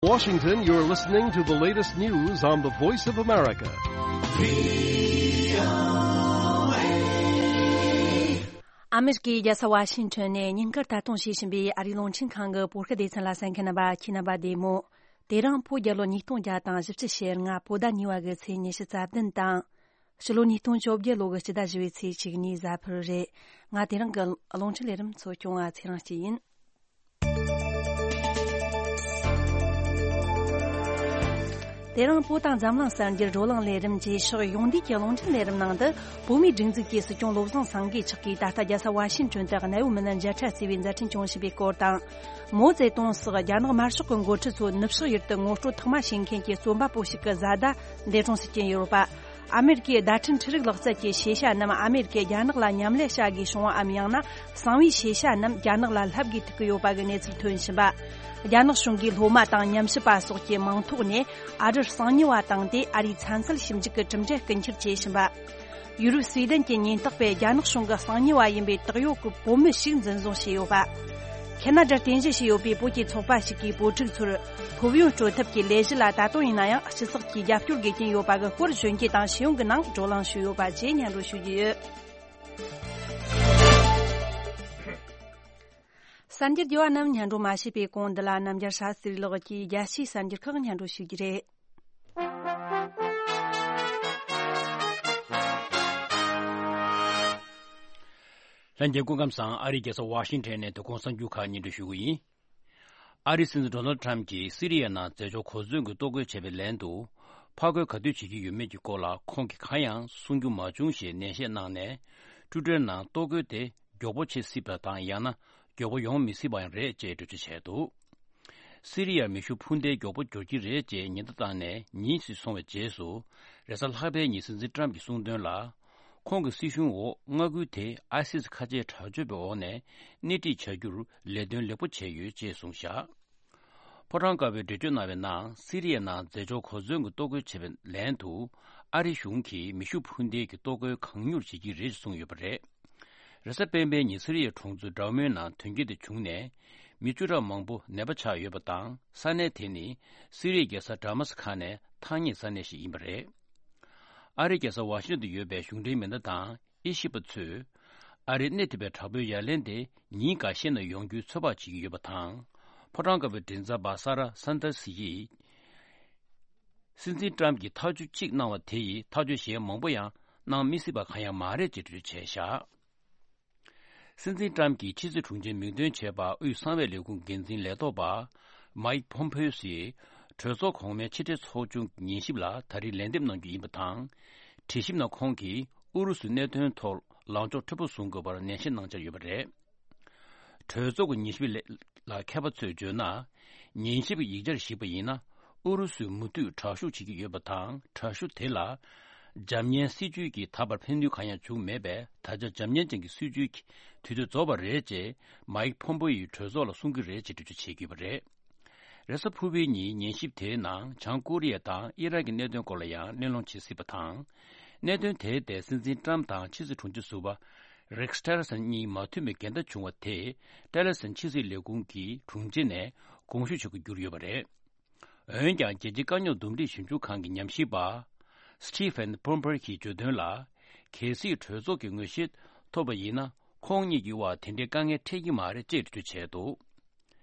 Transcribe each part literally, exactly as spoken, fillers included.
Washington, you're listening to the latest news on the Voice of America. ཨ་མེ་རི་ཀའི་རྒྱལ་ས་ཝ་ཤིང་ཊོན་ནས་ཉིན་དཀར་ལྟ་སྟངས་བྱེད་བཞིན་པའི་ཨ་རིའི་རླུང་འཕྲིན་ཁང་གི་བོད་སྐད་སྡེ་ཚན་ལ་གསན་མཁན་རྣམ་པ་ཁྱེད་རྣམ་པ་བདེ་མོ། དེ་རིང་བོད་རྒྱལ་ལོ་ཉིས་སྟོང་བརྒྱ་དང་བཞི་བཅུ་ཞེ་ལྔ་བོད་ཟླ་གཉིས་པ་གི་ཚེས་ཉི་ཤུ་རྩ་བདུན་དང་། ཕྱི་ལོ་ཉིས་སྟོང་བཅོ་བརྒྱད་ལོ་གི་སྤྱི་ཟླ་བཞི་པའི་ཚེས་གཅིག་ཉིན་གཟའ་ཕུར་བུ་རེད། ང་དེ་རིང་གི་རླུང་འཕྲིན་ལས་རིམ་གཙོ་སྐྱོང་བ་ཚེ་རིང་སྐྱིད་ཡིན། དེ་རིང་བོད་དང་འཛམ་གླིང་གསར་འགྱུར་བགྲོ་གླེང་ལས་རིམ་བཅས་ཕྱོགས་ཡོངས་བསྡུས་ཀྱི་རླུང་འཕྲིན་ལས་རིམ་ནང་དུ། བོད་མིའི་སྒྲིག་འཛུགས་ཀྱི་སྲིད་སྐྱོང་བློ་བཟང་སེང་གེ་མཆོག་གིས་ད་ལྟ་རྒྱལ་ས་ཝ་ཤིང་ཊོན་དུ་གནའ་བོའི་མི་སྣ་མཇལ་ཁ་བྱས་པའི་མཛད་འཕྲིན་སྐྱོང་བཞིན་པའི་སྐོར་དང་། མའོ་ཙེ་ཏུང་སོགས་རྒྱ་ནག་དམར་ཤོག་གི་འགོ་ཁྲིད་ཚོ་ནུབ་ཕྱོགས་ཡུལ་དུ་ངོ་སྤྲོད་ཐོག་མ་བྱེད་མཁན་གྱི་རྩོམ་པ་པོ་ཞིག་གི་བཟའ་ཟླ་འདས་གྲོངས་སུ་ཕྱིན་ཡོད་པ། ཨ་མེ་རི་ཀའི་བརྡ་འཕྲིན་འཕྲུལ་རིག་ལག་རྩལ་གྱི་ཤེས་བྱ་རྣམས་ཨ་མེ་རི་ཀས་རྒྱ་ནག་ལ་ཉམས་ལེན་བྱ་དགོས་བྱུང་བའམ། ཡང་ན་གསང་བའི་ཤེས་བྱ་རྣམས་རྒྱ་ནག་ལ་ལྷབ་དགོས་ཐུག་གི་ཡོད་པ་གི་གནས་ཚུལ་ཐོན་བཞིན་པ། རྒྱ་ནག་གཞུང་གིས་སློབ་མ་དང་ཉམས་ཞིབ་པ་སོགས་ཀྱི་མིང་ཐོག་ནས་ཨ་རིར་གསང་ཉུལ་བ་བཏང་སྟེ། ཨ་རིའི་ཚན་རྩལ་ཞིབ་འཇུག་གི་གྲུབ་འབྲས་རྐུ་འཁྱེར་བྱས་བཞིན་པ། ཡུ་རོབ་སུའེ་ཏན་གྱི་ཉེན་རྟོག་པས་རྒྱ་ནག་གཞུང་གི་གསང་ཉུལ་བ་ཡིན་པའི་བཏགས་ཡོད་ཀྱི་བོད་མི་ཞིག་འཛིན་བཟུང་བྱས་ཡོད་པ། ཁེ་ན་ཌར་རྟེན་གཞི་བྱས་ཡོད་པའི་བོད་ཀྱི་ཚོགས་པ་ཞིག་གིས་བོད་ཕྲུག་ཚོར་སློབ་ཡོན་སྤྲོད་ཐབས་ཀྱི་ལས་གཞི་ལ་ད་དུང་ཡིན་ན་ཡང་སྤྱི་ཚོགས་ཀྱི་རྒྱབ་སྐྱོར་དགོས་ཀྱིན་ཡོད་པ་གི་སྐོར་གཞོན་སྐྱེས་དང་ཤེས་ཡོན་གྱི་ནང་བགྲོ་གླེང་ཞུས་ཡོད་པ་བཅས་སྙན་སྒྲོན་ཞུ་རྒྱུ་ཡོད། གསར་འགྱུར་རྒྱས་པ་རྣམས་སྙན་སྒྲོན་མ་བྱས་པའི་གོང་འདི་ལ་རྣམ་རྒྱལ་ཤཱ་སྟྲི་ལགས་ཀྱིས་རྒྱལ་སྤྱིའི་གསར་འགྱུར་ཁག་སྙན་སྒྲོན་ཞུ་རྒྱུ་རེད། ལྷན་རྒྱས་སྐུ་ཁམས་བཟང་། ཨ་རིའི་རྒྱལ་ས་ཝ་ཤིང་ཊོན་ནས་དོ་དགོང་གསར་འགྱུར་ཁག་སྙན་སྒྲོན་ཞུ་གི་ཡིན། ཨ་རིའི་སྲིད་འཛིན་ཌོ་ནལ་ཊམ་གྱིས་སི་རི་ཡའི་ནང་མཛད་ཕྱོགས་གོ་མཚོན་གྱི་གཏོར་རྒོལ་བྱས་པའི་ལན་དུ། ཕར་རྒོལ་ག་དུས་བྱེད་ཀྱི་ཡོད་མེད་ཀྱི་སྐོར་ལ་ཁོང་གིས་གང་ཡང་གསུང་རྒྱུ་མ་བྱུང་ཞེས་ནན་བཤད་གནང་ནས། ཊུའི་ཊར་ནང་གཏོར་རྒོལ་དེ་མགྱོགས་པོ་བྱེད་སྲིད་པ་དང་། ཡང་ན་མགྱོགས་པོ་ཡོང་མི་སྲིད་པའང་རེད་ཅེས་འགྲེལ་བརྗོད་བྱས་འདུག། སི་རི་ཡར་མེ་ཤུགས་འཕུར་མདེལ་མགྱོགས་པོ་འབྱོར་གྱི་རེད་ཅེས་ཉེན་བརྡ་བཏང་ནས་ཉིན་ཞིག་སོང་བའི་རྗེས་སུ། རེས་གཟའ་ལྷག་པའི་ཉིན་སྲིད་འཛིན་ཊམ་གྱིས་གསུངས་དོན་ལ། ཁོང་གི་སྲིད་གཞུང་འོག་མངའ་ཁུལ་དེ་ཨའི་སིས་ཁ་ཆེའི་དྲག་སྤྱོད་པའི་འོག་ནས་སྣེ་ཁྲིད་བྱ་རྒྱུར་ལས་དོན་ལེགས་པོ་བྱས་ཡོད་ཅེས་གསུངས་བཞག། ཕོ་བྲང་དཀར་པོས་འགྲེལ་བརྗོད་གནང་བའི་ནང་། སི་རི་ཡའི་ནང་མཛད་ཕྱོགས་གོ་མཚོན་གྱི་གཏོར་རྒོལ་བྱས་པའི་ལན་དུ། ཨ་རི་གཞུང་གིས་མེ་ཤུགས་འཕུར་མདེལ་གྱི་གཏོར་རྒོལ་གང་མྱུར་བྱེད་ཀྱི་རེད་ཅེས་གསུངས་ཡོད་པ་རེད། རེས་གཟའ་སྤེན་པའི་ཉིན་སི་རི་ཡའི་གྲོང་ཚོ་ཌར་མོའི་ནང་དོན་རྐྱེན་དེ་བྱུང་ནས། མི་བཅུ་ཕྲག་མང་པོ་ནད་པ་ཆགས་ཡོད་པ་དང་། ས་གནས་དེ་ནི་སི་རི་ཡའི་རྒྱལ་ས་ཌ་མ་སི་ཁ་ནས་ཐག་ཉེ་ས་གནས་ཤིག་ཡིན་པ་རེད། ཨ་རིའི་རྒྱལ་ས་ཝ་ཤིང་ཊོན་དུ་ཡོད་པའི་གཞུང་འབྲེལ་མི་སྣ་དང་དབྱེ་ཞིབ་པ་ཚོས། ཨ་རིའི་སྣེ་ཐིག་པའི་དྲག་པོའི་ཡ་ལན་དེ་ཉིན་འགའ་ཤས་ནང་ཡོང་རྒྱུའི་ཚོད་དཔག་བྱེད་ཀྱི་ཡོད་པ་དང་། ཕོ་བྲང་དཀར་པོའི་མགྲིན་ཚབ་པ་ས་ར་སན་ཏར་སི་ཡིས། སྲིད་འཛིན་ཊམ་གྱིས་ཐག་གཅོད་གཅིག་གནང་བ་དེ་ཡིས་ཐག་གཅོད་གཞན་མང་པོ་ཡང་གནང་མི་སྲིད་པ་གང་ཡང་མ་རེད་ཅེས་འགྲེལ་བརྗོད་བྱས་བཞག། སྲིད་འཛིན་ཊམ་གྱི་ཕྱི་སྲིད་དྲུང་ཆེ་མིང་འདོན་བྱས་པ་དབུས་གསང་བའི་ལས་ཁུངས་འགན་འཛིན་ལས་ཐོག་པ་མའིག་ཕོམ་ཕེའོ་སིས་གྲོས་ཚོགས་གོང་མའི་ཕྱི་དྲིལ་ཚོགས་ཆུང་གི་ཉན་ཞིབ་ལ་ད་རེས་ལན་འདེབས་གནང་རྒྱུ་ཡིན་པ་དང་། དྲི་ཞིབ་ནང་ཁོང་གིས་ཨུ་རུ་སུའི་གནད་དོན་ཐོག་ལངས་ཕྱོགས་མཁྲེགས་པོ་བཟུང་དགོས་པར་ནན་བཤད་གནང་འཆར་ཡོད་པ་རེད། གྲོས་ཚོགས་ཀྱི་ཉན་ཞིབ་ལས་ལ་མཁས་པ་ཚོས་བརྗོད་ན། ཉན་ཞིབ་ཀྱི་ཡིག་ཆར་གཞིགས་པ་ཡིན་ན། ཨུ་རུ་སུས་མུ་མཐུད་དྲག་ཤུགས་བྱེད་ཀྱི་ཡོད་པ་དང་། དྲག་ཤུགས་དེ་ལ་འཇབ་ཉེན་སྲིད་ཇུས་ཀྱིས་ད་བར་ཕན་ནུས་གང་ཡང་བྱུང་མེད་པས། ད་ཆ་འཇབ་ཉེན་ཅན་གྱི་སྲིད་ཇུས་ཀྱི་དུས་ཚོད་རྫོགས་པ་རེད་ཅེས་མའིག་ཕོམ་པེ་ཡིས་གྲོས་ཚོགས་ལ་གསུང་གི་རེད་ཅེས་འགྲེལ་བརྗོད་བྱེད་ཀྱི་ཡོད་པ་རེད། རེས་གཟའ་ཕུར་བུའི་ཉིན་ཉན་ཞིབ་དེའི་ནང་བྱང་ཀོ་རི་ཡ་དང་ཨི་རག་གི་གནད་དོན་སྐོར་ལ་ཡང་གླེང་སློང་བྱེད་སྲིད་པ་དང་། གནད་དོན་དེའི་ཐད་སྲིད་འཛིན་ཊམ་དང་ཕྱི་སྲིད་དྲུང་ཆེ་ཟུར་པ་རེག་སི་ཊི་ལར་སན་གཉིས་མ་མཐུན་པའི་འགལ་ཟླ་བྱུང་བ་དེས་ཊི་ལར་སན་ཕྱི་སྲིད་ལས་ཁུངས་ཀྱི་དྲུང་ཆེ་ནས་དགོངས་ཞུ་བྱེད་དགོས་གྱུར་ཡོད་པ་རེད། འོན་ཀྱང་རྒྱལ་སྤྱིའི་དཀའ་རྙོག་འདུམ་འགྲིག་ཞིབ་འཇུག་ཁང་གི་ཉམས་ཞིབ་པ་སི་ཊི་ཕན་ཕོམ་པེ་ཡིས་བརྗོད་དོན་ལ། གལ་སྲིད་གྲོས་ཚོགས་ཀྱི་ངོས་བཞེས་ཐོབ་པ་ཡིན་ན། ཁོང་གཉིས་ཀྱི་དབར་དེ་འདྲའི་དཀའ་ངལ་འཕྲད་ཀྱི་མ་རེད་ཅེས་འགྲེལ་བརྗོད་བྱས་འདུག།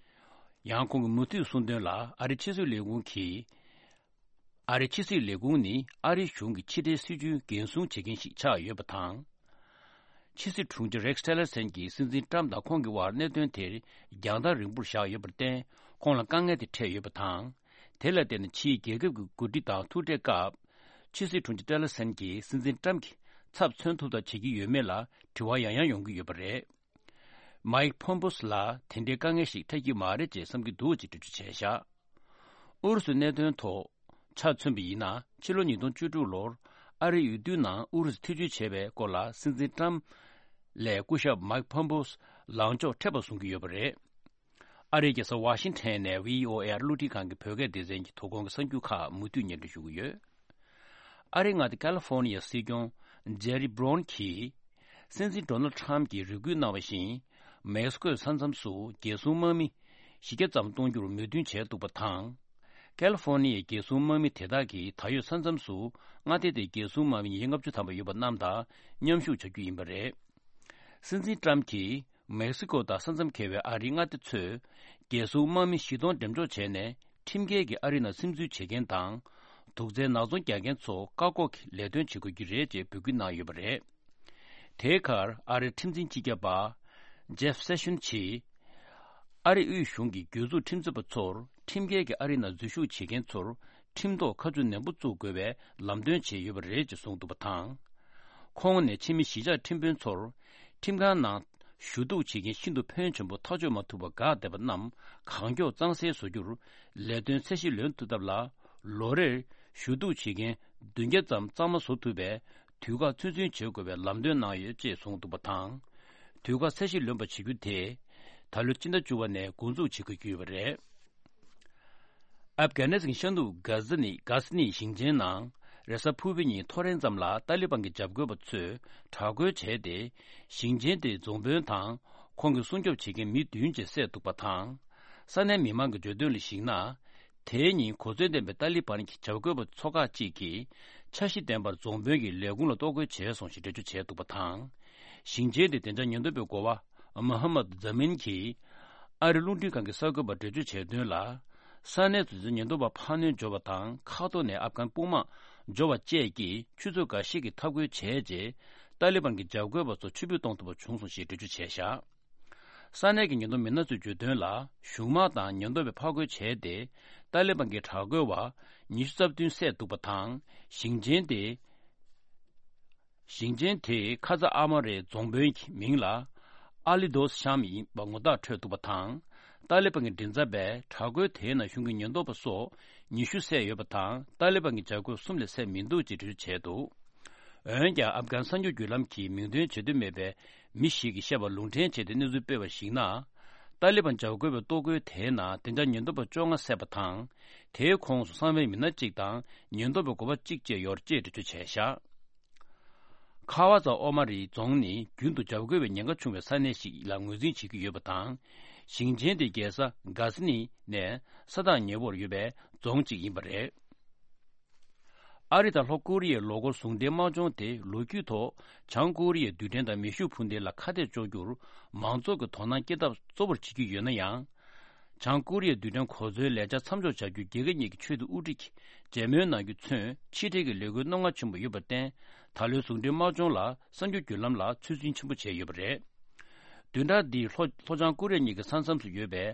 ཡང་ཁོང་གིས་མུ་མཐུད་གསུངས་དོན་ལ། ཨ་རིའི་ཕྱི་སྲིད་ལས་ཁུངས་ཀྱིས། ཨ་རིའི་ཕྱི་སྲིད་ལས་ཁུངས་ནི་ཨ་རིའི་གཞུང་གི་ཕྱི་འབྲེལ་སྲིད་ཇུས་འགན་སྲུང་བྱེད་མཁན་ཞིག་ཆགས་ཡོད་པ་དང་། ཕྱི་སྲིད་དྲུང་ཆེ་རེག་སི་ཊི་ལར་སན་གྱིས་སྲིད་འཛིན་ཊམ་དང་ཁོང་གི་དབར་གནད་དོན་དེར་རྒྱང་ཐག་རིང་པོར་བཞག་ཡོད་པར་བརྟེན། ཁོང་ལ་དཀའ་ངལ་དེ་འཕྲད་ཡོད་པ་དང་། དེ་ལ་བརྟེན་ནས་ཕྱིའི་རྒྱལ་ཁབ་ཀྱི་འགོ་ཁྲིད་དང་ཐུག་འཕྲད་སྐབས། ཕྱི་སྲིད་དྲུང་ཆེ་ཊི་ལར་སན་གྱིས་སྲིད་འཛིན་ཊམ་གྱི་ཚབ་མཚོན་ཐུབ་ཐབས་བྱེད་ཀྱི་ཡོད་མེད་ལ་དྲི་བ་ཡང་ཡང་ཡོང་གི་ཡོད་པ་རེད། མའིག་ཕོམ་པེ་ཡོ་ལ་དེ་འདྲའི་དཀའ་ངལ་ཞིག་འཕྲད་ཀྱི་མ་རེད་ཅེས་བསམ་གྱི་འདུག་ཅེས་འགྲེལ་བརྗོད་བྱས་བཞག། ཨུ་རུ་སུའི་གནད་དོན་ཐོག་ཆ་མཚོན་པ་ཡིན་ན། ཕྱི་ལོ་ཉིས་སྟོང་བཅུ་དྲུག་ལོར་ཨ་རིའི་འོས་བསྡུའི་ནང་ཨུ་རུ་སུ་ཐེ་བྱུས་བྱས་པའི་སྐོར་ལ། སྲིད་འཛིན་ཊམ་ལས་སྐུ་ཞབས་མའིག་ཕོམ་པེ་ཡོ་ལངས་ཕྱོགས་མཁྲེགས་པ་བཟུང་གི་ཡོད་པ་རེད། ཨ་རིའི་རྒྱལ་ས་ཝ་ཤིང་ཊོན་ནས་བྷི་ཨོ་ཨེ་རླུང་འཕྲིན་ཁང་གི་བོད་སྐད་སྡེ་ཚན་གྱི་དོ་དགོང་གི་གསར་འགྱུར་ཁག་མུ་མཐུད་སྙན་སྒྲོན་ཞུ་གི་ཡོད། ཨ་རིའི་མངའ་སྡེ་ཀ་ལི་ཧྥོར་ནི་ཡའི་སྲིད་སྐྱོང་ཇེ་རི་བྷི་རོན་གྱིས། སྲིད་འཛིན་ཌོ་ནལ་ཊམ་གྱིས་རེ་སྐུལ་གནང་བ་བཞིན། མེག་སི་ཀོའི་ས་མཚམས་སུ་རྒྱལ་སྲུང་དམག་མི་བཞི་བརྒྱ་ཙམ་གཏོང་རྒྱུར་མོས་མཐུན་བྱས་འདུག་པ་དང་། ཀལ་ཧྥོར་ནི་ཡའི་རྒྱལ་སྲུང་དམག་མི་དེ་དག་གིས་ད་ཡོད་ས་མཚམས་སུ་མངའ་སྡེ་དེའི་རྒྱལ་སྲུང་དམག་མི་ཉིས་བརྒྱ་ལྔ་བཅུ་ཐམ་པ་ཡོད་པ་རྣམས་དང་མཉམ་ཞུགས་བྱ་རྒྱུ་ཡིན་པ་རེད། སྲིད་འཛིན་ཏྲམ་གྱིས་མེག་སི་ཀོ་དང་ས་མཚམས་འཁེལ་བའི་ཨ་རིའི་མངའ་སྡེ་ཚོས་རྒྱལ་སྲུང་དམག་མི་བཞི་སྟོང་འགྲེམས་འཇོག་བྱས་ནས། ཁྲིམས་འགལ་གྱིས་ཨ་རི་ནང་སིམ་འཛུལ་བྱེད་མཁན་དང་། དུག་རྫས་ནག་ཚོང་རྒྱག་མཁན་ཚོ་བཀག་འགོག་གི་ལས་དོན་བྱེད་དགོས་ཀྱི་རེད་ཅེས་འབོད་སྐུལ་གནང་ཡོད་པ་རེད། དེའི་ཁར་ཨ་རིའི་ཁྲིམས་འཛིན་སྤྱི་ཁྱབ་པ་ཇེབ་སེ་ཤོན་གྱིས། ཨ་རི་དབུས་གཞུང་གི་གྱོད་འཛུགས་ཁྲིམས་རྩོད་པ་ཚོར་ཁྲིམས་འགལ་གྱིས་ཨ་རི་ནང་འཛུལ་ཞུགས་བྱེད་མཁན་ཚོར་ཁྲིམས་ཐོག་ཁ་མཆུ་ནན་པོ་བཙུགས་དགོས་པའི་ལམ་སྟོན་བྱས་ཡོད་པ་རེད་ཅེས་གསུངས་འདུག་པ་དང་། ཁོང་ནས་ཕྱི་མི་གཞིས་ཆགས་ཁྲིམས་དཔོན་ཚོར་ཁྲིམས་ཁང་ནང་ཞུ་གཏུག་བྱེད་མཁན་ཤིན་ཏུ་ཕོན་ཆེན་པོ་ཐག་གཅོད་མ་ཐུབ་པར་འགག་བསྡད་པ་རྣམས་གང་མགྱོགས་གཙང་སེལ་བཟོ་རྒྱུར་ལས་དོན་ཚད་གཞི་ལོན་ཐུབ་ཐབས་ལ། ལོ་རེར་ཞུ་གཏུག་བྱེད་མཁན་བདུན་བརྒྱ་ཙམ་གཙང་མ་བཟོ་ཐུབ་པའི་དུས་བཀག་ཚོད་འཛིན་བྱེད་དགོས་པའི་ལམ་སྟོན་གནང་ཡོད་ཅེས་གསུངས་འདུག་པ་དང་། དུས་བཀག་ཚད་གཞི་ལོན་པ་བྱེད་རྒྱུ་དེ་ད་ལོའི་སྤྱི་ཟླ་བཅུ་པ་ནས་འགོ་འཛུགས་བྱེད་དགོས་ཀྱི་ཡོད་པ་རེད། ཨབ་གྷ་ནི་སི་ཐན་ཤར་ནུབ་གྷ་ཟི་ནི་གྷ་སི་ནི་ཞིང་ཆེན་ནང་རེས་གཟའ་ཕུར་བུའི་ཉིན་ཐོ་རེངས་ཙམ་ལ་ཏཱ་ལི་བན་གྱི་འཇབ་རྒོལ་པ་ཚོས་དྲག་རྒོལ་བྱས་ཏེ། ཞིང་ཆེན་དེའི་རྫོང་དཔོན་དང་ཁོང་གི་སྲུང་སྐྱོབ་བྱེད་མཁན་མི་བདུན་བཅས་བསད་འདུག་པ་དང་། ས་གནས་མི་མང་གི་བརྗོད་དོན་ལ་གཞིགས་ན། དེའི་ཉིན་གོ་མཚོན་ལྡན་པའི་ཏཱ་ལི་བན་གྱི་འཇབ་རྒོལ་པ་ཚོ་ཁག་ཅིག་གིས་འཆར་གཞི་ལྡན་པར་རྫོང་དཔོན་གྱི་ལས་ཁུངས་ལ་གཏོར་རྒོལ་བྱས་སོང་ཞེས་འགྲེལ་བརྗོད་བྱས་འདུག་པ་དང་། ཞིང་ཆེན་དེའི་བདེ་འཇགས་ཉེན་རྟོག་པའི་འགོ་བ་མོ་ཧམ་མད་ཛ་མིན་གྱིས་ཨ་རི་རླུང་འཕྲིན་ཁང་གི་གསར་འགོད་པར་འགྲེལ་བརྗོད་བྱས་དོན་ལ། ས་གནས་སུ་བདེ་འཇགས་ཉེན་རྟོག་པ་འཕར་སྣོན་འབྱོར་བ་དང་ཁ་ཐོར་ནས་ཨབ་གྷན་དཔུང་དམག་འབྱོར་བ་བཅས་ཀྱིས་ཆུ་ཚོད་འགའ་ཤས་ཀྱི་འཐབ་རྒོལ་བྱས་རྗེས་ཏཱ་ལི་བན་གྱི་འཇབ་རྒོལ་པ་ཚོ་ཕྱིར་འབུད་གཏོང་ཐུབ་པ་བྱུང་སོང་ཞེས་འགྲེལ་བརྗོད་བྱས་བཞག་ས་གནས་ཀྱི་ཉེན་རྟོག་མི་སྣ་ཚོས་བརྗོད་དོན་ལ། གཞུང་དམག་དང་ཉེན་རྟོག་པས་ཕར་རྒོལ་བྱས་ཏེ། ཏཱ་ལི་བན་གྱི་དྲག་རྒོལ་བ་ཉི་ཤུ་རྩ་བདུན་བསད་འདུག་པ་དང་། ཞིང་ཆེན་དེ། ཞིང་ཆེན་དེའི་ཁ་ཚ་ཨ་མ་རའི་རྫོང་དཔོན་གྱི་མིང་ལ་ཨ་ལི་དོ་སི་ཤམ་ཡིན་པ་ངོ་རྟགས་འཕྲོད་འདུག་པ་དང་། ཏཱ་ལི་བན་གྱི་མགྲིན་ཚབ་པས་དྲག་རྒོལ་དེའི་ནང་ཞུགས་མཁན་ཉེན་རྟོག་པ་སོགས་ཉི་ཤུ་བསད་ཡོད་པ་དང་། ཏཱ་ལི་བན་གྱི་འཇབ་རྒོལ་གསུམ་ལས་བསད་མི་འདུག་ཅེས་འགྲེལ་བརྗོད་བྱས་འདུག་འོན་ཀྱང་། ཨབ་གྷན་གསར་འགྱུར་བརྒྱུད་ལམ་གྱིས་མིང་འདོན་བྱེད་འདོད་མེད་པའི་མི་ཞིག་གིས་བཤད་པ་ལུང་འདྲེན་བྱས་ཏེ་གནས་ཚུལ་སྤེལ་བར་གཞིགས་ན། ཏཱ་ལི་བན་འཇབ་རྒོལ་བའི་གཏོར་རྒོལ་དེའི་ནང་བདེ་འཇགས་ཉེན་རྟོག་པ་བཅོ་ལྔ་བསད་པ་དང་། དེའི་ཁོངས་སུ་གསང་བའི་མི་སྣ་གཅིག་དང་ཉེན་རྟོག་པའི་འགོ་པ་གཅིག་བཅས་ཡོད་ཅེས་འགྲེལ་བརྗོད་བྱས་བཞག་ཁ་བ་ཛ་ཨོ་མ་རི་རྫོང་ནི་རྒྱུན་དུ་འཇབ་རྒོལ་བའི་ཉེན་ཁ་ཆུང་བའི་ས་གནས་ཤིག་ལ་ངོས་འཛིན་བྱེད་ཀྱི་ཡོད་པ་དང་། ཞིང་ཆེན་དེའི་རྒྱལ་ས་གྷ་ཟི་ནི་ནས་ས་ཐག་ཉེ་བོར་ཡོད་པའི་རྫོང་གཅིག་ཡིན་པ་རེད། ཨ་རི་དང་ལྷོ་ཀོ་རི་ཡའི་ལོ་འཁོར་ཟུང་འབྲེལ་དམག་སྦྱོང་དེ་ལོ་རྒྱུས་ཐོག་བྱང་ཀོ་རི་ཡའི་རྡུལ་ཕྲན་དང་མེ་ཤུགས་འཕུར་མདེལ་ལ་ཁ་གཏད་གཅོག་རྒྱུར་མང་ཚོགས་ཀྱི་དོ་སྣང་སྐྱེད་ཐབས་གཙོ་བོར་བྱེད་ཀྱི་ཡོད་ན་ཡང་། བྱང་ཀོ་རི་ཡའི་རྡུལ་ཕྲན་གོ་མཚོན་ལས་འཆར་མཚམས་འཇོག་བྱ་རྒྱུ་རྒྱལ་ཁབ་གཉིས་ཀྱི་ཆེས་མཐོའི་དབུ་ཁྲིད་ཀྱིས་མཇལ་མོལ་གནང་རྒྱུ་ཚུན་ཕྱི་འབྲེལ་གྱི་ལས་འགུལ་རྣོ་ངར་ཆེན་པོ་ཡོད་པར་བརྟེན། ད་ལོའི་ཟུང་འབྲེལ་དམག་སྦྱོང་ལ་གསར་འགྱུར་བརྒྱུད་ལམ་ལ་ཚོད་འཛིན་ཆེན་པོ་བྱས་ཡོད་པ་རེད། བདུན་ཕྲག་འདིའི་ལྷོ་ལྷོ་བྱང་ཀོ་རི་ཡ་གཉིས་ཀྱི་ས་མཚམས་སུ་ཡོད་པའི་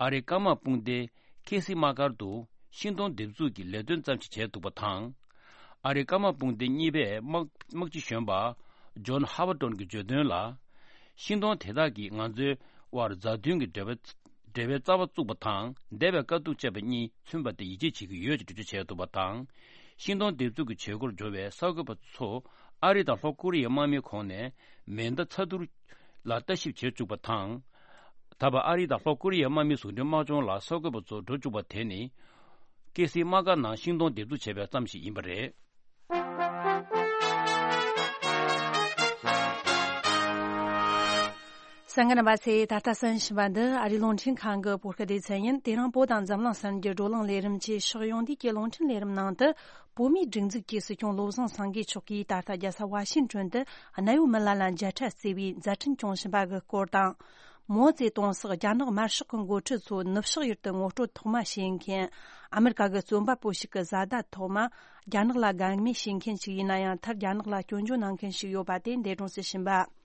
ཨ་རིའི་སྐར་དམག་དཔུང་སྡེ་ཁེ་སི་དམག་སྒར་དུ་ཤིང་སྡོང་འདེབས་འཛུགས་ཀྱི་ལས་དོན་ཙམ་ཞིག་བྱས་འདུག་པ་དང་། ཨ་རིའི་སྐར་དམག་དཔུང་སྡེ་གཉིས་པའི་དམག་དམག་སྤྱི་གཞོན་པ་ཇོན་ཧ་ཝར་ཏོན་གྱིས་བརྗོད་དོན་ལ། ཤིང་སྡོང་དེ་དག་གིས་ང་ཚོའི་དབར་མཛའ་མཐུན་གྱི་འབྲེལ་བ་འབྲེལ་བའི་རྩ་བ་བཙུགས་པ་དང་འདས་པའི་དཀའ་སྡུག་བཅས་པ་གཉིས་མཚོན་པ་དེ་ཡིད་ཆེས་བྱེད་ཀྱི་ཡོད་ཅེས་འགྲེལ་བརྗོད་བྱས་འདུག་པ་དང་། ཤིང་སྡོང་འདེབས་འཛུགས་ཀྱི་བྱེད་སྒོར་འབྱོར་བའི་གསར་འགོད་པ་ཚོ་ཨ་རི་དང་ལྷོ་ཀོ་རི་ཡའི་དམག་མིའི་ཁོངས་ནས་མེ་མདའ་ཚ་ཐུར་ལ་ལྟ་ཞིབ་བྱེད་བཅུག་པ་དང་། ད་བར་ཨ་རི་དང་ལྷོ་ཀོ་རི་ཡའི་དམག་མིའི་ཟུང་འབྲེལ་དམག་སྦྱོང་ལ་གསར་འགོད་པ་ཚོ་འགྲོ་བཅུག་པ་དེ་ནི། ཀེ་སི་དམག་སྒར་ནང་ཤིང་སྡོང་འདེབས་འཛུགས་བྱས་པའི་ཙམ་ཞིག་ཡིན་པ་རེད། གསན་མཁན་རྣམ་པ་ཚོས། ད་ལྟ་གསན་བཞིན་པ་འདི་ཨ་རིའི་རླུང་འཕྲིན་ཁང་གི་བོད་སྐད་སྡེ་ཚན་ཡིན། དེ་རིང་བོད་དང་འཛམ་གླིང་གསར་འགྱུར་བགྲོ་གླེང་ལས་རིམ་གྱི་ཕྱོགས་ཡོངས་དུས་ཀྱི་རླུང་འཕྲིན་ལས་རིམ་ནང་དུ། བོད་མིའི་སྒྲིག་འཛུགས་ཀྱི་སྲིད་སྐྱོང་བློ་བཟང་སེང་གེ་མཆོག་གིས་ད་ལྟ་རྒྱལ་ས་ཝ་ཤིང་ཏོན་དུ་གནའ་བོའི་མི་ལ་ལ་མཇལ་འཕྲད་བརྩི་བའི་མཛད་འཕྲིན་སྐྱོང་བཞིན་པ་གི་སྐོར་དང་། མའོ་ཙེ་ཏུང་སོགས་རྒྱ་ནག་དམར་ཤོག་གི་འགོ་ཁྲིད་ཚོ་ནུབ་ཕྱོགས་ཡུལ་དུ་ངོ་སྤྲོད་ཐོག་མ་བྱེད་མཁན། ཨ་མེ་རི་ཀ་གི་རྩོམ་པ་པོ་ཞིག་གི་བཟའ་ཟླ་ཐོག་མ་རྒྱ་ནག་ལ་དགའ་མོས་བྱེད་མཁན་ཞིག་ཡིན་ན་ཡང་། མཐར་རྒྱ་ནག་ལ་སྐྱོན་བརྗོད་གནང་མཁན་ཞིག་ཡོད་པ་དེ་འདས་གྲོངས་སུ་ཕྱིན་པ།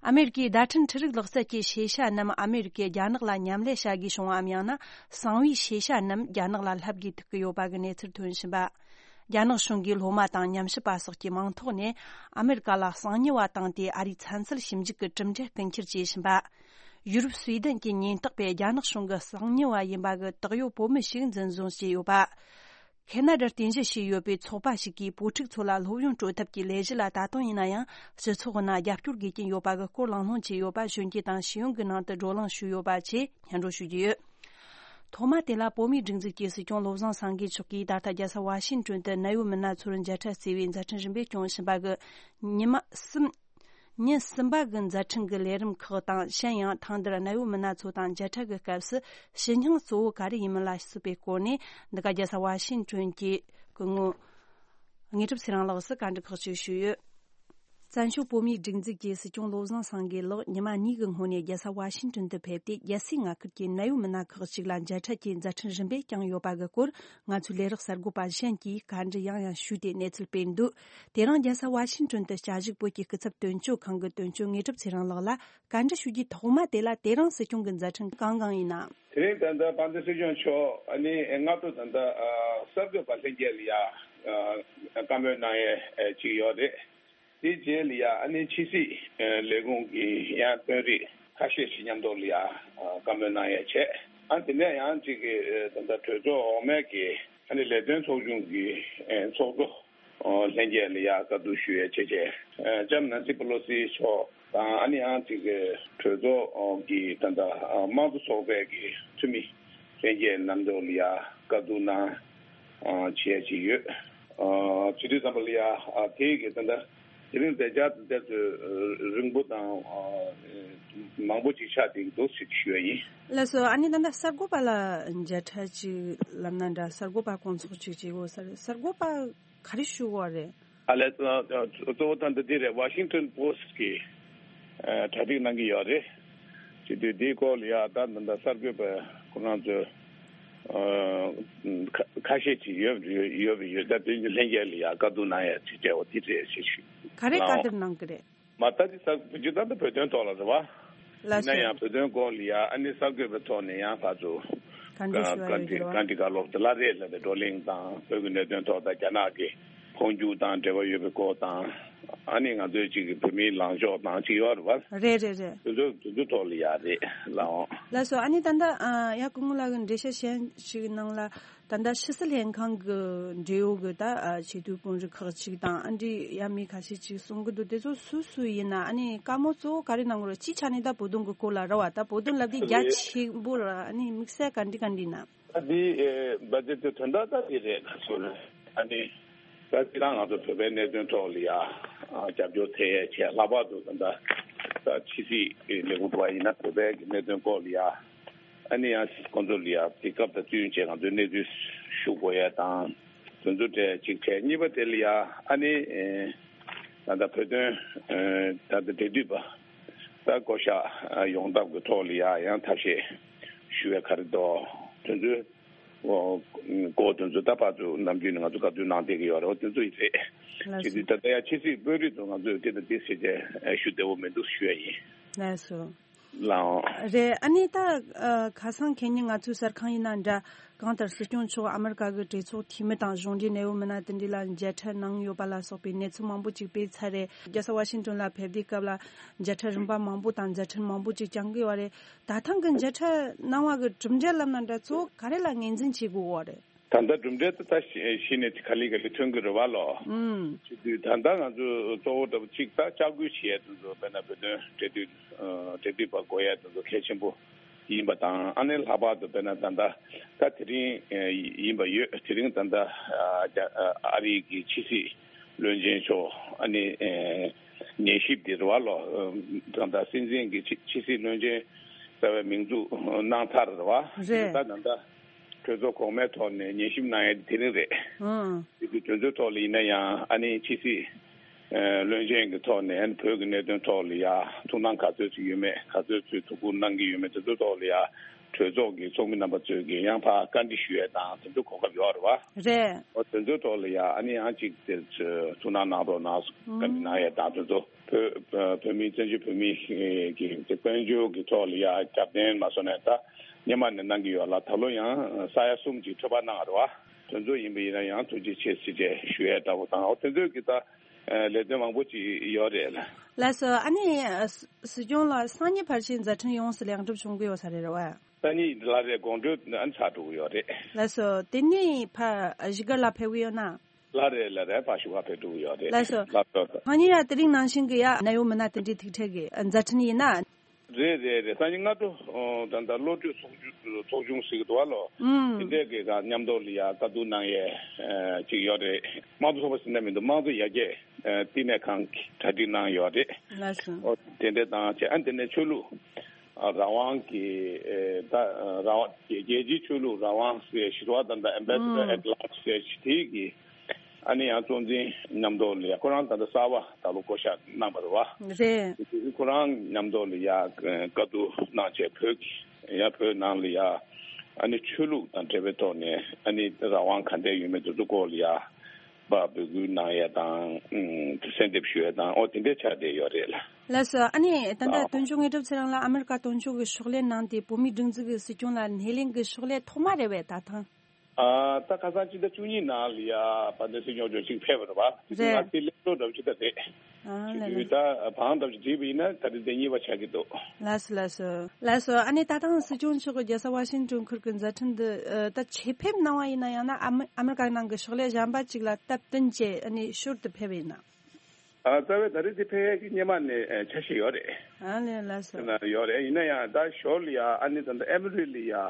ཨ་མེ་རི་ཀའི་བརྡ་འཕྲིན་འཕྲུལ་རིག་ལག་རྩལ་གྱི་ཤེས་བྱ་རྣམས་ཨ་མེ་རི་ཀས་རྒྱ་ནག་ལ་མཉམ་ལས་བྱ་དགོས་བྱུང་བའམ། ཡང་ན་གསང་བའི་ཤེས་བྱ་རྣམས་རྒྱ་ནག་ལ་ལྷབ་དགོས་ཐུག་གི་ཡོད་པ་གི་གནས་ཚུལ་ཐོན་བཞིན་པ། རྒྱ་ནག་གཞུང་གིས་སློབ་མ་དང་ཉམས་ཞིབ་པ་སོགས་ཀྱི་མིང་ཐོག་ནས་ཨ་མེ་རི་ཀ་ལ་གསང་ཉུལ་བ་བཏང་སྟེ། ཨ་རིའི་ཚན་རྩལ་ཞིབ་འཇུག་གི་གྲུབ་འབྲས་རྐུ་འཁྱེར་བྱས་བཞིན་པ། ཡུ་རོབ་སུའེ་ཏེན་གྱི་ཉེན་རྟོག་པས་རྒྱ་ནག་གཞུང་གི་གསང་ཉུལ་བ་ཡིན་པ་གི་དག་ཡོད་བོད་མི་ཞིག་འཛིན་བཟུང་བྱས་ཡོད་པ། ཁེ་ན་ཌར་རྟེན་གཞི་བྱས་ཡོད་པའི་ཚོགས་པ་ཞིག་གིས་བོད་ཕྲུག་ཚོ་ལ་སློབ་ཡོན་སྤྲོད་ཐབས་ཀྱི་ལས་གཞི་ལ་ད་དུང་ཡིན་ན་ཡང་སྤྱི་ཚོགས་ནང་རྒྱབ་སྐྱོར་དགོས་ཀྱིན་ཡོད་པ་གི་སྐོར་གླེང་སློང་བྱས་ཡོད་པ་གཞོན་སྐྱེས་དང་ཤེས་ཡོན་གྱི་ནང་དུ་བགྲོ་གླེང་ཞུས་ཡོད་པ་བཅས་སྙན་སྒྲོན་ཞུ་རྒྱུ་ཡོད། ཐོག་མ་དེ་ལ་བོད་མིའི་སྒྲིག་འཛུགས་ཀྱི་སྲིད་སྐྱོང་བློ་བཟང་སེང་གེ་མཆོག་གིས་ད་ལྟ་རྒྱལ་ས་ཝ་ཤིང་ཏོན་དུ་གནའ་བོའི་མི་སྣ་ཚོར་མཇལ་འཕྲད་བརྩི་བའི་མཛད་འཕྲིན་རིམ་པས་སྐྱོང་བཞིན་པ་གི་ཉི་མ་གསུམ། ཉིན་གསུམ་པ་གི་མཛད་འཕྲིན་གྱི་ལས་རིམ་ཁག་དང་། གཞན་ཡང་ཐེངས་འདིར་གནད་ཡོད་མི་སྣ་ཚོ་དང་མཇལ་འཕྲད་ཀྱི་སྐབས་སུ་ཞུ་སྙིང་གཙོ་བོ་ག་རེ་ཡིན་མིན་ལ་སོགས་པའི་སྐོར་ནས། འདི་ག་རྒྱལ་ས་ཝ་ཤིང་ཏོན་གྱི་སྐུ་ངོ་དངོས་གྲུབ་ཚེ་རིང་ལགས་སུ་བཀའ་འདྲི་ཁག་ཅིག་ཞུས་ཡོད། བཙན་བྱོལ་བོད་མིའི་སྒྲིག་འཛུགས་ཀྱི་སྲིད་སྐྱོང་བློ་བཟང་སེང་གེ་ལགས་ཉི་མ་གཉིས་ཀྱི་སྔོན་ནས་རྒྱལ་ས་ཝ་ཤིང་ཏོན་དུ་ཕེབས་ཏེ། རྒྱལ་སའི་མངའ་ཁུལ་གྱི་གནད་ཡོད་མི་སྣ་ཁག་ཅིག་ལ་མཇལ་འཕྲད་ཀྱི་མཛད་འཕྲིན་རིམ་པས་བསྐྱངས་ཡོད་པ་གི་སྐོར། ང་ཚོའི་ལས་རོགས་གསར་འགོད་པ་གཞན་གྱིས་བཀའ་འདྲི་ཡང་ཡང་ཞུས་ཏེ་གནས་ཚུལ་སྤེལ་འདུག་དེ་རིང་རྒྱལ་ས་ཝ་ཤིང་ཏོན་དུ་བཅའ་བཞུགས་བོད་ཀྱི་སྐུ་ཚབ་དོན་གཅོད་ཁང་གི་དོན་གཅོད་དངོས་གྲུབ་ཚེ་རིང་ལགས་ལ་བཀའ་འདྲི་ཞུ་རྒྱུའི་ཐོག་མ་དེ་ལ། དེ་རིང་སྲིད་སྐྱོང་གི་མཛད་འཕྲིན་གང་གང་ཡིན་ནམ། དེ་རིང་ད་ལྟ་དཔལ་ལྡན་སྲིད་སྐྱོང་མཆོག་ཨ་ནི་སྔ་དྲོ་ད་ལྟ་ཨ་གསར་འགོད་པ་ལྷན་རྒྱས་ལ་ཡ་ཨ་བཀའ་མོལ་གནང་ཡས་ཅིག་ཡོད་རེད། དེའི་རྗེས་ལ་ཡ་ཨ་ནི་ཕྱི་སྲིད་ཨ་ལས་ཁུངས་ཀྱི་ཡང་དཔོན་རིགས་ཁ་ཤས་ཤིག་མཉམ་དུ་ལ་ཡ་ཨ་བཀའ་མོལ་གནང་ཡས་བྱས། ཨ་དེ་ནས་ཡང་ཅིག་གི་ཨ་ད་ལྟ་གྲོས་ཚོགས་འོག་མའི་གི་ཨ་ནི་ལས་དོན་ཚོགས་ཆུང་གི་ཨ་ཚོགས་གཙོ་ཨ་ལྷན་རྒྱས་ལ་ཡ་བཀའ་བསྡུར་ཞུ་ཡས་བྱས་བྱས། ཨ་ལྕམ་ནན་སི་པེ་ལོ་སི་མཆོག་དང་། ཨ་ནི་ཡང་ཅིག་གི་གྲོས་ཚོགས་ཀྱི་ད་ལྟ་དམངས་གཙོ་ཚོགས་པའི་གི་འཐུས་མི་ལྷན་རྒྱས་རྣམ་ཚོ་ལ་ཡ་བཀའ་བསྡུར་གནང་བྱས་བྱས་ཡོད། བྱེད་དུས་ཙམ་པ་ལ་ཡ་དེ་གི་ད་ལྟ་དེ་རིང་དེ་རྒྱ་དེ་ཚོ་རིང་པོ་དང་མང་པོ་ཅིག་ཆགས་བསྡད་འདུག་ཞེས་ཞུ་བ་ཡིན། ལགས་སོ། ཨ་ནི་ད་ལྟ་གསར་འགོད་པ་ལ་མཇལ་འཕྲད་ཅིག་ལབ་ན་འདྲ། གསར་འགོད་པ་སྐོང་ཚོགས་ཅིག་བྱེད་དགོས་ས་རེད། གསར་འགོད་པ་ག་རེ་ཞུ་དགོས་རེད། ཨ་ལས། གཙོ་བོ་ད་འདི་འདི་རེད། ཝ་ཤིང་ཏོན་པོ་སི་ཊི་གིས་གྲ་སྒྲིག་གནང་གི་ཡོད་རེད། བྱེད་དུས་འདིའི་སྐོར་ལ་ཡ་ད་ད་ལྟ་གསར་འགོད་པ་ཁོ་རང་ཚོས་ཁ་ཤས་ཅིག་ཡོད་ཡོད་ཡོད། ད་དེ་ལྷན་རྒྱས་ལ་ཡ་བཀའ་བསྡུར་གནང་ཡ་ཅིག་བྱས་འོ་དེ་རེད་ཅེས་ཞུ། ག་རེ་བཀའ་བསྡུར་གནང་གི་རེད། མ་ལྟ་དེ་ས་བོད་ཀྱི་ད་ལྟ་བོད་དོན་ཐོག་ལ་རེད་བ། ལགས་སོ། ཡིན་ན་ཡང་བོད་དོན་སྐོར་ལ་ཡ་ཨ་ནི་གསར་འགོད་པའི་ཐོག་ནས་ཡང་ཕར་ཚུར་བཀའ་འདྲི་ཞུ་བ་ཡོད་ཀྱི་རེད་བ། བཀའ་འདྲི་བཀའ་སློབ་དེ་ལ་རེད་ལ་དེ་བགྲོ་གླེང་དང་བོད་ཀྱི་གནད་དོན་ཐོག་དང་རྒྱ་ནག་གི་འཕོ་འགྱུར་དང་འབྲེལ་བ་ཡོད་པའི་སྐོར་དང་། ཨ་ནི་ང་ཚོའི་གཅིག་གི་བོད་མིའི་ལངས་ཕྱོགས་དང་གཅིག་ཡོད་རེད་བ། རེད་རེད་རེད། དེ་ཚོ་དེ་ཚོ་ཐོག་ལ་ཡ་རེད་ལའོ། ལགས་སོ། ཨ་ནི་ད་ལྟ་ཡ་སྐུ་ངོ་ལགས་ཀྱི་འགྲེལ་བཤད་གཞན་ཞིག་ནང་ལ། ད་ལྟ་ཕྱི་སྲིད་ལྷན་ཁང་གི་འབྲེལ་ཡོད་ཀྱི་ད་ཆེས་མཐོའི་དཔོན་རིགས་ཁག་ཅིག་དང་ཨ་འདྲི་ཡ་མི་ཁ་ཤས་ཅིག་གསུང་གི་འདུག་དེ་ཚོ་སུ་སུ་ཡིན་ན། ཨ་ནི་བཀའ་མོལ་གཙོ་བོ་ག་རེ་གནང་གི་རེད། སྤྱིའི་ཆ་ནས་ད་བོད་དོན་གྱི་སྐོར་ལ་རེད་བ། ད་བོད་དོན་ལབ་དུས་རྒྱ་ཆེན་པོ་ལ་ཨ་ནི་དམིགས་བསལ་ག་འདྲི་ག་འདྲི་ན། ད་འདི་ཨེ་འབའ་འདི་ཚོ་དོན་དག་ད་འདི་རེད་ད་སོ་རེད། ཨ་ནི་ད་སྤྱིར་བཏང་ང་ཚོ་བོད་པའི་གནད་དོན་ཐོག་ལ་ཡ་ཨ་རྒྱབ་སྐྱོར་ཐེབས་ཡས་ཆེད། ལྷག་པར་དུ་ད་ད་ཕྱི་སྲིད་ལས་ཁུངས་འགྲོ་བ་ཡིན་ན་བོད་པའི་གི་གནད་དོན་སྐོར་ལ་ཡ། ཨ་ནི་ཡང་ཁོང་ཚོ་ལ་ཡ་དེ་སྐབས་དང་བསྟུན་བྱས་ང་ཚོའི་གནས་ཚུལ་ཞུ་དགོས་ཡ་དང་། དེ་ཚོ་གྲས་གཅིག་བྱས། གཉིས་པ་དེ་ལ་ཡ་ཨ་ནི་ཨེ་ད་ལྟ་བོད་དོན་ཨེ་ད་ལྟ་འབྲེལ་མཐུད་པ་ད་བསྐོ་གཞག་ཡོང་ཐབས་ཀྱི་ཐོག་ལ་ཡ་ཡང་ཐབས་ཤེས་ཞུ་བའི་ག་རེ་འདུག་དེ་ཚོའི་སྐོར་དེ་ཚོ་ད་བར་དུ་ནམ་རྒྱུན་ནས་ང་ཚོ་བཀའ་བསྡུར་གནང་བསྡད་ཀྱི་ཡོད་རེད། འོ་དེ་ཚོ་ཡིན་རེད། ལགས་བྱེད་དུས་ད་ལྟ་ཡ་ཕྱི་སྲིད་དཔོན་རིགས་ཚོ་ང་ཚོས་དེ་དང་དེ་ཟེར་བྱས་ཞུ་བདེ་བོ་མི་འདུག་ཞུ་ཡ་ཡིན། ལགས་སོ། ལའོ། རེད། ཨ་ནི་ད་ཨ་ཁ་སང་ཁེ་ཉིན་ང་ཚོའི་གསར་ཁང་ཡིན་ན་འདྲ། གང་ལྟར་སྲིད་སྐྱོང་མཆོག་ཨ་མི་རི་ཀ་གི་གྲོས་ཚོགས་འཐུས་མི་དང་གཞུང་འབྲེལ་གནད་ཡོད་མི་སྣ་དེ་འདྲ་ལ་མཇལ་འཕྲད་གནང་ཡོད་པ་ལ་སོགས་པའི་གནས་ཚུལ་མང་པོ་ཅིག་སྤེལ་ཚར་རེད། རྒྱལ་ས་ཝ་ཤིང་ཏོན་ལ་ཕེབས་དུས་སྐབས་ལ་མཇལ་འཕྲད་རིམ་པ་མང་པོ་དང་མཛད་འཕྲིན་མང་པོ་ཅིག་བསྐྱངས་ཀྱི་ཡོད་རེད། ད་ཐེངས་ཀྱི་མཇལ་འཕྲད་གནང་བ་གི་གྲུབ་འབྲས་ལབ་ན་འདྲ། གཙོ་བོ་ག་རེ་ལ་ངོས་འཛིན་བྱེད་དགོས་ཀྱི་ཡོད་རེད། ད་ལྟ་གྲུབ་འབྲས་དེ་ད་གཞི་གཞི་ནས་ག་ལེ་ག་ལེ་ཐོན་གྱི་རེད་བ་ལོ། ཨུམ། བྱེད་དུས་ད་ལྟ་ང་ཚོས་གཙོ་བོ་འདྲ་པོ་གཅིག་ད་ལྕག་སྐུལ་བྱེད་ཡས་དེ་ཚོ་དཔེར་ན་བོད་དོན་འབྲེལ་མཐུད་ཨ་འབྲེལ་མཐུད་པ་དགོས་ཡས་དེ་ཚོ་གལ་ཆེན་པོ་ཡིན་པ་དང་། ཨ་ནི་ལྷག་པར་དུ་དཔེར་ན་ད་ལྟ་ད་དེ་རིང་ཨ་ཡིན་པ་ཡོད། དེ་རིང་ད་ལྟ་ཨ་རྒྱ་ཨ་རིའི་གི་ཕྱི་སྲིད་བློན་ཆེན་མཆོག་ཨ་ནི་ཨ་ཉན་ཞིབ་དེ་རེད་བ་ལོ། ད་ལྟ་སྲིད་འཛིན་གྱི་ཕྱི་ཕྱི་སྲིད་བློན་ཆེན་རྩ་བའི་མིང་འཛུགས་གནང་ཚར་རེད་བ། རེད། ད་ད་ལྟ་གྲོས་ཚོགས་གོང་མའི་ཐོག་ནས་ཉན་ཞིབ་གནང་ཡ་དེ་རིང་རེད། ཨང་། དེ་དུས་དེ་ཚོའི་ཐོག་ལ་ཡིན་ན་ཡང་ཨ་ནི་ཕྱི་སྲིད་ཨ་བློན་ཆེན་གྱི་ཐོག་ནས་ཨ་ནི་བོད་ཀྱི་གནད་དོན་ཐོག་ལ་ཡ་ཐུགས་སྣང་ག་ཚོད་ཅིག་ཡོད་མེད། ག་ཚོད་ཅིག་ཐུགས་ཁུར་གནང་གི་ཡོད་མེད། དེ་ཚོའི་ཐོག་ལ་ཡ་གྲོས་ཚོགས་ཀྱི་ཚོགས་མི་རྣམ་པ་ཚོས་ཀྱི་ཡང་ཕར་བཀའ་འདྲི་ཞུ་ཡ་དང་དེ་ཚོ་གོ་སྐབས་ཡོད་རེད་བ། རེད། འོ་དེ་ཚོའི་ཐོག་ལ་ཡ་ཨ་ནི་ཡང་ཅིག་དེ་ཚོ་ཐུགས་སྣང་གནང་རོགས་གནང་བཀའ་འདྲི་གནང་ཡ་དང་། དེ་ཚོ་བོད་བོད་མི་བཙན་བྱོལ་བོད་མི་གི་དཔལ་འབྱོར་གྱི་ཐོག་ལ་ཡ་རྒྱབ་རྟེན་མ་སོང་ནས་ད་སྔོན་མ་ནས་གནང་གི་ཡོད་ལ། ད་ལོ་ཡང་ས་ཡ་གསུམ་ཅིག་འཕྲོད་པ་གནང་བ་རེད་བ། དེ་ཚོ་ཡིན་པ་ཡིན་ན་ཡང་ཐུགས་རྗེ་ཆེ་ཟེར་བྱས་ཞུ་ཡས་འདྲ་བོ་དང་། འོ་དེ་ཚོའི་གི་ད་ལས་དོན་མང་པོ་ཅིག་ཡོད་རེད་ལ། ལགས་སོ། ཨ་ནི་སྲིད་སྐྱོང་ལགས་སང་ཉིན་ཕལ་ཆེར་མཛད་འཕྲིན་ཡོངས་སུ་ལེགས་འགྲུབ་བྱུང་གི་ཡོད་ས་རེད་བ། སང་ཉིན་ལ་རེད། དགོང་དྲོ་ཨ་ནི་ཚར་འགྲོ་གི་ཡོད་རེད། ལགས་སོ། དེ་ནས་ཕར་བཞུགས་སྒར་ལ་ཕེབས་གི་ཡོད་ན། ལ་རེད་ལ་རེད། ཕར་བཞུགས་སྒར་ཕེབས་འགྲོ་གི་ཡོད་རེད། ལགས་སོ། ལགས་སོ། སང་ཉིན་ཡང་དེ་རིང་ནང་བཞིན་གི་ཡ་གནད་ཡོད་མི་སྣ་དེ་འདྲའི་ཐུག་འཕྲད་གི་མཛད་འཕྲིན་ཡིན་ན། རེད་རེད་རེད། སང་ཉིན་སྔ་དྲོ་ཨོ་ད་ལྟ་བློ་གྲོས་ཚོགས་ཆུང་ཚོགས་ཆུང་ཟེར་གི་འདུག་བ་ལོ། ཨུམ། དེ་འདྲས་ཀྱི་ག་མཉམ་དུ་ལ་ཡ་བཀའ་བསྡུར་གནང་ཡས་ཨ་ཅིག་ཡོད་རེད། དམངས་གཙོ་ཚོགས་པ་ཟེར་ན་མི་འདུག་དམངས་གཙོ་ཡར་རྒྱས་ ཨ་བསྟི་གནས་ཁང་གི་གྲ་སྒྲིག་གནང་ཡོད་རེད། ལགས་སོ། ཨོ་དེ་འདྲ་དང་བྱས། ཨ་དེ་ནས་ཆོས་ལུགས་ཨ་རང་དབང་གི་ཨེ་ད་རང་དབང་རྒྱལ་རྒྱལ་སྤྱིའི་ཆོས་ལུགས་རང་དབང་ཟེར་ཞི་བ་དང་ད་Ambassador ཨུམ། At Large ཟེར་དེ་གི་ཨ་ནི་ཡང་གཙོ་འཛིན་མཉམ་དུ་ལ་ཡ་ཁོ་རང་ད་ལྟ་གསར་པ་ད་ལོ་བསྐོ་བཞག་གནང་བ་རེད་བ། རེད། ཁོ་རང་མཉམ་དུ་ལ་ཡ་བཀའ་བསྡུར་གནང་བྱས། བོད་ཀྱི་ཡ་བོད་ནང་ལ་ཡ་ཨ་ནི་ཆོས་ལུགས་དང་འབྲེལ་བའི་ཐོག་ནས་ཨ་ནི་རང་དབང་ག་འདྲ་ཡོད་མེད་དེ་ཚོ་སྐོར་ལ་ཡ་པ་འབོད་སྐུལ་གནང་ཡས་དང་། ཨུམ། གསལ་འདེབས་ཞུ་ཡས་དང་། ཨོ་དེ་འདྲ་ཆགས་བསྡད་ཡོད་རེད་ལ། ལགས་སོ། ཨ་ནི་ད་ལྟ་ཨ་དོན་གཅོད་ངེས་གྲུབ་ཚེ་རིང་ལགས་ཨ་མེ་རི་ཀ་དོན་གཅོད་ཀྱི་ཕྱག་ལས་གནང་སྟེ་བོད་མིའི་སྒྲིག་འཛུགས་ཀྱི་སྲིད་སྐྱོང་ལ་སྣེ་ལེན་གྱི་ཕྱག་ལས་ཐོག་མ་རེད་པས་ད་ཐེངས། ཨ་ད་ཁ་སང་ཕྱི་ཟླ་བཅུ་གཉིས་ནང་ལ་ཡ་དཔལ་ལྡན་སྲིད་སྐྱོང་མཆོག་ཅིག་ཕེབས་པ་རེད་བ། དེ་ང་རེད། ཚོའི་ལས་འགུལ་འདྲ་པོ་ཅིག་ད་རེད། ཨ་ལས་ལས། དུས་ད་བང་འདྲ་པོ་ཅིག་བསྒྲིགས་པ་ཡིན་ན་ད་རེས་དེ་གཉིས་པ་ཆགས་ཀྱི་འདུག། ལགས་སོ་ལགས་སོ་ལགས་སོ། ཨ་ནི་ད་ཐེངས་སྲིད་སྐྱོང་མཆོག་གིས་རྒྱལ་ས་ཝ་ཤིང་ཏོན་ཁུལ་གྱི་མཛད་འཕྲིན་འདི་ཨ་ད་ཆེད་ཕེབས་གནང་བ་ཡིན་ན། ཡང་ན་ཨ་མི་ཨ་མི་རི་ཀ་ནང་གི་ཕྱག་ལས་གཞན་པ་ཅིག་ལ་སྟབས་བསྟུན་བྱས་ཨ་ནི་ཞོར་དུ་ཕེབས་པ་ཡིན་ན། ཨ་རྩ་བའི་ད་རེས་དེ་ཕེབས་ཡས་ཀྱི་སྔོན་མ་ནས་ཨ་འཆར་གཞི་ཡོད་རེད། ཨ་ལས་ལགས་སོ། ན་ཡོད་རེད། ཡིན་ན་ཡང་ད་ཞོར་ལ་ཡ་ཨ་ནི་ད་ལྟ་ཨེ་མི་རི་ལ་ཡ་ཨ་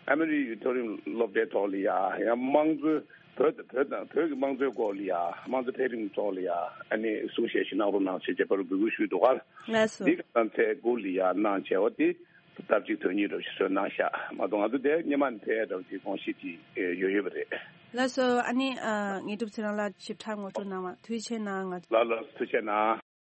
ཨེ་མི་རི་ཡུ་ཐོག་རིམ་སློབ་གྲྭའི་ཐོག་ལ་ཡ་ཡང་དམངས་གཙོའི་བོད་དང་བོད་དང་བོད་ཀྱི་དམངས་གཙོའི་སྐོར་ལ་ཡ་དམངས་གཙོ་འཕེལ་རིམ་ཐོག་ལ་ཡ་ཨ་ནི་གསུང་བཤད་ཞིག་གནང་རོགས་གནང་ཞེས་བྱས་པར་འབོད་སྐུལ་ཞུས་འདུག་ག། ལགས་སོ། འདི་ག་ཚང་ཚད་སྐོར་ལ་ཡ་གནང་བྱས་པ་དེ་སྟབས་གཅིག་དོན་གཉིས་འདྲ་པོ་ཞིག་བཟོས་གནང་ཤག་མ་གཏོགས། ང་ཚོ་དེ་སྔོན་མ་ནས་ཕེབས་ཡས་འདྲ་པོ་དེ་དགོངས་གཞི་དེ་ཡོད་ཡོད་པ་རེད། ལགས་སོ། ཨ་ནི་ཨ་ངེས་གྲུབ་ཚེ་རིང་ལགས་ཞིབ་ཕྲ་ངོ་སྤྲོད་གནང་བ་ཐུགས་རྗེ་ཆེ་གནང་། ང་ལགས་ལགས་ཐུགས་རྗེ་གནང་།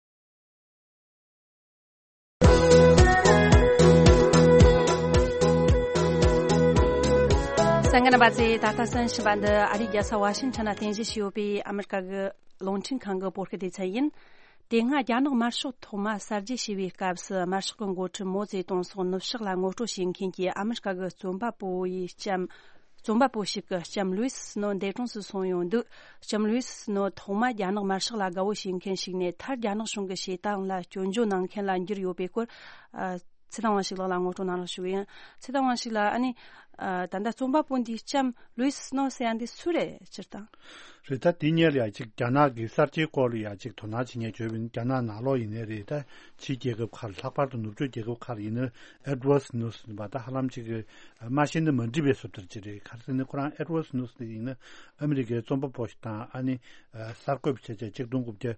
གསན་མཁན་རྣམ་པ་ཚོས་ད་ལྟ་གསན་བཞིན་པ་འདི་ཨ་རིའི་རྒྱལ་ས་ཝ་ཤིང་ཊོན་ན་རྟེན་གཞི་བྱས་ཡོད་པའི་ཨ་མི་རི་ཀ་གི་རླུང་འཕྲིན་ཁང་གི་བོད་སྐད་སྡེ་ཚན་ཡིན། དེ་སྔ་རྒྱ་ནག་དམར་ཤོག་ཐོག་མ་གསར་བརྗེ་བྱས་པའི་སྐབས་སུ་དམར་ཤོག་གི་འགོ་ཁྲིད་མའོ་ཙེ་ཏུང་སོགས་ནུབ་ཕྱོགས་ལ་ངོ་སྤྲོད་བྱེད་མཁན་གྱི་ཨ་མི་རི་ཀ་གི་རྩོམ་པ་པོ་ཡི་ལྕམ། རྩོམ་པ་པོ་ཞིག་གི་ལྕམ་ལུའི་སི་སྣོ་འདས་གྲོངས་སུ་སོང་ཡོང་དུས། ལྕམ་ལུའི་སི་སྣོ་ཐོག་མ་རྒྱ་ནག་དམར་ཤོག་ལ་དགའ་བོ་བྱེད་མཁན་ཞིག་ནས་མཐར་རྒྱ་ནག་གཞུང་གི་བྱེད་སྟངས་ལ་སྐྱོན་བརྗོད་གནང་མཁན་ལ་འགྱུར་ཡོད་པའི་སྐོར། ཨ། ཚེ་བརྟན་དབང་ཕྱུག་ལགས་ལ་ངོ་སྤྲོད་གནང་རོགས་ཞུ་གི་ཡིན། ཚེ་བརྟན་དབང་ཕྱུག་ལགས། ཨ་ནི་ཨ་ད་ལྟ་རྩོམ་པ་པོ་འདིའི་ལྕམ་ལུའི་སི་སྣོ་ཟེར་ཡ་འདི་སུ་རེད་སྤྱིར་བཏང་། རེད། ད་དེ་སྔོན་ལ་ཡ་གཅིག་རྒྱ་ནག་གི་གསར་བརྗེའི་སྐོར་ལ་ཡ་གཅིག་དོ་སྣང་བྱེད་མཁན་བྱོས་པ་ཡིན། རྒྱ་ནག་ནང་ལོགས་ཡིན་ནའི་རེད། ད་ཕྱིའི་རྒྱལ་ཁབ་ཁག་ལ། ལྷག་པར་དུ་ནུབ་ཕྱོགས་རྒྱལ་ཁབ་ཁག་ལ་ཡིན་ན་ཨེ་ཌི་ཝར་ཌི་སི་ནུ་ཟེར་བ་ད་ཧ་ལམ་གཅིག་གི་མ་ཤེས་ན་མ་འགྲིག་པའི་བཟོ་ལྟ་ཅིག་རེད། ག་རེ་ཟེར་ན་ཁོ་རང་ཨེ་ཌི་ཝར་ཌི་སི་ནུ་ཟེར་ཡིན་ན་ཨ་མི་རི་ཀའི་རྩོམ་པ་པོ་ཞིག་དང་། ཨ་ནི་ཨ་གསར་འགོད་བྱས་བྱས་གཅིག་སྟོང་དགུ་བརྒྱ་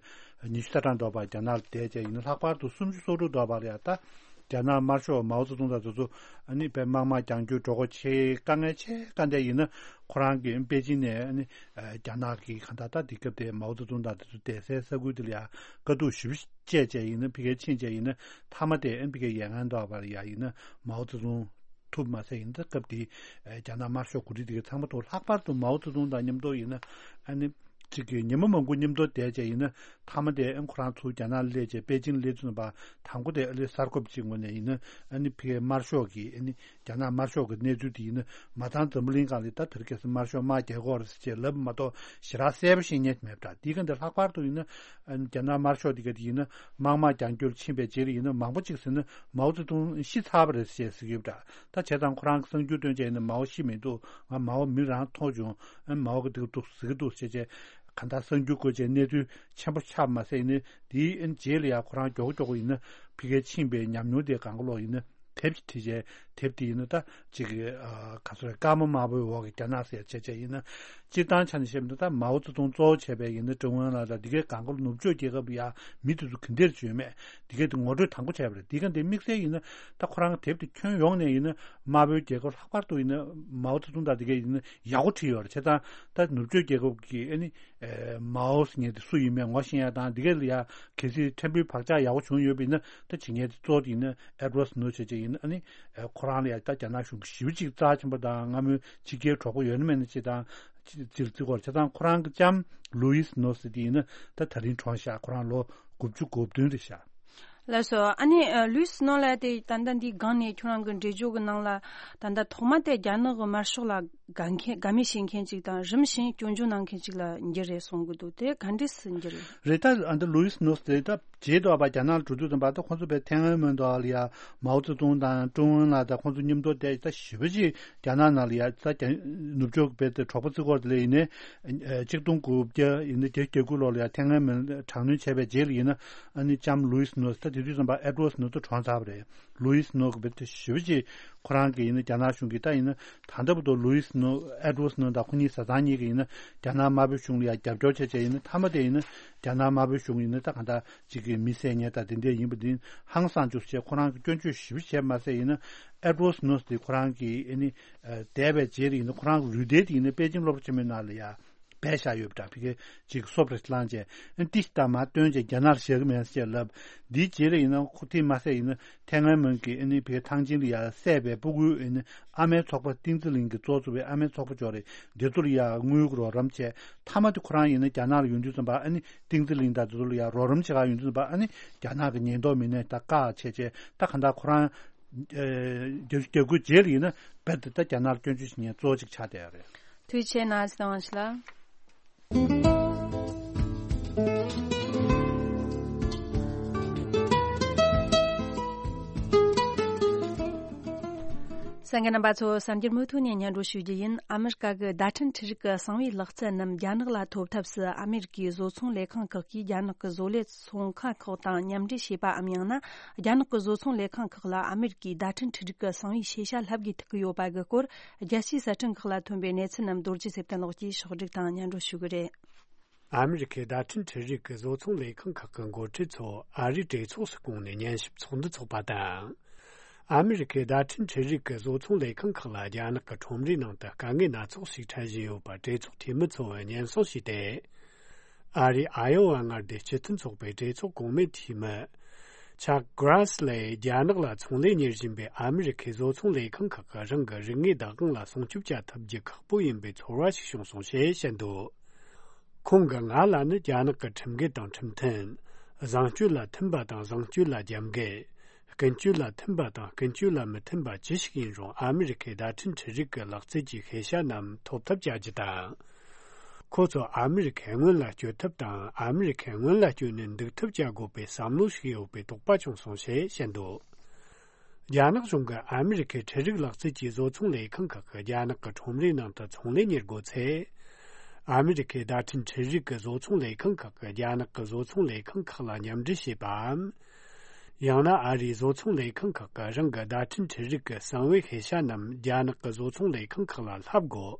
ཉི་ཤུ་རྩ་གྲངས་འདྲ་པོ་རྒྱ་ནག་ལ་བསྡད་བྱས་ཡིན་ན། ལྷག་པར་དུ་སུམ་ཅུ་སོ་དྲུག་འདྲ་པོ་ལ་ཡ་ད་རྒྱ་ནག་དམར་ཤོག་མའོ་ཙེ་ཏུང་དང་དེ་ཚོ་ཨ་ནི་དཔེ་དམག་དམག་རྒྱང་སྐྱོད་འགྲོ་སྒོ་ཆེ། དཀའ་ངལ་ཆེ་དཀའ་འདྲ་ཡིན་ན་ཁོ་རང་གིས་པེ་ཅིན་ནས་ཨ་ནི་ཨ་རྒྱ་ནག་གི་གང་ལྟར་ད་དེ་སྐབས་དེ་མའོ་ཙེ་ཏུང་དང་དེ་ཚོ་བསྡད་སའི་ས་ཁུལ་དེ་ལ་ཡ་དཀའ་སྡུག་ཞེ་པོ་སྤྱད་བྱས་ཡིན་ན། ཕ་གིར་ཕྱིན་བྱས་ཡིན་ན་མཐའ་མ་དེ་ཨ་ནི་ཕ་གིའི་ཡ་ལྔ་འདྲ་པོ་ལ་ཡ་ཡིན་ན་མའོ་ཙེ་ཏུང་ཐུབ་མ་ཟད། ཡིན་ད་སྐབས་དེའི་ཨ་རྒྱ་ནག་དམར་ཤོག་འགོ་ཁྲིད་དེ་གའི་ཚང་མ་ཐུག། ལྷག་པར་དུ་མའོ་ཙེ་ཏུང་དང་མཉམ་དུ་ཡིན་ན་ཨ་ནི་གཅིག་གིས་ཉི་མ་མང་པོ་མཉམ་དུ་བསྡད་བྱས་ཡིན་ན་མཐའ་མ་དེ་ཨ་ནི་ཁོ་རང་ཚུར་རྒྱ་ནག་ལ་སླེབས་བྱས་པེ་ཅིན་སླེབས་ཚུན་པ་དང་པོ་དེ་ཨ་ནི་གསར་འགོད་པ་གཅིག་ངོས་ནས་ཡིན་ན་ཨ་ནི་ཕ་གིའི་དམར་ཤོག་གི་ཨ་ནི་རྒྱ་ནག་དམར་ཤོག་གི་གནས་ཚུལ་དེ་ཡིན་ན་མ་ཚང་འཛམ་བུ་གླིང་སྒང་ལ་ད་དེ་རིང་ཁ་སང་དམར་ཤོག་དམག་རྒྱག་གི་ཡོད་རེད་ཟེར་བྱས་ལབ་མ་གཏོགས་ཞེ་དྲག་གསལ་པོ་ཤེས་མཁན་མེད་པ་འདྲ། དེའི་སྒང་དེ་ལྷག་པར་དུ་ཡིན་ན་ཨ་ནི་རྒྱ་ནག་དམར་ཤོག་དེ་ག་དེ་ཡིན་ན་དམག་དམག་རྒྱང་སྐྱོད་ཕྱིན་པའི་རྗེས་ལ་ཡིན་ན་མང་པོ་ཅིག་ཟེར་ན་མའོ་ཙེ་ཏུང་ཤི་ཚར་བ་རེད་ཟེར་བྱས་ཟེར་གྱི་ཡོད་པ་འདྲ། ད་བྱས་ཙང་ཁོ་རང་གི་གསར་འགྱུར་བཏོན་བྱས་ཡིན་ན་མའོ་ཤི་མི་འདུག། ང་མའོ་མི་རང་མཐོང་བྱུང་། ཨ་ནི་མའོ་གི་འདི་ག་འདུག་ཟེར་གྱི་འདུག་ཟེར་བྱས་གང་ལྟར་གསར་འགྱུར་བཀོད་བྱས་གནས་ཚུལ་ཆེན་པོ་ཆགས་མ་ཟད་ཡིན་ན། དེའི་ཨ་ནི་རྗེས་ལ་ཡ་ཁོ་རང་མགྱོགས་པོ་མགྱོགས་པོ་ཡིན་ན་ཕ་གིར་ཕྱིན་པའི་ཉམས་མྱོང་དེ་སྒང་ག་ལོག་ཡིན་ན་དེབ་ཅིག་བྲིས་བྱས། དེབ་དེ་ཡིན་ན་ད་ཅིག་གི་ཨ་ག་ཚོད་རེད། སྐར་མ་དམར་པོའི་འོག་གི་རྒྱ་ནག་ཟེར་བྱས་བྱས་ཡིན་ན། སྤྱིར་བཏང་ཆ་ནས་བཤད་པ་ཡིན་ན་ད་མའོ་ཙེ་ཏུང་གཙོ་བོ་བྱས་པའི་ཡིན་ན་ཀྲུང་ཨུ་ལ་དང་དེ་གའི་སྒང་ག་ལོག་ནུབ་ཕྱོགས་རྒྱལ་ཁབ་ཡ་མི་དེ་ཚོ་ག་འདྲས་བྱུང་མེད་དེ་གའི་དེ་ངོ་སྤྲོད་དང་པོ་བྱས་པ་རེད། དེ་ག་འདི་དམིགས་བསལ་ཡིན་ན་ད་ཁོ་རང་གི་དེབ་དེ་ཁྱོན་ཡོངས་ནས་ཡིན་ན་དམར་པོའི་རྒྱལ་ཁབ་ལྷག་པར་དུ་ཡིན་ན་མའོ་ཙེ་ཏུང་དང་དེ་གའི་ཡིན་ན་ཡག་པོ་བྲིས་ཡོད་རེད། བྱས་ཙང་ད་ནུབ་ཕྱོགས་རྒྱལ་ཁབ་ཀྱི་ཨ་ནི་ཨེ་མའོ་ཟེར་མཁན་དེ་སུ་ཡིན་མིན་ངོ་ཤེས་ཡ་དང་། དེ་ག་ལ་ཡ་གལ་སྲིད་ཕྲན་བུའི་བག་ཆགས་ཡག་པོ་བྱུང་ཡོད་པ་ཡིན་ན་ད་བྱེད་མཁན་དེ་གཙོ་བོ་དེ་ཡིན་ན་ཨེ་ཌི་ཝར་ཌི་སི་ནོ་བྱས་བྱས་ཡིན། ཨ་ནི་ཨེ་ཁོ་རང་ལ་ཡ་ད་རྒྱ་ནག་གཞུང་གི་ཞེ་པོ་ཅིག་རྩ་ཆེན་པོ་དང་སྔ་མོའི་ཕྱི་རྒྱལ་གྲོགས་པོ་ཡོད་ན་མེད་ན་ཅིག་དང་། ཅིག་ཅིག་བརྩི་གི་ཡོད་རེད། བྱས་ཙང་ཁོ་རང་གི་ལྕམ་ལུའི་སི་ནོ་ཟེར་དེ་ཡིན་ན་ད་ད་རིང་གྲོངས་ཤག། ཁོ་རང་ལོ་དགུ་བཅུ་གོ་བདུན་རེད་ཤག། ལགས་སོ། ཨ་ནི་ཨ་ལུའི་སི་ནོ་ལགས་དེ་ད་ལྟ་འདིའི་སྒང་ནས་ཁྱོད་རང་གི་འགྲེལ་བརྗོད་ཀྱི་ནང་ལ་ད་ལྟ་ཐོག་མ་དེ་རྒྱ་ནག་གི་དམར་ཤོག་ལ་དགའ་མཁན་དགའ་མོས་བྱེད་མཁན་ཅིག་དང་། རིམ་བཞིན་སྐྱོན་བརྗོད་གནང་མཁན་ཅིག་ལ་འགྱུར་རེད་གསུང་གི་འདུག། དེ་ག་འདྲས་སུ་འགྱུར་རེད། རེད། ད་ཨ་ད་ལུའི་སི་ནོ་ཟེར་ད་རྗེས་ཐོག་པ་རྒྱ་ནག་ལ་འགྲོ་དུས་ཙམ་པ་ད་ཁོང་ཚོ་དཔེ་ཐེན་ཨན་མོན་དང་ལ་ཡ་མའོ་ཙེ་ཏུང་དང་ཀྲུང་ཨུ་ལ་ད་ཁོང་ཚོ་མཉམ་དུ་བསྡད། ད་ཞེ་པོ་ཅིག་རྒྱ་ནག་ནང་ལ་ཡ་ད་རྒྱ་ནུབ་ཕྱོགས་ཀྱི་དཔེ་དེ་གྲོགས་པོ་བརྩི་གི་ཡོད་རེད། དེ་ལས་ཡིན་ནའི་ཨ་གཅིག་སྟོང་དགུ་བརྒྱ་ཡིན་ན་བརྒྱད་ཅུ་གྱ་དགུ་ལོ་ལ་ཡ་ཐེན་ཨན་མོན་དྲག་གནོན་བྱས་པའི་རྗེས་ལ་ཡིན་ན་ཨ་ནི་ལྕམ་ལུའི་སི་ནོ་ད་ དེ་དུས་ཙམ་པ་ཨེ་ཌི་ཝརཌ་སི་ནོ་ད་གྲོངས་ཚར་བ་རེད། ལུའི་སི་ནོ་གི་བེད་དེ་ཞེ་པོ་ཅིག་ཁོ་རང་གི་ཡིན་ན་རྒྱ་ནག་གཞུང་གིས་ད་ཡིན་ན་ད་ལྟ་བར་དུ་ལུའི་སི་ནོ་ཨེ་ཌི་ཝརཌ་སི་ནོ་དང་ཁོ་གཉིས་བཟའ་ཚང་གཉིས་ཀྱིས་ཡིན་ན་རྒྱ་ནག་དམར་པོའི་གཞུང་ལ་ཡང་རྒྱབ་སྐྱོར་བྱས་བྱས་ཡིན་ན་མཐའ་མ་དེ་ཡིན་ན་རྒྱ་ནག་དམར་པོའི་གཞུང་ཡིན་ན་ད་གང་ལྟར་ཅིག་གི་མི་བསད་ཉེས་དང་དེ་འདྲས་ཡིན་པ་འདི་ཧང་སངས་བཅུག་བྱས་ཁོ་རང་གི་སྐྱོན་བརྗོད་ཞེ་པོ་བྱས་མ་ཟད་ཡིན་ན་ཨེ་ཌི་ཝརཌ་སི་ནོ་དེ་ཁོ་རང་གི་ཨ་ནི་འདས་པའི་རྗེས་ལ་ཡིན་ན་ཁོ་རང་གི་ལུས་རྟེན་དེ་ཡིན་ན་པེ་ཅིང་སློབ་གྲྭ་ཆེན་མོའི་ནང་ལ་ཡང་སྦས་བཞག་ཡོད་པ་འདྲ། ཕ་གི་ཅིག་སོབ་རེ་བླངས་བྱས་ཨ་ནི་ཏིས་ཏ་མ་བཏོན་བྱས་རྒྱ་ནག་ལ་བཞག་གི་མེད་ཟེར་བྱས་ལབ། འདིའི་རྗེས་ལ་ཡིན་ན་ཁོ་དེ་མ་ཟད་ཡིན་ན་ཐའེ་ཝན་མོན་གྱི་ཨ་ནི་ཕ་གི་ཐང་ཆེན་ལ་ཡང་བསད་པའི་སྤུ་གུའི་ཨ་ནི་ཨ་མའི་ཚོགས་པ་ཏིང་ཙི་ལིང་གི་གཙོ་བོ་བའི་ཨ་མའི་ཚོགས་པ་ཅོག་རེ་འདི་ཚོ་ལ་ཡང་དངུལ་གྱི་རོགས་རམ་བྱས། མཐའ་མ་དེ་ཁོ་རང་ཡིན་ན་རྒྱ་ནག་ལ་ཡོང་དུས་ཙམ་པ་ཨ་ནི་ཏིང་ཙི་ལིང་དང་དེ་ཚོ་ལ་ཡང་རོགས་རམ་བྱེད་ག་ཡོང་དུས་ཙམ་པ་ཨ་ནི་རྒྱ་ནག་གི་ཉེན་རྟོག་མི་སྣས་ད་བཀག་བྱས་བྱས་ད་གང་ལྟར་ཁོ་རང་རྒྱ་རྒྱ་སྒོའི་རྗེས་ལ་ཡིན་ན་རྦད་དེ་ད་རྒྱ་ནག་ལ་སྐྱོན་བརྗོད་བྱེད་མཁན་གཙོ་བོ་གཅིག་ཆགས་བསྡད་ཡོད་རེད། ཐུགས་རྗེ་ཆེ་གནང་སྲིད་དང་ཞུ་ལ། གསན་མཁན་རྣམ་པ་ཚོ་གསར་འགྱུར་མུ་མཐུད་ནས་སྙན་སྒྲོན་ཞུ་རྒྱུ་ཡིན། ཨ་མི་རི་ཀ་གི་བརྡ་འཕྲིན་འཕྲུལ་རིག་གི་གསང་བའི་ལག་རྩལ་རྣམས་རྒྱ་ནག་ལ་ཐོབ་ཐབས་སུ་ཨ་མི་རི་ཀའི་བཟོ་ཚོང་ལས་ཁང་ཁག་གིས་རྒྱ་ནག་གི་བཟོ་ལས་ཚོང་ཁང་ཁག་དང་མཉམ་འབྲེལ་བྱས་པའམ་ཡང་ན་རྒྱ་ནག་གི་བཟོ་ཚོང་ལས་ཁང་ཁག་ལ་ཨ་མི་རི་ཀའི་བརྡ་འཕྲིན་འཕྲུལ་རིག་གི་གསང་བའི་ཤེས་བྱ་ལྷབ་དགོས་ཐུག་གི་ཡོད་པ་གི་སྐོར། རྒྱལ་སྤྱིའི་གསར་སྐྲུན་ཁག་ལ་ཐོན་པའི་གནས་ཚུལ་རྣམས་རྡོ་རྗེ་ཚེ་བརྟན་ལགས་ཀྱིས་ཕྱོགས་སྒྲིག་དང་སྙན་སྒྲོན་ཞུ་གི་རེད། ཨ་མི་རི་ཁའི་བརྡ་འཕྲིན་འཕྲུལ་རིག་གི་བཟོ་ཚོང་ལས་ཁང་ཁག་གི་འགོ་ཁྲིད་ཚོ་ཨ་རིའི་གྲོས་ཚོགས་སུ་བསྐོངས་ནས་ཉན་ཞིབ་ཚོགས་འདུ་འཚོགས་པ་དང་། ཨ་མི་རི་ཁའི་བརྡ་འཕྲིན་འཕྲུལ་རིག་གི་བཟོ་ཚོང་ལས་ཁང་ཁག་ལ་རྒྱ་ནག་གི་ཁྲོམ་རའི་ནང་དུ་དཀའ་ངལ་སྣ་ཚོགས་ཤིག་འཕྲད་བཞིན་ཡོད་པ་གྲོས་ཚོགས་འཐུས་མི་ཚོས་སྙན་སེང་ཞུས་ཏེ། ཨ་རིའི་ཨ་ཡོ་ཝ་མངའ་སྡེའི་སྤྱི་མཐུན་ཚོགས་པའི་གྲོས་ཚོགས་གོང་མའི་འཐུས་མི། ཆག་གྷ་ར་སི་ལས་རྒྱ་ནག་ལ་ཚོང་ལས་གཉེར་བཞིན་པའི་ཨ་མི་རི་ཁའི་བཟོ་ཚོང་ལས་ཁང་ཁག་གིས་རང་གི་རིག་དངོས་བདག་དབང་ལ་སྲུང་སྐྱོབ་བྱ་ཐུབ་རྒྱུ་ཁག་པོ་ཡིན་པའི་ཚོར་བ་ཞིག་བྱུང་སོང་ཞེས་བཤད་འདུག་ཁོང་གིས་ང་ལ་ནི་རྒྱ་ནག་གི་ཁྲིམས་འགལ་དང་ཁྲིམས་མཐུན། བཟང་སྤྱོད་ལ་མཐུན་པ་དང་བཟང་སྤྱོད་ལ་རྒྱབ་འགལ། ཀུན་སྤྱོད་ལ་མཐུན་པ་དང་ཀུན་སྤྱོད་ལ་མི་མཐུན་པ་ཅི་ཞིག་ཡིན་རུང་ཨ་མི་རི་ཁའི་བརྡ་འཕྲིན་འཕྲུལ་རིག་གི་ལག་རྩལ་གྱི་ཤེས་བྱ་རྣམས་ཐོབ་ཐབས་བྱ་རྒྱུ་དང་། ཁོ་ཚོ་ཨ་མི་རི་ཁས་སྔོན་ལ་སྐྱོད་ཐབས་དང་ཨ་མི་རི་ཁས་སྔོན་ལ་སྐྱོད་ནས་འདུག་ཐབས་བྱ་དགོས་པའི་བསམ་བློ་ཞིག་ཡོད་པའི་དོགས་པ་བྱུང་སོང་ཞེས་བཤད་འདུག་རྒྱ་ནག་གཞུང་གིས་ཨ་མི་རི་ཁའི་འཕྲུལ་རིག་ལག་རྩལ་གྱི་བཟོ་ཚོང་ལས་ཁང་ཁག་གིས་རྒྱ་ནག་གི་ཁྲོམ་རའི་ནང་དུ་ཚོང་ལས་གཉེར་དགོས་ཚེ། ཨ་མི་རི་ཁའི་བརྡ་འཕྲིན་འཕྲུལ་རིག་གི་བཟོ་ཚོང་ལས་ཁང་ཁག་གིས་རྒྱ་ནག་གི་བཟོ་ཚོང་ལས་ཁང་ཁག་ལ་མཉམ་འབྲེལ་བྱེད་པའམ། ཡང་ན་ཨ་རིའི་བཟོ་ཚོང་ལས་ཁང་ཁག་གིས་རང་གི་བརྡ་འཕྲིན་འཕྲུལ་རིག་གི་གསང་བའི་ཤེས་བྱ་རྣམས་རྒྱ་ནག་གི་བཟོ་ཚོང་ལས་ཁང་ཁག་ལ་ལྷབ་དགོས།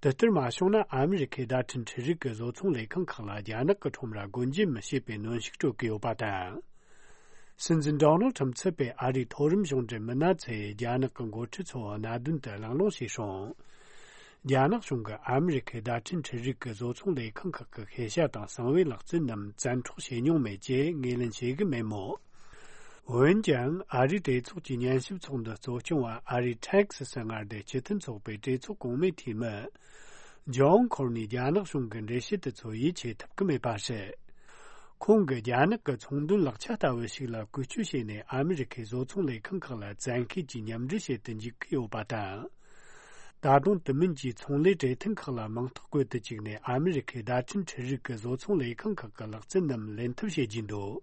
དེ་ལྟར་མ་བྱུང་ན་ཨ་མི་རི་ཁའི་བརྡ་འཕྲིན་འཕྲུལ་རིག་གི་བཟོ་ཚོང་ལས་ཁང་ཁག་ལ་རྒྱ་ནག་གི་ཁྲོམ་ར་སྒོ་འབྱེད་མི་བྱེད་པའི་གནོན་ཤུགས་སྤྲོད་ཀྱི་ཡོད་པ་དང་། སྲིད་འཛིན་ཌོ་ནལ་ཁྲམ་ཚུད་པའི་ཨ་རིའི་མཐོ་རིམ་གཞུང་འབྲེལ་མི་སྣ་ཚོས་རྒྱ་ནག་གི་འགོ་ཁྲིད་ཚོའི་གནད་དོན་དུ་གླེང་སློང་བྱས་སོང་། རྒྱ་ནག་གཞུང་གིས་ཨ་མི་རི་ཁའི་བརྡ་འཕྲིན་འཕྲུལ་རིག་གི་བཟོ་ཚོང་ལས་ཁང་ཁག་གི་ཤེས་བྱ་དང་གསང་བའི་ལག་རྩལ་རྣམས་བཙན་འཕྲོག་བྱེད་མྱོང་མེད་ཅེས་ངོས་ལེན་བྱེད་ཀྱི་མེད་མོད། འོན་ཀྱང་ཨ་རིའི་གྲོས་ཚོགས་ཀྱི་ཉན་ཞིབ་ཚོགས་འདུ་གཙོ་སྐྱོང་བ་ཨ་རིའི་ཐེག་སི་སི་མངའ་སྡེའི་སྤྱི་མཐུན་ཚོགས་པའི་གྲོས་ཚོགས་གོང་མའི་འཐུས་མི། ཇོན་ཁོར་ནི་རྒྱ་ནག་གཞུང་གི་འགྲེལ་བཤད་དེ་ཚོ་ཡིད་ཆེས་ཐུབ་ཀྱི་མེད་པ་རེད། ཁོང་གིས་རྒྱ་ནག་གི་ཚོང་དོན་ལག་ཆ་ལྟ་བུ་ཞིག་ལ་བཀོལ་སྤྱོད་བྱས་ནས་ཨ་མི་རི་ཁའི་བཟོ་ཚོང་ལས་ཁང་ཁག་ལ་བཙན་ཤེད་ཀྱིས་མཉམ་འབྲེལ་བྱེད་དུ་འཇུག་གི་ཡོད་པ་དང་། ད་དུང་དེ་མིན་གྱི་ཚོང་ལས་གྲོས་མཐུན་ཁག་ལ་མིང་རྟགས་བཀོད་དུ་བཅུག་ནས་ཨ་མི་རི་ཁའི་བརྡ་འཕྲིན་འཕྲུལ་རིག་གི་བཟོ་ཚོང་ལས་ཁང་ཁག་གི་ལག་རྩལ་རྣམས་ལེན་ཐབས་བྱེད་ཀྱིན་འདུག་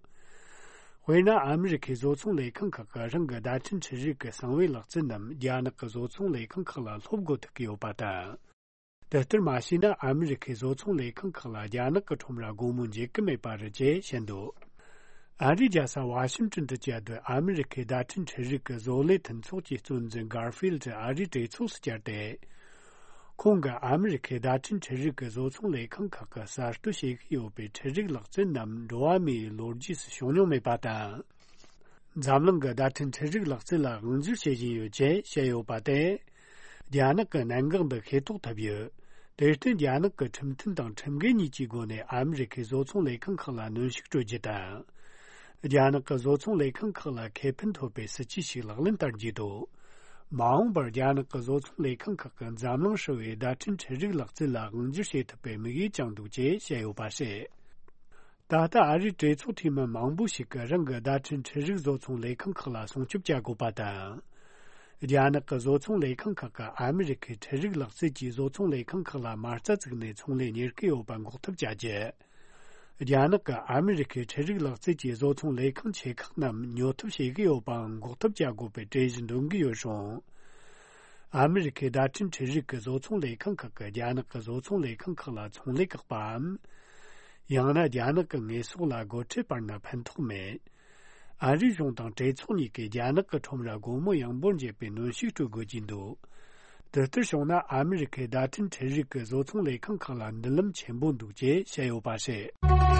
དཔེར་ན་ཨ་མི་རི་ཁའི་བཟོ་ཚོང་ལས་ཁང་ཁག་གིས་རང་གི་བརྡ་འཕྲིན་འཕྲུལ་རིག་གི་གསང་བའི་ལག་རྩལ་རྣམས་རྒྱ་ནག་གི་བཟོ་ཚོང་ལས་ཁང་ཁག་ལ་སློབ་དགོས་ཐུག་གི་ཡོད་པ་དང་། དེ་ལྟར་མ་བྱས་ན་ཨ་མི་རི་ཁའི་བཟོ་ཚོང་ལས་ཁང་ཁག་ལ་རྒྱ་ནག་གི་ཁྲོམ་ར་སྒོ་མོ་འབྱེད་ཀྱི་མེད་པ་རེད་ཅེས་བཤད་འདུག་ཨ་རིའི་རྒྱལ་ས་ཝ་ཤིང་ཏོན་དུ་བཅའ་སྡོད་ཨ་མི་རི་ཁའི་བརྡ་འཕྲིན་འཕྲུལ་རིག་གི་བཟོ་ལས་མཐུན་ཚོགས་ཀྱི་གཙོ་འཛིན་གར་ཕིལ་ཨ་རིའི་གྲོས་ཚོགས་སུ་བཅར་ཏེ། ཁོང་གིས་ཨ་མི་རི་ཁའི་བརྡ་འཕྲིན་འཕྲུལ་རིག་གི་བཟོ་ཚོང་ལས་ཁང་ཁག་གིས་གསར་གཏོད་བྱེད་ཀྱི་ཡོད་པའི་འཕྲུལ་རིག་ལག་རྩལ་རྣམས་འགྲོ་བ་མིའི་ལོ་རྒྱུས་སུ་བྱུང་མྱོང་མེད་པ་དང་། འཛམ་གླིང་གི་བརྡ་འཕྲིན་འཕྲུལ་རིག་ལག་རྩལ་ལ་དབང་སྒྱུར་བྱེད་བཞིན་ཡོད་ཅེས་བཤད་ཡོད་པ་དེ། རྒྱ་ནག་གི་གནད་འགག་འདི་ཤེས་རྟོགས་ཐུབ་ཡོད། དེར་བརྟེན་རྒྱ་ནག་གི་ཁྲིམས་མཐུན་དང་ཁྲིམས་འགལ་གཉིས་ཀྱི་སྒོ་ནས་ཨ་མི་རི་ཁའི་བཟོ་ཚོང་ལས་ཁང་ཁག་ལ་གནོན་ཤུགས་སྤྲོད་རྒྱུ་དང་། རྒྱ་ནག་གི་བཟོ་ཚོང་ལས་ཁང་ཁག་ལ་ཁེ་ཕན་ཐོབ་པའི་སྲིད་ཇུས་ཤིག་ལག་ལེན་བསྟར་རྒྱུ་དང་། མ་འོངས་པར་རྒྱ་ནག་གི་བཟོ་ཚོང་ལས་ཁང་ཁག་གིས་འཛམ་གླིང་ཧྲིལ་བོའི་བརྡ་འཕྲིན་འཕྲུལ་རིག་ལག་རྩལ་ལ་དབང་སྒྱུར་བྱེད་ཐུབ་པའི་དམིགས་ཡུལ་བཅངས་འདུག་ཅེས་བཤད་ཡོད་པ་རེད། ད་ལྟ་ཨ་རིའི་གྲོས་ཚོགས་འཐུས་མི་མང་པོ་ཞིག་གིས་རང་གི་བརྡ་འཕྲིན་འཕྲུལ་རིག་བཟོ་ཚོང་ལས་ཁང་ཁག་ལ་སྲུང་སྐྱོབ་བྱ་དགོས་པ་དང་། རྒྱ་ནག་གི་བཟོ་ཚོང་ལས་ཁང་ཁག་གིས་ཨ་མི་རི་ཁའི་འཕྲུལ་རིག་ལག་རྩལ་གྱི་བཟོ་ཚོང་ལས་ཁང་ཁག་ལ་མ་རྩ་བཙུགས་ནས་ཚོང་ལས་གཉེར་གྱི་ཡོད་པ་འགོག་ཐབས་བྱ་རྒྱུ། རྒྱ་ནག་གིས་ཨ་མི་རི་ཁའི་འཕྲུལ་རིག་ལག་རྩལ་གྱི་བཟོ་ཚོང་ལས་ཁང་ཆེ་ཁག་རྣམས་ཉོ་ཐབས་བྱེད་ཀྱི་ཡོད་པའང་འགོག་ཐབས་བྱ་དགོས་པའི་གྲོས་གཞི་འདོན་གྱི་ཡོད་རུང་། ཨ་མི་རི་ཁའི་བརྡ་འཕྲིན་འཕྲུལ་རིག་གི་བཟོ་ཚོང་ལས་ཁང་ཁག་གིས་རྒྱ་ནག་གི་བཟོ་ཚོང་ལས་ཁང་ཁག་ལ་ཚོང་ལས་བཀག་པའམ། ཡང་ན་རྒྱ་ནག་གི་དངོས་ཟོག་ལ་སྒོ་ཁྲལ་སྤར་ན་ཕན་ཐོགས་མེད། ཨ་རིའི་གཞུང་དང་གྲོས་ཚོགས་གཉིས་ཀས་རྒྱ་ནག་གི་ཁྲོམ་ར་སྒོ་མོ་ཡངས་པོར་འབྱེད་པའི་གནོན་ཤུགས་སྤྲོད་དགོས་ཀྱི་འདུག་དེ་ལྟར་བྱུང་ན། ཨ་མི་རི་ཁའི་བརྡ་འཕྲིན་འཕྲུལ་རིག་གི་བཟོ་ཚོང་ལས་ཁང་ཁག་ལ་མདུན་ལམ་ཆེན་པོ་འདུག་ཅེས་བཤད་ཡོད་པ་རེད།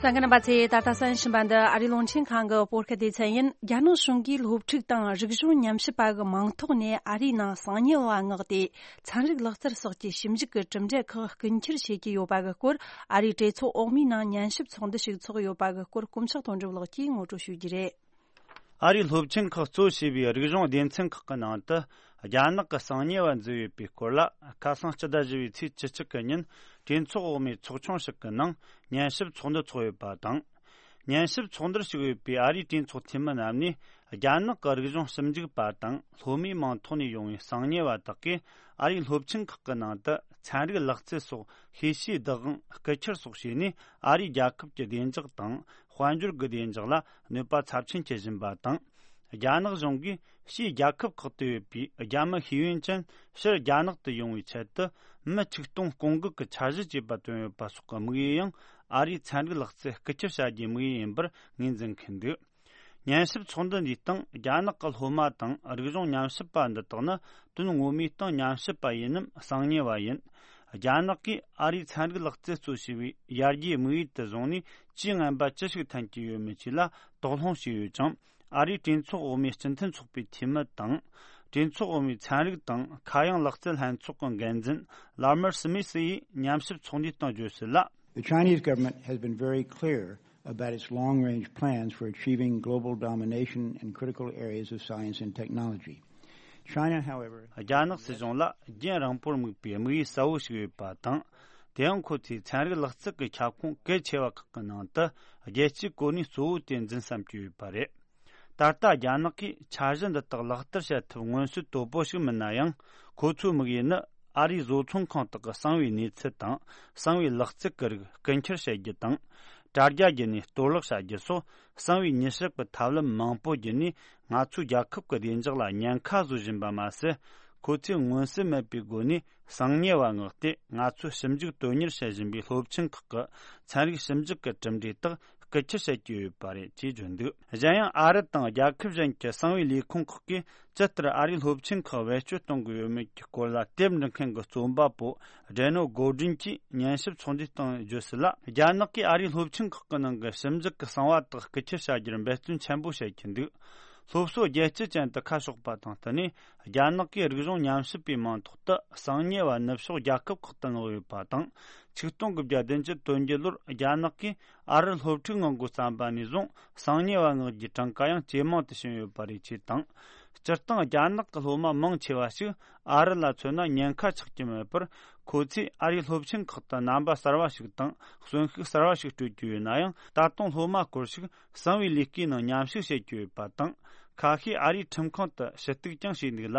གསན་མཁན་རྣམ་པ་ཚོས། ད་ལྟ་གསན་བཞིན་པ་འདི་ཨ་རིའི་རླུང་འཕྲིན་ཁང་གི་བོད་སྐད་སྡེ་ཚན་ཡིན། རྒྱ་ནག་གཞུང་གིས་སློབ་ཕྲུག་དང་རིག་གཞུང་ཉམས་ཞིབ་པ་གི་མིང་ཐོག་ནས་ཨ་རིའི་ནང་གསང་ཉུལ་བ་མངགས་ཏེ། ཚན་རིག་ལག་རྩལ་སོགས་ཀྱི་ཞིབ་འཇུག་གི་གྲུབ་འབྲས་ཁག་རྐུ་འཁྱེར་བྱེད་ཀྱི་ཡོད་པ་གི་སྐོར། ཨ་རིའི་གྲོས་ཚོགས་འོག་མའི་ནང་ཉན་ཞིབ་ཚོགས་འདུ་ཞིག་ཚོགས་ཡོད་པ་གི་སྐོར། དཀོན་མཆོག་དོན་གྲུབ་ལགས་ཀྱིས་ངོ་སྤྲོད་ཞུ་རྒྱུ་རེད། ཨ་རིའི་སློབ་ཆེན་ཁག་གཙོ་བྱས་པའི་རིག་གཞུང་སྡེ་ཚན་ཁག་གི་ནང་དུ། རྒྱ་ནག་གི་གསང་ཉུལ་བ་འཛུལ་ཡོད་པའི་སྐོར་ལ། ཁ་སང་སྤྱི་ཟླ་བཞི་པའི་ཚེས་བཅུ་གཅིག་གི་ཉིན། གྲོས་ཚོགས་འོག་མའི་ཚོགས་ཆུང་ཞིག་གི་ནང་ཉན་ཞིབ་ཚོགས་འདུ་ཚོགས་ཡོད་པ་དང་། ཉན་ཞིབ་ཚོགས་འདུར་ཞུགས་ཡོད་པའི་ཨ་རིའི་གྲོས་ཚོགས་འཐུས་མི་རྣམས་ནས། རྒྱ་ནག་གི་རིག་གཞུང་ཞིབ་འཇུག་པ་དང་སློབ་མའི་མིང་ཐོག་ནས་ཡོང་བའི་གསང་ཉུལ་བ་དག་གིས། ཨ་རིའི་སློབ་ཆེན་ཁག་གི་ནང་དུ་ཚན་རིག་ལག་རྩལ་སོགས་ཤེས་བྱའི་བདག་དབང་རྐུ་འཁྱེར་སོགས་བྱས་ནས། ཨ་རིའི་རྒྱལ་ཁབ་ཀྱི་བདེ་འཇགས་དང་། དཔལ་འབྱོར་གྱི་བདེ་འཇགས་ལ་གནོད་པ་ཚབས་ཆེན་བསྐྱལ་བཞིན་པ་དང་། རྒྱ་ནག་གཞུང་གིས་ཕྱིའི་རྒྱལ་ཁབ་ཁག་ཏུ་ཡོད་པའི་རྒྱ་མི་ཤེས་ཡོན་ཅན་ཕྱིར་རྒྱ་ནག་ཏུ་ཡོང་བའི་ཆེད་དུ། མི་ཆིག་སྟོང་སྐོང་འགུག་གི་འཆར་གཞི་བཅས་པ་བཏོན་ཡོད་པ་སོགས་ཀྱི་དམིགས་ཡུལ་ཡང་ཨ་རིའི་ཚན་རིག་ལག་རྩལ་རྐུ་འཁྱེར་བྱ་རྒྱུའི་དམིགས་ཡུལ་ཡིན་པར་ངོས་འཛིན་མཁན་འདུག་ཉན་ཞིབ་ཚོགས་འདུ་འདིའི་སྟེང་། རྒྱ་ནག་གི་སློབ་མ་དང་རིག་གཞུང་ཉམས་ཞིབ་པ་འདི་དག་ནི། དོན་ངོ་མའི་སྟེང་ཉམས་ཞིབ་པ་ཡིན་ནམ་གསང་ཉུལ་བ་ཡིན། རྒྱ་ནག་གིས་ཨ་རིའི་ཚན་རིག་ལག་རྩལ་གཙོ་བྱས་པའི་ཡར་རྒྱས་དམིགས་ཡུལ་དུ་བཟུང་ནས། ཇུས་ངན་པ་ཅི་ཞིག་འཐེན་གྱི་ཡོད་མེད་བཅས་ལ་དོགས་སློང་བྱས་ཡོད་ཅིང་། ཨ་རིའི་གྲོས་ཚོགས་འོག་མའི་སྤྱི་མཐུན་ཚོགས་པའི་འཐུས་མི་དང་། གྲོས་ཚོགས་འོག་མའི་ཚན་རིག་དང་ཁ་གཡང་ལག་རྩལ་ལྷན་ཚོགས་ཀྱི་འགན་འཛིན་ལར་མར་སི་མི་སི་ཡིས་ཉམས་ཞིབ་ཚོགས་འདུའི་སྟེང་བརྗོད་གསལ་ལ། The Chinese government has been very clear about its long-range plans for achieving global domination in critical areas of science and technology. China, however, རྒྱ་ནག་སྲིད་གཞུང་ལ་རྒྱུན་རིང་པོར་དམིགས་པའི་དམིགས་ཡུལ་གསལ་བོ་ཞིག་ཡོད་པ་དང་། དེ་ཡང་ཁོ་ཚོས་ཚན་རིག་ལག་རྩལ་གྱི་ཁྱབ་ཁོངས་གལ་ཆེ་བ་ཁག་གི་ནང་དུ། རྒྱལ་སྤྱིའི་གོ་གནས་གཙོ་བོ་དེ་འཛིན་བསམ་གྱི་ཡོད་པ་རེད། ད་ལྟ་རྒྱ་ནག་གིས་འཆར་གཞི་འདི་དག་ལག་བསྟར་བྱ་ཐབས་མངོན་གསལ་དོད་པོ་ཞིག་མིན་ན་ཡང་། ཁོ་ཚོའི་དམིགས་ཡུལ་ནི། ཨ་རིའི་བཟོ་ཚོང་ཁང་དག་གི་གསང་བའི་གནས་ཚུལ་དང་། གསང་བའི་ལག་རྩལ་གྱི་རིགས་རྐུ་འཁྱེར་བྱེད་རྒྱུ་དང་། དྲ་རྒྱ་བརྒྱུད་ནས་གཏོར་བརླག་བྱ་རྒྱུ་སོགས། གསང་བའི་ཉེས་སྤྱོད་ཀྱི་ཐབས་ལམ་མང་པོ་བརྒྱུད་ནས། ང་ཚོའི་རྒྱལ་ཁབ་ཀྱི་བདེ་འཇགས་ལ་ཉེན་ཁ་བཟོ་བཞིན་པ་མ་ཟད། ཁོ་ཚོས་མངོན་གསལ་མེད་པའི་སྒོ་ནས་གསང་ཉེས་པ་མངགས་ཏེ། ང་ཚོས་ཞིབ་འཇུག་དོན་གཉེར་བྱེད་བཞིན་པའི་སློབ་ཆེན་ཁག་གི་ཚན་རིག་ཞིབ་འཇུག་གི་གྲུབ་འབྲས་དག་རྐུ་འཁྱེར་བྱེད་ཀྱི་ཡོད་པ་རེད་ཅེས་བརྗོད་འདུག་གཞན་ཡང་། ཨ་རི་དང་རྒྱལ་ཁབ་གཞན་གྱི་གསང་བའི་ལས་ཁུངས་ཁག་གིས་ཇི་ལྟར་ཨ་རིའི་སློབ་ཆེན་ཁག་བེད་སྤྱོད་གཏོང་གི་ཡོད་མེད་ཀྱི་སྐོར་ལ་དེབ་འབྲི་མཁན་གྱི་རྩོམ་པ་པོ་ཌེ་ནོ་གོ་ཌིན་གྱིས་ཉན་ཞིབ་ཚོགས་འདུའི་སྟེང་བརྗོད་གསལ་ལ། རྒྱ་ནག་གིས་ཨ་རིའི་སློབ་ཆེན་ཁག་གི་ནང་གི་ཞིབ་འཇུག་གི་གསང་བ་དག་རྐུ་འཁྱེར་བྱ་རྒྱུར་འབད་བརྩོན་ཆེན་པོ་བྱེད་ཀྱི་འདུག་སློབ་གསོ་རྒྱལ་སྤྱི་ཅན་དུ་ཁ་ཕྱོགས་པ་དང་བསྟུན་ནས། རྒྱ་ནག་གིས་རིག་གཞུང་ཉམས་ཞིབ་པའི་མིང་ཐོག་ཏུ་གསང་ཉེས་པ་ནུབ་ཕྱོགས་རྒྱལ་ཁབ་ཁག་ཏུ་མངགས་ཡོད་པ་དང་། ཆིག་སྟོང་དགུ་བརྒྱ་བདུན་ཅུ་དོན་བརྒྱད་ལོར་རྒྱ་ནག་གིས་ཨ་རིར་སློབ་ཕྲུག་མངགས་འགོ་བརྩམས་པ་ནས་བཟུང་། གསང་ཉེས་པ་མངགས་རྒྱུའི་གྲངས་ཀ་ཡང་ཇེ་མང་དུ་ཕྱིན་ཡོད་པ་རེད་ཅེས་དང་། སྤྱིར་བཏང་རྒྱ་ནག་གི་སློབ་མ་མང་ཆེ་བ་ཞིག་ཨ་རི་ལ་མཚོན་ན་ཉེན་ཁ་ཆགས་ཀྱི་མེད་པར། ཁོ་ཚོས་ཨ་རིའི་སློབ་ཆེན་ཁག་ཏུ་རྣམ་པ་གསར་བ་ཞིག་དང་གསོན་ཤུགས་གསར་བ་ཞིག་སྤྲོད་ཀྱི་ཡོད་ན་ཡང་། ད་དུང་སློབ་མ་སྐོར་ཞིག་གསང་བའི་ལས་ཀའི་ནང་མཉམ་ཞུགས་བྱེད་ཀྱི་ཡོད་པ་དང་། ཁ་ཤས་ཨ་རིའི་ཁྲིམས་ཁང་དུ་ཞུ་གཏུག་ཀྱང་བྱས་འདུག་ལ།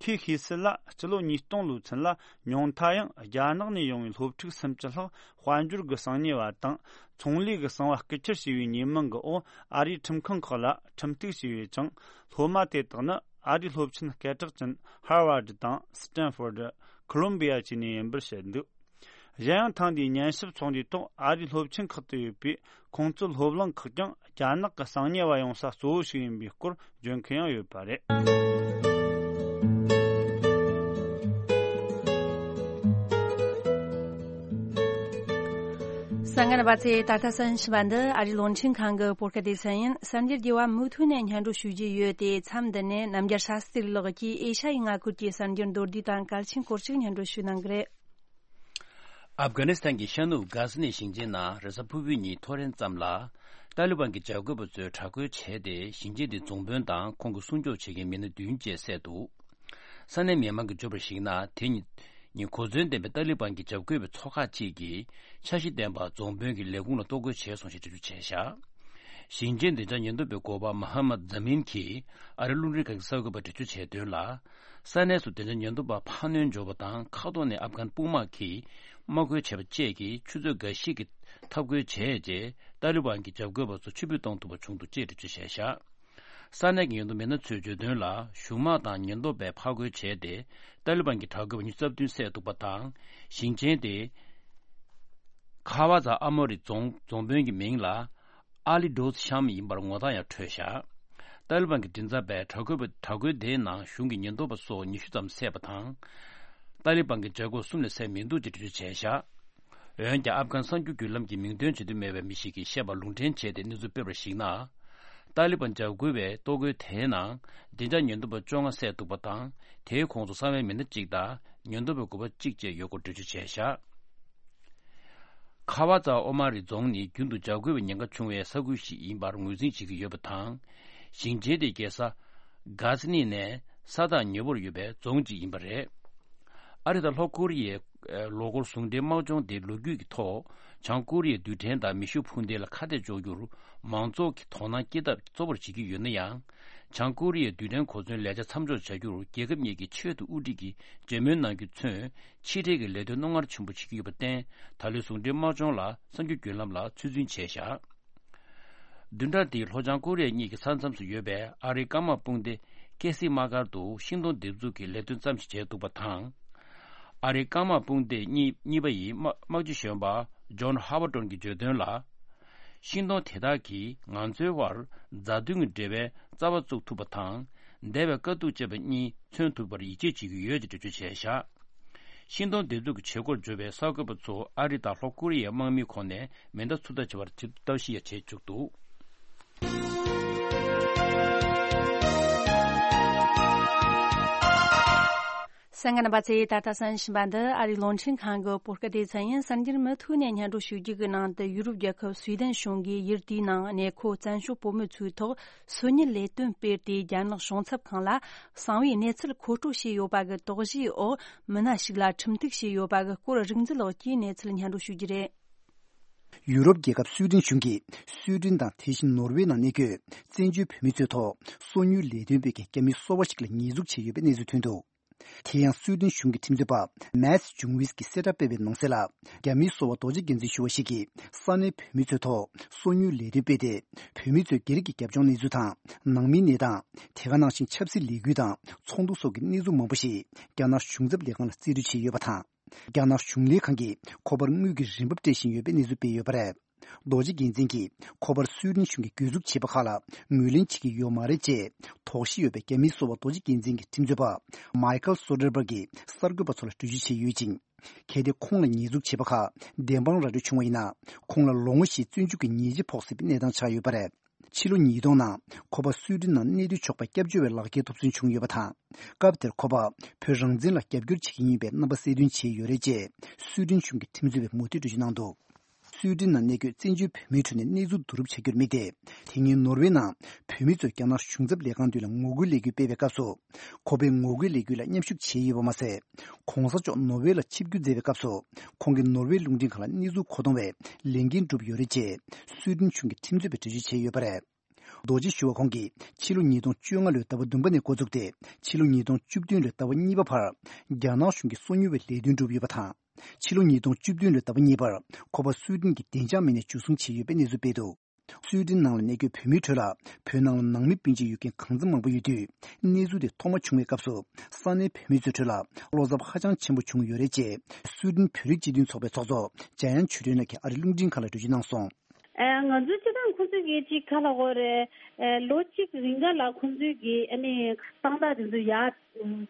ཁོས་ཤེས་གསལ་ལ། སྤྱི་ལོ་ཉིས་སྟོང་ལོའི་ཚུན་ལ། ཉུང་མཐའ་ཡང་རྒྱ་ནག་ནས་ཡོང་བའི་སློབ་ཕྲུག་སུམ་ཅུ་ལྷག་དཔལ་འབྱོར་གྱི་གསང་ཉེས་པ་དང་། ཚོང་ལས་ཀྱི་གསང་བ་རྐུ་འཁྱེར་བྱས་པའི་ཉེས་མིང་གི་འོག་ཨ་རིའི་ཁྲིམས་ཁང་ཁག་ལ་ཁྲིམས་གཏུག་བྱས་ཡོད་ཅིང་། སློབ་མ་དེ་དག་ནི་ཨ་རིའི་སློབ་ཆེན་སྐད་གྲགས་ཅན་ཧར་ཝར་ཌི་དང་སི་ཏན་ཧྥོར་ཌི། ཁོ་ལོམ་བི་ཡ་བཅས་ནས་ཡིན་པར་བཤད་འདུག་གཞན་ཡང་། ཐེངས་འདིའི་ཉན་ཞིབ་ཚོགས་འདུའི་ཐོག་ཨ་རིའི་སློབ་ཆེན་ཁག་ཏུ་ཡོད་པའི་ཁོང་ཚོའི་སློབ་གླིང་ཁག་ཀྱང་རྒྱ་ནག་གི་གསང་ཉེས་པ་ཡོང་ས་གཙོ་བོ་ཞིག་ཡིན་པའི་སྐོར་བརྗོད་མཁན་ཡང་ཡོད་པ་རེད། གསན་མཁན་རྣམ་པ་ཚོས། ད་ལྟ་གསན་བཞིན་པ་འདི་ཨ་རིའི་རླུང་འཕྲིན་ཁང་གི་བོད་སྐད་སྡེ་ཚན་ཡིན། གསར་འགྱུར་རྒྱས་པ་མུ་མཐུད་ནས་སྙན་སྒྲོན་ཞུ་རྒྱུ་ཡོད་དེ། མཚམས་འདི་ནས་རྣམ་རྒྱལ་ཤཱ་སྟྲི་ལགས་ཀྱིས་ཨེ་ཤ་ཡའི་མངའ་ཁུལ་གྱི་གསར་འགྱུར་མདོར་བསྡུས་དང་གལ་ཆེན་སྐོར་ཞིག་སྙན་སྒྲོན་ཞུ་གནང་གི་རེད། ཨབ་གྷ་ནི་སི་ཐན་གྱི་ཤར་ནུབ་གྷ་ཟི་ནི་ཞིང་ཆེན་ནང་རེས་གཟའ་ཕུར་བུའི་ཉིན་ཐོ་རེངས་ཙམ་ལ། ཏཱ་ལི་བན་གྱི་འཇབ་རྒོལ་བ་ཚོས་དྲག་རྒོལ་བྱས་ཏེ། ཞིང་ཆེན་དེའི་རྫོང་དཔོན་དང་ཁོང་གི་སྲུང་སྐྱོབ་བྱེད་མཁན་མི་སྣ་བདུན་བཅས་བསད་འདུག་ས་གནས་མི་མང་གིས་བརྗོད་པར་གཞིགས་ན། དེ་ཉིན་གོ་མཚོན་ལྡན་པའི་ཏཱ་ལི་བན་གྱི་འཇབ་རྒོལ་བའི་ཚོགས་ཁག་ཅིག་གིས་འཆར་གཞི་ལྡན་པ་རྫོང་དཔོན་གྱི་ལས་ཁུངས་ལ་གཏོར་རྒོལ་བྱས་སོང་ཞེས་འགྲེལ་བརྗོད་བྱས་བཞག་ཞིང་ཆེན་བདེ་འཇགས་ཉེན་རྟོག་པའི་འགོ་པ་མ་ཧ་མད་ཛ་མིན་གྱིས་ཨ་རིའི་རླུང་འཕྲིན་ཁང་གི་གསར་འགོད་པར་འགྲེལ་བརྗོད་བྱས་དོན་ལ། ས་གནས་སུ་བདེ་འཇགས་ཉེན་རྟོག་པ་འཕར་སྣོན་འབྱོར་བ་དང་། མཁའ་ཐོག་ནས་ཨབ་གྷན་དཔུང་དམག་གིས་དམག་རྒོལ་བྱས་པ་བཅས་ཀྱིས་ཆུ་ཚོད་འགའ་ཤས་ཀྱི་འཐབ་རྒོལ་བྱས་རྗེས། ཏཱ་ལི་བན་གྱི་འཇབ་རྒོལ་བ་ཚོ་ཕྱིར་འབུད་གཏོང་ཐུབ་པ་བྱུང་འདུག་ཅེས་འགྲེལ་བརྗོད་བྱས་བཞག་ས་གནས་ཀྱི་ཉེན་རྟོག་མི་སྣ་ཚོས་བརྗོད་དོན་ལ། གཞུང་དམག་དང་ཉེན་རྟོག་པས་ཕར་རྒོལ་བྱས་ཏེ། ཏཱ་ལི་བན་གྱི་དྲག་རྒོལ་བ་ཉི་ཤུ་རྩ་བདུན་བསད་འདུག་པ་དང་། ཞིང་ཆེན་དེ་ཁ་བ་ཛ་ཨ་མོ་རི་རྫོང་རྫོང་དཔོན་གྱི་མིང་ལ་ཨ་ལི་ཌོ་ཤམ་ཡིན་པར་ངོ་རྟགས་ཡང་འཕྲོད་བཞག་ཏཱ་ལི་བན་གྱི་མགྲིན་ཚབ་པས་དྲག་རྒོལ་བ་དྲག་རྒོལ་དེའི་ནང་གཞུང་གི་ཉེན་རྟོག་པ་སོགས་ཉི་ཤུ་ཙམ་བསད་པ་དང་། ཏཱ་ལི་བན་གྱི་བྱ་སྒོ་གསུམ་ལས་ཟད་མི་འདུག་ཅེས་འགྲེལ་བརྗོད་བྱས་བཞག་འོན་ཀྱང་། ཨབ་གྷན་གསར་འགྱུར་བརྒྱུད་ལམ་གྱིས་མིང་འདོན་བྱེད་འདོད་མེད་པའི་མི་ཞིག་གིས་བཤད་པ་ལུང་འདྲེན་བྱས་ཏེ་གནས་ཚུལ་སྤེལ་བར་གཞིགས་ན། ཏཱ་ལི་བན་འཇབ་རྒོལ་བའི་གཏོར་རྒོལ་དེའི་ནང་བདེ་འཇགས་ཉེན་རྟོག་པ་བཅོ་ལྔ་བསད་འདུག་པ་དང་། དེའི་ཁོངས་སུ་གསང་བའི་མི་སྣ་གཅིག་དང་ཉེན་རྟོག་པའི་འགོ་པ་གཅིག་བཅས་ཡོད་སྐོར་འགྲེལ་བརྗོད་བྱས་བཞག་ཁ་བ་ཛ་ཨོ་མ་རི་རྫོང་ནི་རྒྱུན་དུ་འཇབ་རྒོལ་བའི་ཉེན་ཁ་བྱུང་བའི་ས་ཁུལ་ཞིག་ཡིན་པར་ངོས་འཛིན་བྱེད་ཀྱི་ཡོད་པ་དང་། ཞིང་ཆེན་དེའི་རྒྱལ་ས་གྷ་ཛི་ནི་ནས་ས་ཐག་ཉེ་བོར་ཡོད་པའི་རྫོང་གཅིག་ཡིན་པ་རེད། ཨ་རི་དང་ལྷོ་ཀོ་རི་ཡའི་ལོ་འཁོར་ཟུང་འབྲེལ་དམག་སྦྱོང་དེ་ལོ་རྒྱུས་ཀྱི་ཐོག་བྱང་ཀོ་རི་ཡའི་རྡུལ་ཕྲན་དང་མེ་ཤུགས་འཕུར་མདེལ་ལ་ཁ་གཏད་གཅོག་རྒྱུར་མང་ཚོགས་ཀྱི་དོ་སྣང་སྐྱེད་ཐབས་གཙོ་བོར་བྱེད་ཀྱི་ཡོད་ན་ཡང་། བྱང་ཀོ་རི་ཡའི་རྡུལ་ཕྲན་གོ་མཚོན་ལས་འཆར་མཚམས་འཇོག་བྱ་རྒྱུར་རྒྱལ་ཁབ་གཉིས་ཀྱི་ཆེས་མཐོ་དབུ་ཁྲིད་ཀྱིས་མཇལ་མོལ་གནང་རྒྱུ་མཚོན། ཕྱི་འབྲེལ་གྱི་ལས་དོན་རྣོ་ངར་ཆེན་པོ་བྱེད་ཀྱི་ཡོད་པར་བརྟེན། ད་ལོའི་ཟུང་འབྲེལ་དམག་སྦྱོང་ལ་གསར་འགྱུར་བརྒྱུད་ལམ་ལ་ཚོད་འཛིན་བྱས་བཞག་བདུན་ཕྲག་འདིའི་ལྷོ་བྱང་ཀོ་རི་ཡ་གཉིས་ཀྱི་ས་མཚམས་སུ་ཡོད་པའི་ཨ་རིའི་སྐམ་དམག་དཔུང་སྡེ་ཀེ་སི་དམག་སྒར་དུ་ཤིང་སྡོང་འདེབས་འཛུགས་ཀྱི་ལས་དོན་ཙམ་ཞིག་བྱས་འདུག་པ་དང་། ཨ་རིའི་སྐམ་དམག་དཔུང་སྡེ་གཉིས་གཉིས་པ་ཡི་དམག་དམག་སྤྱི་གཞོན་པ་ཇོན་ཧ་ཝར་ཏོན་གྱིས་བརྗོད་དོན་ལ། ཤིང་སྡོང་དེ་དག་གིས་ང་ཚོའི་དབར་མཛའ་མཐུན་གྱི་འབྲེལ་བའི་རྩ་བ་བཙུགས་ཐུབ་པ་དང་། འདས་པའི་དཀའ་སྡུག་ཅན་པ་གཉིས་མཚོན་ཐུབ་པར་ཡིད་ཆེས་བྱེད་ཀྱི་ཡོད་ཅེས་འགྲེལ་བརྗོད་བྱས་བཞག་ཤིང་སྡོང་འདེབས་འཛུགས་ཀྱི་བྱེད་སྒོར་འབྱོར་བའི་གསར་འགོད་པ་ཚོ་ཨ་རི་དང་ལྷོ་ཀོ་རི་ཡའི་དམག་མིའི་ཁོངས་ནས་མེ་མདའ་ཚུར་ལྟ་བྱེད་པར་ཐབས་ཤེས་ཡང་བྱེད་བཅུག་འདུག་གསན་མཁན་རྣམ་པ་ཚོས་ད་ལྟ་གསན་བཞིན་པ་འདི་ཨ་རིའི་རླུང་འཕྲིན་ཁང་གི་བོད་སྐད་སྡེ་ཚན་ཡིན། གསར་འགྱུར་མུ་མཐུད་ནས་སྙན་སྒྲོན་ཞུ་རྒྱུ་གི་ནང་དུ། ཡུ་རོབ་རྒྱལ་ཁབ་སུའེ་ཏན་གཞུང་གིས་ཡུལ་དེའི་ནང་གནས་འཁོད་བཙན་བྱོལ་བོད་མི་ཚོའི་ཐོག་སོ་ཉུལ་ལས་དོན་སྤེལ་ཏེ། རྒྱ་ནག་གཞུང་ཚབ་ཁང་ལ་གསང་བའི་གནས་ཚུལ་མཁོ་སྤྲོད་བྱས་ཡོད་པ་གི་དོགས་གཞིའི་འོག་མི་སྣ་ཞིག་ལ་ཁྲིམས་གཏུག་བྱས་ཡོད་པ་གི་སྐོར་རིག་འཛིན་ལགས་ཀྱིས་གནས་ཚུལ་སྙན་སྒྲོན་ཞུ་རྒྱུ་རེད། ཡུ་རོབ་རྒྱལ་ཁབ་སུའེ་ཏན་གཞུང་གིས་སུའེ་ཏན་དང་དེ་བཞིན་ནོར་ཝེ་ནང་གནས་འཁོད་བཙན་བྱོལ་བོད་མི་ཚོའི་ཐོག་སོ་ཉུལ་ལས་དོན་སྤེལ་མཁན་རྒྱ་མིའི་སོ་པ་ཞིག་ལ་ཉེས་འཛུགས་བྱས་ཡོད་པའི་གནས་ཚུལ་ཐོན་འདུག་དེ་ཡང་སུའེ་ཏན་གཞུང་གི་ཁྲིམས་རྩོད་པ་མཱས་ཇུང་ཝིས་ཀྱིས་གསལ་བསྒྲགས་སྤེལ་བའི་ནང་གསལ་ལ། རྒྱ་མིའི་སོ་པ་རྡོ་རྗེ་རྒྱལ་མཚན་ཞུ་བ་ཞིག་གིས་ས་གནས་བོད་མི་ཚོའི་ཐོག་སོ་ཉུལ་ལས་དོན་སྤེལ་ཏེ། བོད་མི་ཚོས་སྒེར་གྱི་རྒྱབ་ལྗོངས་གནས་ཚུལ་དང་། ནང་མིའི་གནས་སྟངས། དེ་ག་ནང་བཞིན་ཆབ་སྲིད་ལས་འགུལ་དང་ཚོགས་འདུ་སོགས་ཀྱི་གནས་ཚུལ་མང་པོ་ཞིག་རྒྱ་ནག་གཞུང་ཚབ་ལས་ཁང་ལ་རྩིས་སྤྲོད་བྱས་ཡོད་པ་དང་། རྒྱ་ནག་གཞུང་ལས་ཁང་གིས་ཁོ་པར་དངུལ་གྱི་རིན་འབབ་སྤྲད་བཞིན་ཡོད་པའི་གནས་ཚུལ་སྤེལ་ཡོད་པ་རེད། རྡོ་རྗེ་རྒྱལ་མཚན་གྱིས་ཁོ་པར་སུའེ་ཏན་གཞུང་གིས་གྱོད་འཛུགས་བྱས་པ་ཁག་ལ་ངོས་ལེན་བྱེད་ཀྱི་ཡོད་མ་རེད་ཅེས་དོགས་གཞི་ཡོད་པའི་རྒྱ་མིའི་སོ་པ་རྡོ་རྗེ་རྒྱལ་མཚན་གྱི་ཁྲིམས་རྩོད་པ་མའི་ཁལ་སོ་ཌར་བྷར་གྱིས་གསར་འགོད་པ་ཚོ་ལ་འགྲེལ་བརྗོད་བྱས་ཡོད་ཅིང་། གལ་ཏེ་ཁོང་ལ་ཉེས་འཛུགས་བྱས་པ་ཁག་བདེན་དཔང་ར་སྤྲོད་བྱུང་བ་ཡིན་ན། ཁོང་ལ་ལོ་ངོ་བཞིའི་བཙོན་འཇུག་གི་ཉེས་ཆད་ཕོག་སྲིད་པའི་གནས་སྟངས་ཆགས་ཡོད་པ་རེད། ཕྱི་ལོ་ཉིས་སྟོང་ནང་ཁོ་པ་སུའེ་ཏན་ནང་གནས་སྡོད་ཆོག་པ་སྐྱབས་བཅོལ་བའི་ལག་ཁྱེར་ཐོབ་ཚུལ་བྱུང་ཡོད་པ་དང་། སྐབས་དེར་ཁོ་པ་བོད་རང་བཙན་ལ་རྒྱབ་སྐྱོར་བྱེད་ཀྱི་ཡིན་པའི་རྣམ་པ་གསལ་སྟོན་བྱས་ཡོད་རེད་ཅེས་སུའེ་ཏན་གཞུང་གི་ཁྲིམས་རྩོད་པས་མུ་མཐུད་འགྲེལ་བརྗོད་གནང་འདུག་སུའེ་ཏན་ནང་གནས་འཁོད་བཙན་བྱོལ་བོད་མིའི་ཁྲོད་ནས་གནས་ཚུལ་བསྡུ་རུབ་བྱ་རྒྱུར་དམིགས་ཏེ། དེ་སྔོན་ནོར་ཝེ་ནང་བོད་མི་ཚོས་རྒྱ་ནག་གཞུང་ཚབ་ལས་ཁང་མདུན་ལ་ངོ་རྒོལ་ལས་འགུལ་སྤེལ་བའི་སྐབས་སུ། ཁོ་པས་ངོ་རྒོལ་ལས་འགུལ་ལ་མཉམ་ཞུགས་བྱས་ཡོད་པ་མ་ཟད། གོང་ས་མཆོག་ནོར་ཝེ་ལ་ཆིབས་བསྒྱུར་མཛད་པའི་སྐབས་སུ། ཁོང་གིས་ནོར་ཝེ་རླུང་འཕྲིན་ཁང་ལ་གནས་ཚུལ་མཁོ་གཏོང་བའི་ལས་འགན་བསྒྲུབས་ཡོད་རེད་ཅེས་སུའེ་ཏན་གཞུང་གི་ཁྲིམས་རྩོད་པས་འགྲེལ་བརྗོད་བྱས་ཡོད་པ་རེད། རྡོ་རྗེ་ཞུ་བ་ཁོང་གིས་ཕྱི་ལོ་ཉིས་སྟོང་བཅོ་ལྔ་ལོའི་ཟླ་བ་བདུན་པ་ནས་འགོ་བཙུགས་ཏེ། ཕྱི་ལོ་ཉིས་སྟོང་བཅུ་བདུན་ལོའི་ཟླ་བ་གཉིས་པ་བར་རྒྱ་ནག་གཞུང་གིས་སོ་ཉུལ་བའི་ལས་དོན་བསྒྲུབས་ཡོད་པ་དང་། ཕྱི་ལོ་ཉིས་སྟོང་བཅུ་བདུན་ལོའི་ཟླ་བ་གཉིས་པར་ཁོ་པ་སུའེ་ཏན་གྱི་བདེ་འཇགས་མི་སྣས་འཇུ་བཟུང་བྱས་ཡོད་པའི་གནས་ཚུལ་སྤེལ་འདུག་སུའེ་ཏན་ནང་ལ་གནས་འཁོད་བོད་མིའི་ཁྲོད་ལ་བོད་ནང་ལ་ནང་མི་སྤུན་མཆེད་ཡོད་མཁན་གང་འཚམ་མང་པོ་ཡོད་དུས། གནས་ཚུལ་དེ་ཐོག་མ་བྱུང་བའི་སྐབས་སུ་ས་གནས་བོད་མི་ཚོའི་ཁྲོད་ལ་བློ་འཚབ་ཧ་ཅང་ཆེན་པོ་བྱུང་ཡོད་རེད་ཅེས་སུའེ་ཏན་བོད་རིགས་སྤྱི་མཐུན་ཚོགས་པའི་ཚོགས་གཙོ་འཇམ་དབྱངས་ཆོས་སྒྲོན་ལགས་ཀྱིས་ཨ་རིའི་རླུང་འཕྲིན་ཁང་ལ་འགྲེལ་བརྗོད་གནང་སོང་། ཨ། ང་ཚོའི་སྤྱི་བཏང་ཁོང་ཚོས་ཀྱིས་ཅིག་ག་ལ་གོ་རེད། ཨ། ལོ་གཅིག་རིང་ག་ལ་ཁོང་ཚོས་ཀྱིས་ཨ་ནི་དཔང་རྟགས་དེ་ཚོ་ཡར་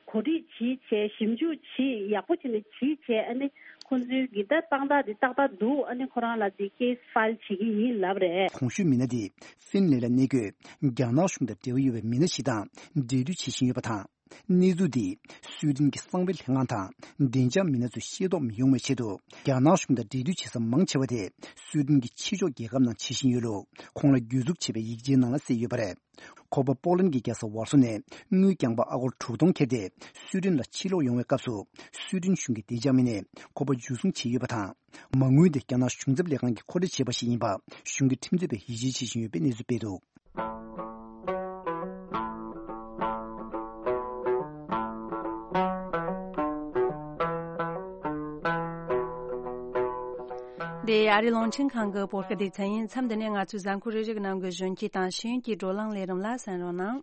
གོ་སྒྲིག་བྱས་བྱས། ཞིབ་འཇུག་བྱས། ཡག་པོ་བྱས་ནས་བྱས་བྱས། ཨ་ནི་ཁོང་ཚོའི་གི་ད་དཔང་རྟགས་དེ་ཏག་ཏག་འདུག་ཨ་ནི་ཁོ་རང་ལ་དེ་ཀེ་སི་ཕའིལ་བྱེད་ཀྱི་ཡིན་ལབ་རེད། གོང་ཞུས་མི་སྣ་དེ་ཧྥིན་ལན་ལ་གནས་འཁོད་རྒྱ་ནག་གཞུང་དང་འབྲེལ་བ་ཡོད་པའི་མི་སྣ་ཞིག་དང་འབྲེལ་མཐུད་བྱེད་བཞིན་ཡོད་པ་དང་། གནས་ཚུལ་འདིས་སུའེ་ཏན་གྱི་གསང་བའི་ལྷན་ཁང་དང་བདེ་འཇགས་མི་སྣ་ཚོས་ཤེས་རྟོགས་མི་ཡོང་བའི་ཆེད་དུ། རྒྱ་ནག་གཞུང་དང་འབྲེལ་མཐུད་བྱེད་ས་མང་ཆེ་བ་དེ་སུའེ་ཏན་གྱི་ཕྱི་ཕྱོགས་རྒྱལ་ཁབ་ནང་བྱེད་བཞིན་ཡོད་ལུགས་ཁོང་ལ་གྱོད་འཛུགས་བྱས་པའི་ཡིག་ཆའི་ནང་ལ་གསལ་ཡོད་པ་རེད། ཁོ་པ་པོ་ལན་གྱི་རྒྱལ་ས་ཝར་སོ་ནས་དངུལ་རྐྱང་པ་ཨ་སྒོར་དྲུག་སྟོང་ཁྱེར་ཏེ་སུའེ་ཏན་ལ་ཕྱིར་ལོག་ཡོང་བའི་སྐབས་སུ། སུའེ་ཏན་གཞུང་གི་བདེ་འཇགས་མི་སྣས་ཁོ་པ་འཇུ་བཟུང་བྱས་ཡོད་པ་དང་། མ་དངུལ་དེ་རྒྱ་ནག་གཞུང་ཚབ་ལས་ཁང་གིས་མཁོ་སྤྲོད་བྱས་པ་ཞིག་ཡིན་པ་གཞུང་གི་ཁྲིམས་རྩོད་པས་ཡིད་ཆེས་བྱེད་བཞིན་ཡོད་པའི་གནས་ཚུལ་སྤེལ་འདུག་འདི་ཨ་ རི་རླུང་འཕྲིན་ཁང་གི་བོད་སྐད་སྡེ་ཚན་ཡིན། མཚམས་འདི་ནས་ང་ཚོའི་གཟའ་འཁོར་རེ་རེ་གི་ནང་གི་གཞོན་སྐྱེས་དང་ཤེས་ཡོན་གྱི་བགྲོ་གླེང་ལས་རིམ་ལ་གསན་རོགས་གནང་།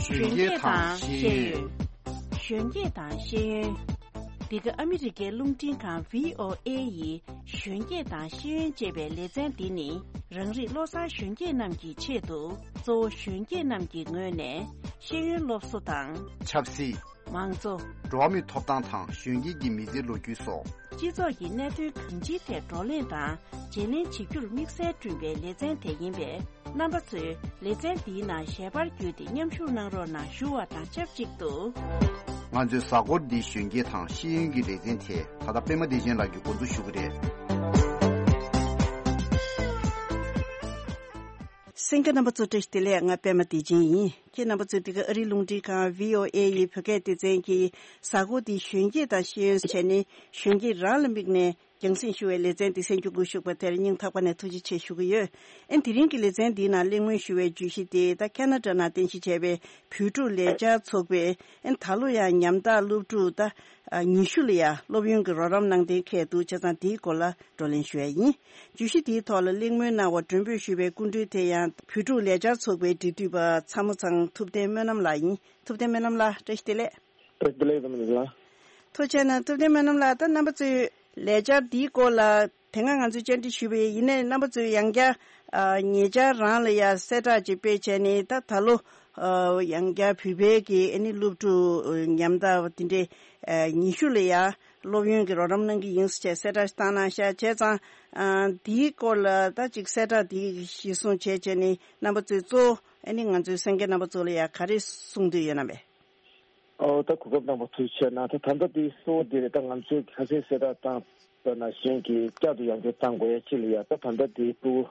གཞོན་སྐྱེས་དང་ཤེས་ཡོན། གཞོན་སྐྱེས་དང་ཤེས་ཡོན། འདི་ག་ཨ་མི་རི་ཀའི་རླུང་འཕྲིན་ཁང་བྷི་ཨོ་ཨེ་ཡི་གཞོན་སྐྱེས་དང་ཤེས་ཡོན་ཅེས་པའི་ལེ་ཚན་འདི་ནི། རང་རིགས་བློ་བཟང་གཞོན་སྐྱེས་རྣམས་ཀྱི་ཆེད་དུ། གཙོ་བོ་གཞོན་སྐྱེས་རྣམས་ཀྱི་ངོས་ནས་ཤེས་ཡོན་སློབ་གསོ་དང་། ཆབ་སྲིད། མང་གཙོ། འགྲོ་བ་མིའི་ཐོབ་ཐང་དང་གཞོན་སྐྱེས་ཀྱི་མི་ཚེའི་ལོ་རྒྱུས་སོགས། སྤྱི་ཚོགས་ཀྱི་གནད་དོན་གང་ཅིའི་ཐད་བགྲོ་གླེང་དང་བརྗེ་ལེན་བྱེད་རྒྱུར་དམིགས་བསལ་བསྐྲུན་པའི་ལེ་ཚན་དེ་ཡིན་པས། རྣམ་པ་ཚོས་ལེ་ཚན་འདིའི་ནང་ཞལ་པར་བརྒྱུད་དེ་མཉམ་ཞུགས་གནང་རོགས་གནང་ཞུ་བ་དང་ཆབས་ཅིག་ཏུ། ང་ཚོའི་གཟའ་འཁོར་འདིའི་གཞོན་སྐྱེས་དང་ཤེས་ཡོན་གྱི་ལེ་ཚན་དེ་ད་ལྟ་པད་མ་བདེ་ཆེན་ལགས་ཀྱིས་འགོ་འཛུགས་ཞུ་གི་རེད། གསན་མཁན་རྣམ་པ་ཚོ་བཀྲ་ཤིས་བདེ་ལེགས། ང་པད་མ་བདེ་ཆེན་ཡིན། ཁྱེད་རྣམ་པ་ཚོས་འདི་ག་ཨ་རིའི་རླུང་འཕྲིན་ཁང་བྷི་ཨོ་ཨེ་ཡི་བོད་སྐད་སྡེ་ཚན་གྱི་གཟའ་འཁོར་འདིའི་གཞོན་སྐྱེས་དང་ཤེས་ཡོན་བྱས་ནས་གཞོན་སྐྱེས་རང་ལ་དམིགས་ནས། རྒྱང་སྲིང་ཞུ་བའི་ལེ་ཚན་འདི་གསན་རྒྱུ་འགོ་ཞུགས་པ་དེར་སྙིང་ཐག་པ་ནས་ཐུགས་རྗེ་ཆེ་ཞུ་གི་ཡོད། ཨན་དེ་རིང་གི་ལེ་ཚན་འདིའི་ནང་གླེང་མོལ་ཞུ་བའི་བརྗོད་གཞི་དེ་ད་ཁ་ན་ཌ་ནང་རྟེན་གཞི་བྱས་པའི་བོད་ཕྲུག་ལས་འཆར་ཚོགས་པས་ཨན་ད་ལོ་ཡང་ཉམ་ཐག་སློབ་ཕྲུག་ད་ཉི་ཤུ་ལ་ཡང་སློབ་ཡོན་གྱི་རོགས་རམ་གནང་གཏན་འཁེལ་འདུག་བྱས་ཙང་དེའི་སྐོར་ལ་བགྲོ་གླེང་ཞུ་ཡ་ཡིན། བརྗོད་གཞི་དེའི་ཐོག་ལ་གླེང་མོལ་གནང་བར་མགྲོན་འབོད་ཞུས་པའི་སྐུ་མགྲོན་དེ་ཡང་བོད་ཕྲུག་ལས་འཆར་ཚོགས་པའི་འབྲེལ་མཐུད་པ་ཚ་མོ་ཚང་ཐུབ་བསྟན་སྨོན་ལམ་ལགས་ཡིན། ཐུབ་བསྟན་སྨོན་ལམ་ལགས་བཀྲ་ཤིས་བདེ་ལེགས། བཀྲ་ཤིས་བདེ་ལེགས། ཐུབ་བསྟན་སྨོན་ལམ་ལགས། ཐུགས་རྗེ་གནང་། ཐུབ་བསྟན་སྨོན་ལམ་ལགས། ད་རྣམ་པ་ཚོས་ལས་འཆར་འདིའི་སྐོར་ལ་དེ་སྔ་ང་ཚོས་བཅར་འདྲི་ཞུས་པ་ཡིན། ཡིན་ནའི་རྣམ་པ་ཚོས་ཡང་བསྐྱར་ཨ་ཉེ་ཆར་རང་ལ་ཡང་གསལ་བསྒྲགས་ཅིག་སྤེལ་བྱས་ནས། ད་ད་ལོ་ཨ་ཡང་བསྐྱར་བོད་པའི་གི་ཨ་ནི་སློབ་ཕྲུག་ཉམ་ཐག་དེ་འདྲའི་ཨ་ཉི་ཤུ་ལ་ཡང་སློབ་ཡོན་གྱི་རོགས་རམ་གནང་གི་ཡིན་ཟེར་བྱས་གསལ་བསྒྲགས་ཤིག་བཏང་གནང་ཤག་བྱས་ཙང་ཨ་འདིའི་སྐོར་ལ་ད་ཅིག་གསལ་བསྒྲགས་འདི་གཞིར་བཟུང་བྱས་བྱས་ནས་རྣམ་པ་ཚོས་གཙོ་བོ་ཨ་ནི་ང་ཚོའི་གསན་མཁན་རྣམ་པ་ཚོ་ལ་ཡང་ག་རེ་གསུང་འདོད་ཡོད་ན་མེད། ཨོ་ད་གོ་སྐབས་གནང་བ་ཐུགས་རྗེ་ཆེ་གནང་། ད་ད་ལྟ་དེ་གཙོ་བོ་དེ་རེད། ད་ང་ཚོས་ཁ་སང་གསལ་བསྒྲགས་བཏང་པ་ནང་བཞིན་གྱི་བསྐྱར་དུ་ཡང་བསྐྱར་བཏང་དགོས་ཡ་ཅིག་ལ་ཡ། ད་ད་ལྟ་དེ་སྤུ་གུ་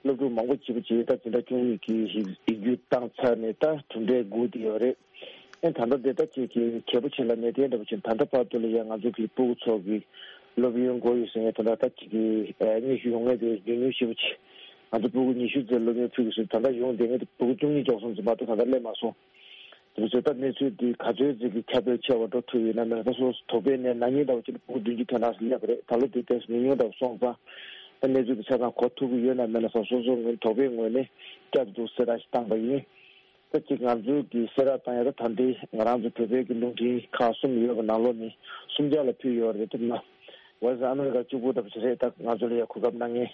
སློབ་ཕྲུག་མང་པོ་ཅིག་པ་ཅིག་ད་འཛིན་གྲྭ་བཅུ་གཉིས་ཀྱི་ཡིག་རྒྱུགས་བཏང་ཚར་ནས་ད་གྲུབ་འབྲས་སྒུག་བསྡད་ཡོད་རེད། ཨེ་ད་ལྟ་དེ་ད་ཅིག་གི་གལ་པོ་ཆེ་ལ་གནས་བརྟན་འདྲ་པོ་ཅིག་ད་ལྟ་བར་དུ་ལ་ཡ་ང་ཚོ་གི་སྤུ་གུ་ཚོ་གི་སློབ་ཡོན་དགོས་ཡོད་ཟེར་ཡ་ད་ལྟ་ད་ཅིག་གི་ཨེ་སྙན་ཞུ་ཡོང་མཁན་དེ་ཉུང་ཉུང་ཞེ་པོ་ཅིག་ང་ཚོ་སྤུ་གུ་ཉི་ཤུ་ཙམ་སློབ་ཡོན་ཕུལ་དགོས་ཟེར། ད་ལྟ་ཡོང་བསྡད་མཁན་དེ་སྤུ་གུ་བཅུ་གཉིས་འཇོག་སོང་ཙམ་མ་གཏོགས་ད་ལྟ་སླེབས་མ་སོང་། དེ་ཚོ་ད་གནས་ཚུལ་འདི་ག་ཚོད་ཅིག་གི་ཁྱབ་སྤེལ་ཆེ་བ་འགྲོ་ཐུབ་ཡོད་ན་མེད་ན། ད་སོ་སོ་དོགས་པའི་ནས་ན་ནིང་འདྲ་བོ་ཅིག་ལ་སྤུ་གུ་བདུན་ཅུ་ཐོན་གནང་ཟེར་སླེབས་པ་རེད། ད་ལོ་འདི་ཏོག་ཙམ་ཉུང་ཉུང་འདྲ་བོ་སོང་ཙང་ད་གནས་ཚུལ་འདི་ཆ་ཚང་གོ་ཐུབ་ཀྱི་ཡོད་ན་མེད་ན་སོ་སོ་ངོས་དོགས་པའི་ངོས་ནས་བསྐྱར་དུ་གསལ་བསྒྲགས་ཤིག་བཏང་པ་ཡིན། ད་ཅིག་ང་ཚོའི་གི་གསལ་བསྒྲགས་བཏང་ཡ་ད་ད་ལྟའི་ང་རང་ཚོ་བོད་པའི་གི་རླུང་འཕྲིན་ཁག་གསུམ་ཡོད་པ་ནང་ལོགས་ནས་གསུམ་ཆ་ལ་ཕུལ་ཡོད་རེད། དེ་ན་ཝེ་སི་ཨ་མི་རི་ཀ་གཅིག་པུ་འདྲ་བོ་ཅིག་རེད། ད་ང་ཚོ་ལ་ཡ་གོ་སྐབས་གནང་མཁན།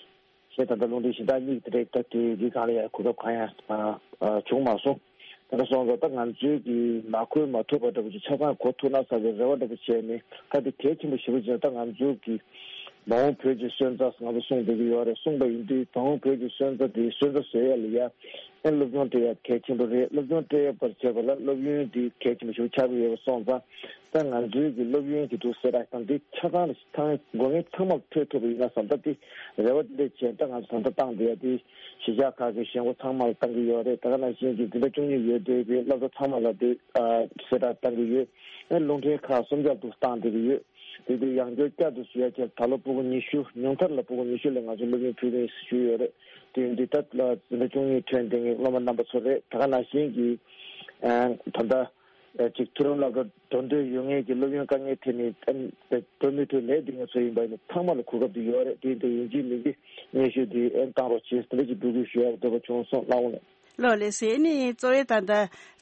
ཞེས་ད་ལྟ་རླུང་འཕྲིན་གཞན་དག་གཉིས་དེ་རེད། ད་དེ་དེ་གང་ལ་ཡང་གོ་སྐབས་གང་ཡང་ཨ་ཨ་བྱུང་མ་སོང་། ད་ལྟ་སོང་ཙང་ད་ང་ཚོའི་གི་མ་གོ་མ་ཐུབ་པ་འདྲ་པོ་ཅིག་ཆ་ཚང་གོ་ཐུབ་ན་བསམ་པའི་རེ་བ་འདྲ་པོ་བྱས་ནས། ད་དེ་གལ་ཆེན་པོ་ཞེ་པོ་ཅིག་ད་ང་ཚོའི་གི་མ་འོངས་བོད་ཀྱི་སོན་རྩ་ང་ཚོ་གསུངས་བསྡད་ཀྱི་ཡོད་རེད། གསུངས་པ་ཡིན་དུས་མ་འོངས་བོད་ཀྱི་སོན་རྩ་དེ་སོན་རྩ་བཟོ་ཡ་ལ་ཡ་ཨེ་སློབ་སྦྱོང་སྤྲད་ཡ་གལ་ཆེན་པོ་རེད། སློབ་སྦྱོང་སྤྲད་ཡ་བར་བྱེད་པ་ལ་སློབ་ཡོན་དེ་གལ་ཆེན་པོ་ཞེ་པོ་ཆགས་ཀྱི་ཡོད་པ་སོང་ཙང་། ད་ང་ཚོའི་གི་སློབ་ཡོན་གྱི་འདུག་གསལ་བསྒྲགས་དང་དེ་ཆ་ཚང་ལ་ཚང་དགོས་ངེས་ཚང་མར་ཐོས་ཐུབ་པ་ཡིན་ན་བསམ། ད་དེ་རེ་བ་དེ་འདྲ་བྱས། ད་ང་ཚོ་ད་ལྟ་བཏང་བསྡད་ཡ་དེ་གཞིས་ཆགས་ཁག་གི་གཞིས་འགོ་ཚང་མ་ལ་བཏང་གི་ཡོད་རེད། ད་ག་ནང་བཞིན་གྱི་འཛིན་གྲྭ་བཅུ་གཉིས་ཡོད་བསྡད་པའི་སློབ་གྲྭ་ཚང་མ་ལ་དེ་ཨ་གསལ་བསྒྲགས་བཏང་གི་ཡོད། ཨེ་རླུང་འཕྲིན་ཁག་གསུམ་ཆར་དུ་བཏང་བསྡད་ཀྱི་ཡོད། དེ་དུས་ཡང་བསྐྱར་བསྐྱར་དུ་ཞུ་ཡ་བྱས། ད་ལོ་སྤུ་གུ་ཉི་ཤུ་ཉུང་མཐར་ལ་སྤུ་གུ་ཉི་ཤུ་ལ་ང་ཚོ་སློབ་ཡོན་ཕུལ་རེད་ཞུས་ཡོད་རེད། དེ་ཡིན་དུས་ད་ལ་འཛིན་གྲྭ་བཅུ་གཉིས་ཐོན་བསྡད་མཁན་སློབ་མ་རྣམ་པ་ཚོ་རེད། ད་ག་ནང་བཞིན་གྱི་ཨ་ད་ལྟ། ཅིག་མཐོ་རིམ་སློབ་གྲྭ་འགྲོ་འདོད་ཡོད་མཁན་གྱི་སློབ་ཡོན་དཀའ་ངལ་འཕྲད་ནས་འགྲོ་མི་ཐུབ་ལས་འདི་ངེད་ཚོ་ཡིན་པ་ཡིན་ན་ཚང་མ་ལ་གོ་སྐབས་འདི་ཡོད་རེད། དེ་འདྲ་ཡིན་གཅིག་མིན་གཅིག་སྙན་ཞུ་འདི་ཨེ་བཏང་རོགས་བྱེད་ཟེར་འདི་ཅིག་འབོད་སྐུལ་ཞུ་ཡག་འདོད་པ་བྱུང་སོང་། གནང་རོགས་གནང་། ལགས་ལགས་སེ། ཨ་ནི་གཙོ་བོའི་ད་ལྟ་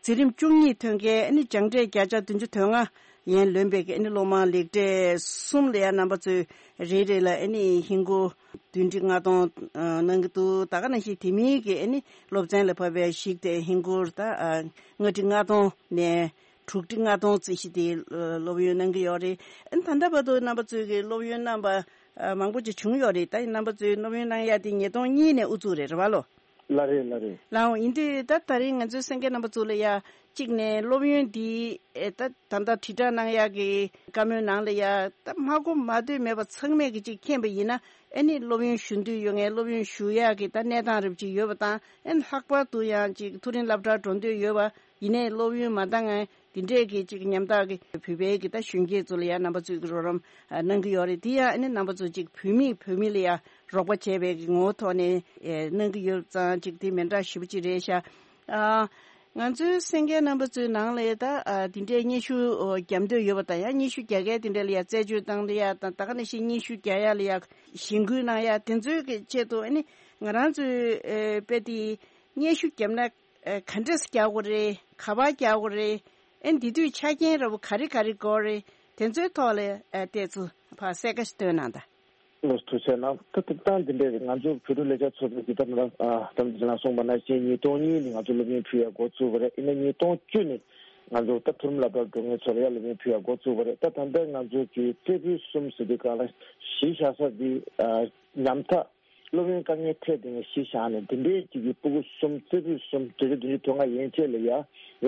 འཛིན་རིམ་བཅུ་གཉིས་ཐོན་མཁན་ཨ་ནི་སྦྱངས་འབྲས་བརྒྱ་ཆ་བདུན་ཅུ་དོན་ལྔ་ཡན་ལོན་པའི་ཨ་ནི་སློབ་མ་ལེགས་གྲས་གསུམ་ལ་ཡང་རྣམ་པ་ཚོས་རེ་རེ་ལ་ཨ་ནི་ཧིན་སྒོར་བདུན་ཁྲི་ལྔ་སྟོང་གནང་གི་འདུག་ད་ག་ནང་བཞིན་དེ་མིན་གྱི་ཨ་ནི་སློབ་ཚན་ལ་བབས་པའི་གཞིགས་ཏེ་ཧིན་སྒོར་ད་ལྔ་ཁྲི་ལྔ་སྟོང་ནས་དྲུག་ཁྲི་ལྔ་སྟོང་རྩིས་གཞི་དེ་སློབ་ཡོན་གནང་གི་ཡོད་རེད། ཨ་ནི་ད་ལྟ་བར་དུ་རྣམ་པ་ཚོས་ཀྱི་སློབ་ཡོན་གནང་པ་མང་པོ་ཅིག་བྱུང་ཡོད་རེད། ད་རྣམ་པ་ཚོས་སློབ་ཡོན་གནང་ཡ་དེ་ཉིས་སྟོང་གཉིས་ནས་དབུ་བཙུགས་རེད། རེད་བ་ལོ། ལགས་རེད། ལགས་རེད། ལགས་འོང་། ཡིན་དུས་ད་ད་རིང་ང་ཚོའི་གསན་མཁན་རྣམ་པ་ཚོ་ལ་ཡ་གཅིག་ནས་སློབ་ཡོན་འདི་ཨེ་ད་ད་ལྟ་དྲིལ་བསྒྲགས་གནང་ཡག་གི་བཀའ་མོལ་ནང་ལ་ཡ་ད་མ་གོ་མ་ཐོས་མེད་པ་ཚང་མས་ཀྱི་གཅིག་མཁྱེན་པ་ཡིན་ན། ཨེ་ནི་སློབ་ཡོན་ཞུ་འདོད་ཡོད་མཁན་སློབ་ཡོན་ཞུ་ཡག་གི་ད་གནས་སྟངས་རབ་ཅིག་ཡོད་པ་དང་། ཨེ་ནི་ལྷག་པར་དུ་ཡང་ཅིག་མཐོ་རིམ་སློབ་གྲྭར་འགྲོ་འདོད་ཡོད་པ་ཡིན་ནའི་སློབ་ཡོན་མ་འདང་ངེས་འདི་འདྲས་ཀྱི་ཅིག་ཉམ་ཐག་གི་བོད་པའི་གི་ད་གཞོན་སྐྱེས་ཚོ་ལ་ཡང་རྣམ་པ་ཚོས་ཀྱི་རོགས་རམ་ཨ་གནང་གི་ཡོད་རེད། དེ་ཡང་ཨ་ནི་རྣམ་པ་ཚོ་ཅིག་བུད་མེད་བོད་མི་ལ་ཡང་རོགས་པ་བྱས་པའི་གི་ངོ་བོ་ཐོག་ནས་ཨེ་གནང་གི་ཡོད་ཙང་ཅིག་དེ་མི་འདྲ་ཞེ་པོ་ཅིག་རེད་ཤག་ཨ་ ང་ཚོའི་གསན་མཁན་རྣམ་པ་ཚོའི་ནང་ལ་ད་ཨ་དེ་འདྲའི་སྙན་ཞུ་ཨོ་རྒྱབ་འདོད་ཡོད་པ་དང་ཡང་སྙན་ཞུ་རྒྱག་མཁན་དེ་འདྲ་ལ་ཡང་རྩད་གཅོད་བཏང་ལ་ཡང་དང་ད་ག་ནང་བཞིན་སྙན་ཞུ་རྒྱག་ཡ་ལ་ཡང་གཞེན་སྐུལ་གནང་ཡ་དེ་ཚོའི་གི་ཆེད་དུ་ཨ་ནི་ང་རང་ཚོའི་ཨེ་དཔེ་དེ་སྙན་ཞུ་བརྒྱབ་ན་ཨེ་ག་འདྲས་རྒྱག་དགོས་རེད། ག་པར་རྒྱག་དགོས་རེད། ཨེ་འདི་དུས་ཆ་རྐྱེན་འདྲ་པོ་ག་རེ་ག་རེ་དགོས་རེད། དེ་ཚོའི་ཐོག་ལ་ཨེ་ཏོག་ཙམ་ཕར་གསལ་ཁ་ཞིག་སྟོན་གནང་དང་། ལགས་སོ། ཐུགས་རྗེ་གནང་། ད་ལྟ་སྟངས་འདི་འདྲས་ང་ཚོ་བོད་ཕྲུག་ལས་འཆར་ཚོགས་པའི་གི་ད་ང་རང་ཨ་ད་ལྟ་ཅི་ལ་གསུངས་པ་ནང་བཞིན་ཉིས་སྟོང་གཉིས་ནས་ང་ཚོ་སློབ་ཡོན་ཕུལ་ཡ་འགོ་བཙུགས་པ་རེད། ཡིན་ན་ཉིས་སྟོང་བཅུ་ནས་ང་ཚོ་ད་མཐོ་རིམ་སློབ་གྲྭར་འགྲོ་མཁན་ཚོ་ལ་ཡ་སློབ་ཡོན་ཕུལ་ཡ་འགོ་བཙུགས་པ་རེད། ད་ད་ལྟ་ང་ཚོ་གི་རྩེ་ཕུད་གསུམ་ཟེར་དུས་སྒང་ལ་གཞི་བཞག་ས་འདི་ཨ་ཉམ་ཐག་སློབ་ཡོན་དཀའ་ངལ་འཕྲད་བསྡད་མཁན་གཞི་བཞག་ནས་འདི་འདྲའི་གཅིག་གི་སྤུ་གུ་གསུམ་རྩེ་ཕུད་གསུམ་བརྒྱ་ཆ་བདུན་ཅུ་དོན་ལྔ་ཡན་ཆད་ལ་ཡ་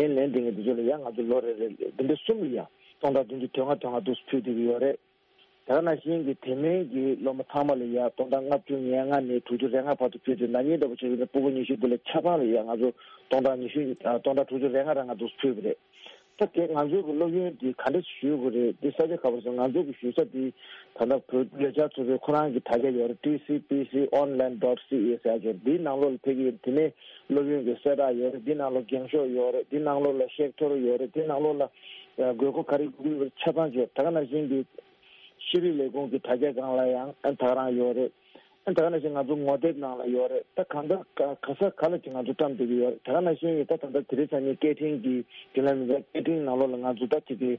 ཡན་ལེན་བསྡད་མཁན་འདི་ཚོ་ལ་ཡ་ང་ཚོ་ལོ་རེ་རེ་འདི་འདྲ་གསུམ་ལ་ཡ་སྟོང་ཕྲག་བདུན་ཅུ་དོན་ལྔ་དོན་ལྔ་འདུག་ཕུལ་བསྡད་ཀྱི་ཡོད་རེད། དེ་ག་ནང་བཞིན་གྱི་དེ་མིན་གྱི་སློབ་མ་ཚང་མ་ལ་ཡ་སྟོང་ཕྲག་ལྔ་བཅུ་ང་ལྔ་ནས་དྲུག་ཅུ་རེ་ལྔ་བར་དུ་ཕུལ་ཏེ་ན་ནིང་ལྟ་བུ་བྱས་ཡོད་ན་སྤུ་གུ་ཉི་ཤུ་དེ་ལ་ཆ་ཚང་ལ་ཡ་ང་ཚོ་སྟོང་ཕྲག་ཉི་ཤུ་ཨ་སྟོང་ཕྲག་དྲུག་ཅུ་རེ་ལྔ་རང་ང་ཚོ་ཕུལ་བ་རེད། ད་དེ་ང་ཚོ་གི་སློབ་ཡོན་དེ་ག་འདྲ་ཞུ་དགོས་རེད། དེ་ས་ཆ་ག་པར་སོང་ང་ཚོ་གི་ཞུ་ས་དེ་ད་ལྟ་བོད་ལས་འཆར་ཚོགས་པའི་ཁོ་རང་གི་དྲ་རྒྱ་ཡོད་རེད། ཊི་སི་པི་སི་ཨོན་ལན་ཌོཊ་སི་ཨེ་ཟེར་ཡ་ཅིག་ཡོད་རེད། དེའི་ནང་ལོགས་ལ་ཕ་གི་དེ་ནས་སློབ་ཡོན་གྱི་གསལ་བསྒྲགས་ཡོད་རེད། དེའི་ནང་ལོགས་འགེངས་ཤོག་ཡོད་རེད། དེའི་ནང་ལོགས་ལ་ཤེག་ཐོར་ཡོད་རེད། དེའི་ནང་ལོགས་ལ་དགོས་མཁོ་ག་རེ་དགོས་ཀྱི་ཡོད་རེད་ཆ་ཚང་ཅིག་ཡོད། ད་ག་ནང་བཞིན་གྱི་ཤེས་རིག་ལས་ཁུངས་ཀྱི་དྲ་རྒྱ་སྒང་ལ་ཡང་ཨ་ད་ག་རང་ཡོད་རེད། ཨ་ད་ག་ནང་བཞིན་ང་ཚོ་ངོ་དེབ་ནང་ལ་ཡོད་རེད། ད་གང་ལྟར་ག་ག་ས་ག་ལ་ཅིག་ང་ཚོ་བཀྲམ་བསྡད་ཀྱི་ཡོད་རེད། ད་ག་ནང་བཞིན་ཡིན་ད་ད་ལྟ་དེ་རིང་སང་ཉིན་སྐད་འཕྲིན་གྱི་རྒྱུན་ལས་མི་སྣ་སྐད་འཕྲིན་ནང་ལོགས་ལ་ང་ཚོ་ད་ཅིག་གི་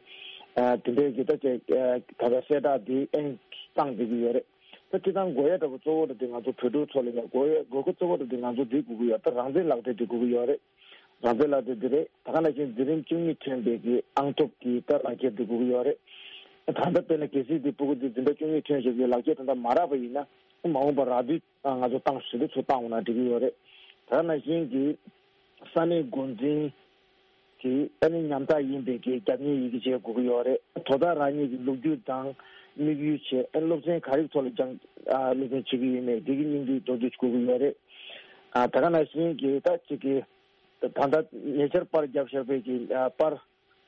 ཨ་དེ་འདྲའི་གི་ད་ཅིག་ཨ་ད་ལྟ་གསལ་བསྒྲགས་འདི་ཨེ་བཏང་བསྡད་ཀྱི་ཡོད་རེད། ད་སྤྱིར་བཏང་དགོས་ཡ་འདྲ་པོ་གཙོ་བོ་འདི་ང་ཚོ་བོད་ཕྲུག་ཚོ་ལ་ཡང་དགོས་ཡ་དགོས་མཁོ་གཙོ་བོ་འདི་ང་ཚོ་འདི་དགོས་ཀྱི་ཡོད། ད་རང་བཙན་ལག་དེབ་འདི་དགོས་ཀྱི་ཡོད་རེད། རང་བཙན་ལག་དེབ་འདི་རེད། ད་ག་ནང་བཞིན་འཛིན་རིམ་བཅུ་གཉིས་ཐོན་པའི་གི་ཨང་ཐོབ་ཀྱི་ད་ལག་ཁྱེར་འདི་དགོས་ཀྱི་ཡོད་རེད། ད་ལྟ་དཔེར་ན་གལ་སྲིད་འདི་སྤུ་གུ་འདི་འཛིན་གྲྭ་བཅུ་གཉིས་ཐོན་བཞག་གི་ལག་ཁྱེར་ད་ལྟ་མ་རག་པ་ཡིན་ན་མ་འོངས་པར་རག་དུས་ང་ཚོ་ཏང་ཞི་བདེ་ཚོ་བཏང་འོང་ན་འགྲིག་གི་ཡོད་རེད། ད་ག་ནང་བཞིན་གྱི་ས་གནས་འགོ་འཛིན་གྱི་ཨ་ནི་ཉམ་ཐག་ཡིན་པའི་གི་རྒྱབ་གཉེར་ཡི་གེ་བྱེད་དགོས་ཀྱི་ཡོད་རེད། དོ་བདག་རང་ཉིད་ཀྱི་ལོ་རྒྱུས་དང་དམིགས་ཡུལ་བྱས་ཨ་ནི་སློབ་ཚན་ག་རེ་ཐོག་ལ་སྦྱང་ཨ་སློབ་ཚན་བྱེད་ཀྱི་ཡོད་མེད་འདི་གི་སྙིང་བསྡུས་མདོར་བསྡུས་དགོས་ཀྱི་ཡོད་རེད། ཨ་ད་ག་ནང་བཞིན་གྱི་ད་ཅིག་གི་ད་ལྟ་ཉེ་ཆར་པར་བརྒྱབ་བཞག་པའི་གི་ཨ་པར་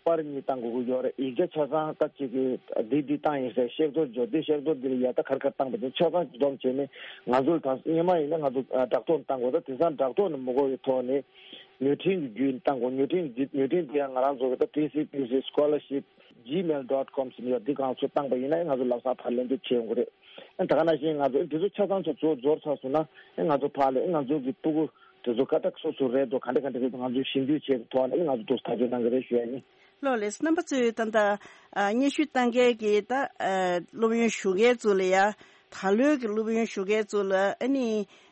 པར་གཉིས་བཏང་དགོས་ཀྱི་ཡོད་རེད། ཡིག་ཆ་ཆ་ཚང་ད་ཅིག་གི་འདི་འདི་བཏང་ཡིན་ཟེར་ཤེག་ཐོར་འཇོག་འདི་ཤེག་ཐོར་འདི་ལ་ཡ་ད་གར་གར་བཏང་པ་དེ་ཆ་ཚང་སྡོམ་བྱས་ནས་ང་ཚོ་ལ་ད་སྔོན་མ་ཡིན་ན་ང་ཚོ་ཨ་བསྒྲགས་གཏོང་བཏང་དགོས། ད་དེང་སང་བསྒྲགས་གཏོང་ནི་མི་དགོས་པའི་ཐོག་ནས་མོས་མཐུན་གྱི་བརྒྱུད་བཏང་དགོས། མོས་མཐུན་གྱི་མོས་མཐུན་དེ་ཡང་ང་རང་ཚོ་གི་ད་ཊི་སི་པི་སི་སི་ཀོ་ལར་ཤིབ་ཇི་མེལ་ཌོཊ་ཀོམ་ཟེར་ནས་ཡོད། འདི་གང་ཚོ་བཏང་པ་ཡིན་ན་ང་ཚོ་ལམ་སང་ཕར་ལན་འདེབས་བྱེད་ཡོང་གི་རེད། ད་ག་ནང་བཞིན་ང་ཚོ་འདི་ཚོ་ཆ་ཚང་ཚོ་གཙོ་བོ་འབྱོར་ཚར་སོང་ན་ང་ཚོ་ཕར་ལ་ང་ཚོ་གི་སྤུ་གུ་དེ་ཚོ་ཀ་ཏག་སོ་སོ་རེད་འདུག་ག་འདྲ་ག་འདྲ་རེད་འདུག་ང་ཚོས་ཞིབ་འཇུག་བྱས་ཐོག་ནས་ང་ཚོ་འདུག་ཐག་གཅོད་གནང་གི་རེད་ཞུ་ཡ་ཡིན། ལགས་ལགས། རྣམ་པ་ཚོས་ད་ལྟ་ཨ་སྙན་ཞུ་བཏང་མཁན་གྱི་ད་ཨ་སློབ་ཡོན་ཞུ་མཁན་ཚོ་ལ་ཡ་ད་ལོའི་གི་སློབ་ཡོན་ཞུ་མཁན་ཚོ་ལ་ཨ་ནི་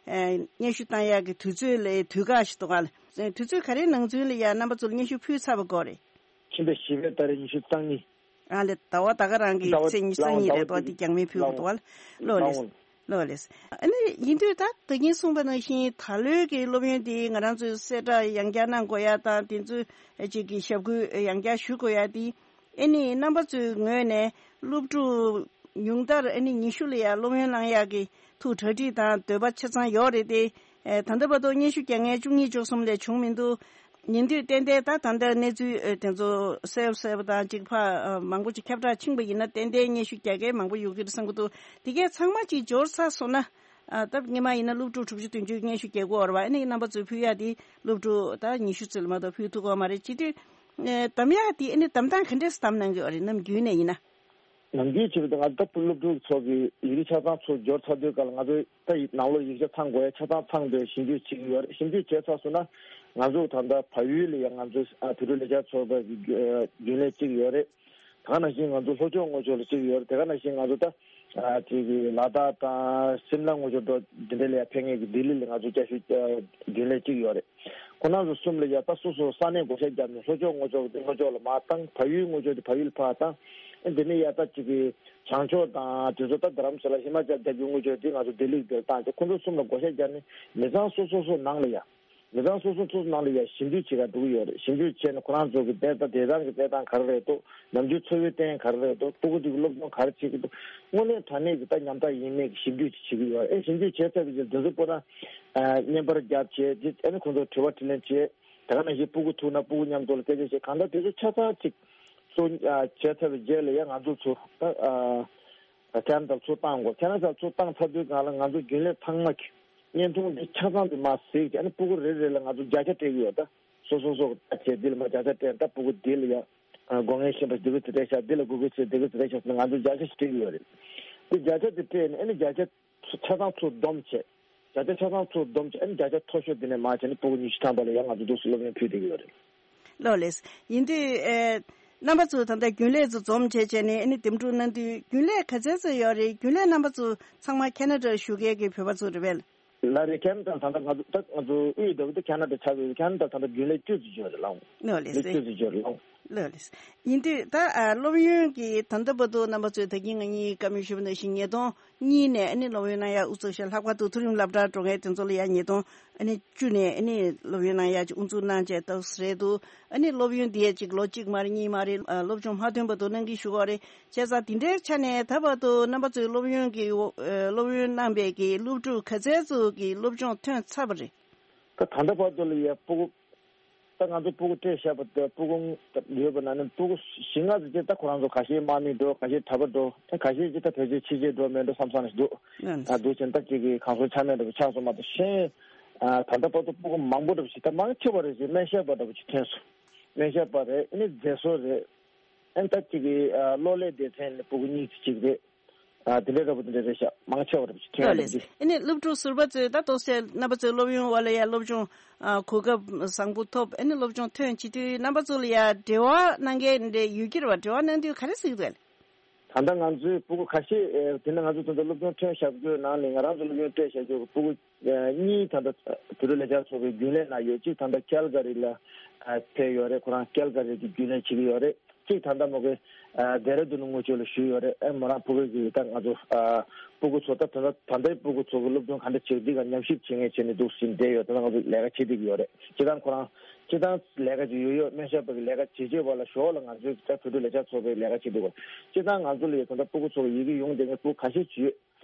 ཨ་སྙན་ཞུ་བཏང་ཡག་གི་དུས་ཚོད་ལ་དུས་བཀག་ཞིག་འདུག་ག་ལ། དུས་ཚོད་ག་རེའི་ནང་ཚུན་ལ་ཡ་རྣམ་པ་ཚོ་ལ་སྙན་ཞུ་ཕུལ་ཚར་བ་དགོས་རེད། ཕྱི་ཟླ་བཞི་པའི་ཏ་རིག་ཉི་ཤུ་རྩ་གཉིས། ཨ་ལས་ཟླ་བ་ད་ག་རང་གི་ཟླ་བ་ཚེས་ཉི་ཤུ་རྩ་གཉིས་རེད་དོ། ཟླ་བ་འདི་རྒྱང་མིན་ཕུལ་དགོས་འདུག་བ། ལོ་ལེས། ལོ་ལེས། ཨ་ནི་ཡིན་དུས་ད་ད་གིན་གསུངས་པ་ནང་བཞིན་ད་ལོའི་གི་སློབ་ཡོན་འདི་ང་རང་ཚོས་གསལ་བསྒྲགས་ཡང་བསྐྱར་གནང་དགོས་ཡ་དང་དེ་ཚོའི་ཅིག་གི་ཞབས་སྐུལ་ཡང་བསྐྱར་ཞུ་དགོས་ཡ་འདི་ཨ་ནི་རྣམ་པ་ཚོའི་ངོས་ནས་སློབ་ཕྲུག་ཉུང་མཐར་ཨ་ནི་ཉི་ཤུ་ལ་ཡ་སློབ་ཡོན་བླང་ཡག་གི་ཐུགས་གྲ་སྒྲིག་དང་འདོད་པ་ཆ་ཚང་ཡོད་རེད་དེ། ཨེ་ད་ལྟ་བར་དུ་སྙན་ཞུ་རྒྱག་མཁན་བཅུ་གཉིས་བཅུ་གསུམ་ལས་བྱུང་མི་འདུག་ཡིན་དུས་ཏན་ཏན་ད་ད་ལྟ་གནས་ཚུལ་ཨེ་དེ་ཚོ་གསལ་པོ་གསལ་པོ་དང་གཅིག་ཕ་ཨ་མང་པོ་ཅིག་ཁྱབ་བསྒྲགས་ཕྱིན་པ་ཡིན་ན་ཏན་ཏན་སྙན་ཞུ་རྒྱག་མཁན་མང་པོ་ཡོད་ཀྱི་རེད་བསམ་གྱི་འདུག་དེ་གས་ཚང་མ་ཅིག་འབྱོར་ཚར་སོང་ན་ཨ་ད་སྔོན་མ་ཡིན་ན་སློབ་ཕྲུག་དྲུག་ཅུ་བདུན་ཅུ་སྙན་ཞུ་རྒྱག་གི་ཡོད་རེད་བ། ཨ་ནི་རྣམ་པ་ཚོས་ཕུལ་ཡག་དེ་སློབ་ཕྲུག་ད་ཉི་ཤུ་ཙམ་ལས་མ་གཏོགས་ཕུལ་ཐུབ་ཀྱི་ཡོད་མ་རེད། བྱེད་དུས་ཨེ་གདམ་ཡག་དེ་ཨ་ནི་གདམ་སྟངས་ག་འདྲས་གདམ་གནང་གི་ཡོད་རེད་ནམ་རྒྱུན་ནས་ཡིན་ན། ནམ་རྒྱུན་བྱས་པ་དེ་ང་ཚོ་ད་སློབ་ཕྲུག་ཚོ་གི་ཡི་གེ་ཆ་ཚང་ཚུར་འབྱོར་ཚར་དུས་སྐབས་ལ་ང་ཚོ་ད་ནང་ལོགས་ཡིག་ཆ་ཚང་དགོས་ཡ་ཆ་ཚང་ཚང་དུས་ཞིབ་འཇུག་བྱེད་ཀྱི་ཡོད་རེད། ཞིབ་འཇུག་བྱས་ཚར་སོང་ན་ང་ཚོ་ད་ལྟ་བལ་ཡུལ་ལ་ཡ་ང་ཚོ་ཨ་བོད་ཕྲུག་ལས་འཆར་ཚོགས་པ་གི་རྒྱུན་ལས་གཅིག་ཡོད་རེད། དེ་ག་ནང་བཞིན་ང་ཚོ་ལྷོ་ཕྱོགས་དངོས་ཕྱོགས་ལ་གཅིག་ཡོད་རེད། དེ་ག་ནང་བཞིན་ང་ཚོ་ད་ཨ་ཅིག་གི་ལ་དྭགས་དང་སིམ་ལ་དངོས་ཕྱོགས་འགྲོ་འདི་འདྲ་ལ་ཡ་ཕེབས་མཁན་གི་ལྡི་ལི་ལ་ང་ཚོ་བཅའ་བཞུགས་རྒྱུན་ལས་གཅིག་ཡོད་རེད། ཁོང་རྣམ་ཚོ་གསུམ་ལ་ཡ་ད་སོ་སོ་ས་གནས་བགོ་བཤའ་བརྒྱབ་ནས་ལྷོ་ཕྱོགས་དངོས་ཕྱོགས་དེ་ལྷོ་ཕྱོགས་ལ་མར་བཏང་། བལ་ཡུལ་དངོས་ཕྱོགས་དེ་བལ་ཡུལ་ཕར་བཏང་། ཨེ་འདི་ནས་ཡ་ད་ཅིག་གི་བྱང་ཕྱོགས་དང་དེ་ཚོ་ད་རྡ་རམ་ས་ལ་ཧི་མ་ཅལ་རྒྱབ་ཀྱི་དངོས་ཕྱོགས་དེ་ང་ཚོ་ལྡི་ལི་དེར་བཏང་སྟེ་ཁོང་ཚོ་གསུམ་ལ་བགོ་བཤའ་བརྒྱབ་ནས་མི་ཚང་སོ་སོ་སོ་ནང་ལ་ཡ། མི་ཚང་སོ་སོ་སོ་སོ་ནང་ལ་ཡ་ཞིབ་འཇུག་བྱེད་ག་འགྲོ་གི་ཡོད་རེད། ཞིབ་འཇུག་བྱས་ནས་ཁོ་རང་ཚོ་གི་དེ་ད་དེ་དང་གི་དེ་དང་ག་རེ་རེད་འདུག་ནམ་རྒྱུན་འཚོ་བའི་སྟེང་ག་རེ་རེད་འདུག་སྤུ་གུ་དེ་གི་སློབ་སྦྱོང་ག་རེ་བྱེད་ཀྱི་འདུག་དངོས་གནས་དྲང་གནས་ཀྱི་ད་ཉམ་ཐག་ཡིན་མིན་གྱི་ཞིབ་འཇུག་ཅིག་བྱེད་ཀྱི་ཡོད་རེད། ཞིབ་འཇུག་བྱས་ཚར་བའི་རྗེས་འདི་ཚོ་པོ་ན་བརྙན་པར་བརྒྱབ་བྱས་རྗེས་ཨ་ནི་ཁོང་ཚོར་དྲི་བ་དྲིས་ལན་བྱས། དེ་ག་ནང་བཞིན་སྤུ་གུ་ཐུག་ན་སྤུ་གུ་མཉམ་དུ་ལ་སྐད་ཆ་བཤད་གང་ལྟར་དེ་ཚོ་ཆ་ཚང་ཅིག་གཙོ་བྱས་ཚར་བའི་རྗེས་ལ་ཡང་ང་ཚོ་ཚོ་ད་ཁེ་ན་ཌར་ཚུར་བཏང་དགོས། ཁེ་ན་ཌར་ཚུར་བཏང་ཚར་དུས་སྒང་ལ་ང་ཚོ་རྒྱུན་ལས་ཚང་མ་གི་བརྙན་ཐུང་འདི་ཆ་ཚང་འདི་མར་གཟིགས་ཀྱི་ཨ་ནི་སྤུ་གུ་རེ་རེ་ལ་ང་ཚོ་བརྒྱ་ཆ་སྤྲད་ཀྱི་ཡོད། ད་ སོ་སོ་སོ་ད་བྱས་འདི་ལ་མ་བརྒྱ་ཆ་སྤྲད་ད་སྤུ་གུ་འདི་ལ་ཡ་དགོངས་ངན་ཤེས་པ་འདི་གི་དེ་འདྲ་ཤག་འདི་ལ་དགོས་དགོས་བྱས་འདི་གི་དེ་འདྲ་ཤག་ཟེར་ང་ཚོ་བརྒྱ་ཆ་ཞིག་སྤྲད་ཀྱི་ཡོད་རེད། འདི་བརྒྱ་ཆ་དེ་སྤྲད་ནས་ཨ་ནི་བརྒྱ་ཆ་ཆ་ཚང་ཚུར་བསྡོམས་བྱས། བརྒྱ་ཆ་ཆ་ཚང་ཚུར་བསྡོམས་བྱས་ཨ་ནི་བརྒྱ་ཆ་མཐོ་ཤོས་དེ་ནས་མར་བྱས་ནས་སྤུ་གུ་ཉི་ཤུ་ཐམ་པ་ལ་ཡང་ང་ཚོ་འདུག་སེ་སློབ་ཡོན་ཕུལ་བསྡད་ཀྱི་ཡོད་རེད། ལགས་ལགས། ཡིན་དུས་ཨེ། རྣམ་པ་ཚོ་ད་ལྟ་རྒྱུན་ལས་ཚོ་འཛོམས་བྱས་བྱས་ནས་ཨ་ནི་འདེམས་སྒྲུག་གནང་དུས་རྒྱུན་ལས་ག་ཚད་ཙམ་ཡོད་རེད། རྒྱུན་ལས་རྣམ་པ་ཚོ་ཚང་མ་ཁེ་ན་ཌར་བཞུགས་མཁན་གྱི་བོད་པ་ཚོ་རེད་པས། ལགས་རེད། ཁེ་ན་ཌ་ད་ལྟ་ང་ཚོ་ད་ང་ཚོ་དབུས་འདྲ་བོ་དེ་ཁེ་ན་ཌ་ཆགས་ཡོད། ཁེ་ན་ཌ་ད་ལྟ་རྒྱུན་ལས་བཅུ་ཙམ་ཡོད་རེད་ལགས། ལགས་ལགས་སེ། བཅུ་ཙམ་ཡོད་རེད་ལགས། ལགས་ལགས། ཡིན་དུས་ད་ཨ་སློབ་ཡོན་གྱི་ད་ལྟ་བར་དུ་རྣམ་པ་ཚོས་ད་གིན་ང་གཉིས་བཀའ་མོལ་ཞུས་པ་ནང་བཞིན་ཉིས་སྟོང་གཉིས་ནས་ཨ་ནི་སློབ་ཡོན་གནང་ཡ་དབུ་ཚུགས་ཤག་ལྷག་པར་དུ་མཐོ་རིམ་སློབ་གྲྭར་འགྲོ་མཁན་དེ་ཚོ་ལ་ཡ་ཉིས་སྟོང་ཨ་ནི་བཅུ་ནས་ཨ་ནི་སློབ་ཡོན་གནང་ཡ་ཅིག་དབུ་འཛུགས་གནང་བྱས་ཏོག་ཙམ་རེད་འདུག་ཨ་ནི་སློབ་ཡོན་འདི་ཡ་ཅིག་ལོ་གཅིག་མ་རེད་གཉིས་མ་རེད། ཨ་སློབ་སྦྱོང་མ་ཐོན་བར་དུ་གནང་གི་ཞུ་གི་རེད། བྱས་ཙང་འདི་འདྲའི་ཆ་ནས་ད་བར་དུ་རྣམ་པ་ཚོའི་སློབ་ཡོན་གྱི་ཨ་སློབ་ཡོན་གནང་པའི་གི་སློབ་ཕྲུག་ག་ཚད་ཚོ་གི་སློབ་སྦྱོང་ཐོན་ཚར་བ་རེད། ད་ད་ལྟ་བར་དུ་ལ་ཡ་སྤུ་གུ། ད་ང་ཚོ་སྤུ་གུ་སྤྲད་བཞག་པ་དེ་སྤུ་གུ་ཡོད་པ་ན་ནི་སྤུ་གུ་བཞི་ལྔ་ཙམ་ཅིག་ད་ཁོ་རང་ཚོ་ཁ་ཤས་དམག་མི་འགྲོ། ཁ་ཤས་གྲྭ་པ་འགྲོ། ད་ཁ་ཤས་ཅིག་ད་ཕལ་ཆེར་ཕྱི་རྒྱལ་འགྲོ་མེད་འགྲོ་བསམ་བསམ་ཞིག་འདུག་ད་འདུག་ཕྱིན་ད་ཅིག་གི་གང་སོང་ཆ་མེད་འདྲ་པོ་ཆགས་སོང་མ་གཏོགས་གཞན། ད་ལྟ་བར་དུ་སྤུ་གུ་མང་པོ་འདྲ་པོ་ཞིག་ད་མང་ཆེ་བ་རེད་ཅིག་སྨན་ཞབས་པ་འདྲ་པོ་ཅིག་ཐོན་སོང་། སྨན་ཞབས་པ་རེད། ཨ་ནི་མཛེས་བཟོ་རེད། ཨ་ནི་ད་ཅིག་གི་གློག་ཀླད་སྡེ་ཚན་ནས་སྤུ་གུ་གཉིས་ཅིག་རེད། ཨ་དེ་འདྲའི་འདྲ་པོ་དེ་འདྲ་རེད་ཤག་མང་ཆེ་བ་རེད་ཅིག་ཐོན་ཡ་ལགས་རེད་ལགས་སེ། འདི། ཨ་ནི་སློབ་ཕྲུག་ཟུར་པ་ཚོས་ད་ཏོག་ཙམ་རྣམ་པ་ཚོའི་སློབ་ཡོན་འོག་ལ་ཡ་སློབ་སྦྱོང་ཨ་གོ་སྐབས་བཟང་པོ་ཐོབ། ཨ་ནི་སློབ་སྦྱོང་ཐོན་བྱེད་དུས་རྣམ་པ་ཚོ་ལ་ཡ་འབྲེལ་བ་གནང་མཁན་འདྲ་ཡོད་ཀྱི་རེད་པ། འབྲེལ་བ་གནང་དུས་ག་རེ་གཟིགས་འདུག་ལགས། ད་ལྟ་ང་ཚོའི་སྤུ་གུ་ཁ་ཤས་ཨེ་དེ་ནས་ང་ཚོ་ད་ལྟ་སློབ་སྦྱོང་ཐོན་བཞག་རྒྱུའི་ནང་ནས་ང་རང་ཚོ་སློབ་ཡོན་སྤྲད་བཞག་རྒྱུ་སྤུ་གུ་ཨེ་གཉིས་ད་ལྟ་བོད་རིགས་ལས་འཆར་ཚོགས་པའི་རྒྱུན་ལས་ནང་ཡོད། གཅིག་ད་ལྟ་ཀལ་ག་རི་ལ་ཨ་ཕེབས་ཡོད་རེད། ཁོ་རང་ཀལ་ག་རི་གི་རྒྱུན་ལས་བྱེད་ཀྱི་ཡོད་རེད། གཅིག་ད་ལྟ་མོ་གི་ཨ་ཌེ་ར་ཌུན་དངུལ་ཆུ་ལ་ཞུས་ཡོད་རེད། ཨེ་མོ་རང་སྤུ་གུ་གི་ད་ང་ཚོ་ཨ་སྤུ་གུ་ཚོ་ད་ད་ལྟ་ད་ལྟའི་སྤུ་གུ་ཚོ་གི་སློབ་སྦྱོང་ག་འདྲ་བྱེད་འདི་ག་ཉམས་ཞིབ་བྱེད་མཁན་བྱས་ནས་འདུག་སེ་བསྡད་ཡོད། ད་ང་ཚོ་ལས་ཀ་བྱེད་བསྡད་ཀྱི་ཡོད་རེད། སྤྱིར་བཏང་ཁོ་རང་སྤྱིར་བཏང་ལས་ཀ་ཅིག་ཡོད་ཡོད། སྨན་ཞབས་པ་གི་ལས་ཀ་བྱེད་བྱེད་པ་ལ་ཞོར་ལ་ང་ཚོའི་ད་བོད་ཕྲུག་ལས་འཆར་ཚོགས་པའི་ལས་ཀ་བྱེད་འདུག་ག་སྤྱིར་བཏང་ང་ཚོ་ལ་ཡོད་ད་ལྟ་སྤུ་གུ་ཚོ་གི་ཡི་གེ་ཡོང་བསྡད་མཁན་སྤུ་གུ་ཁ་ཤས་ཅིག་ཡོད།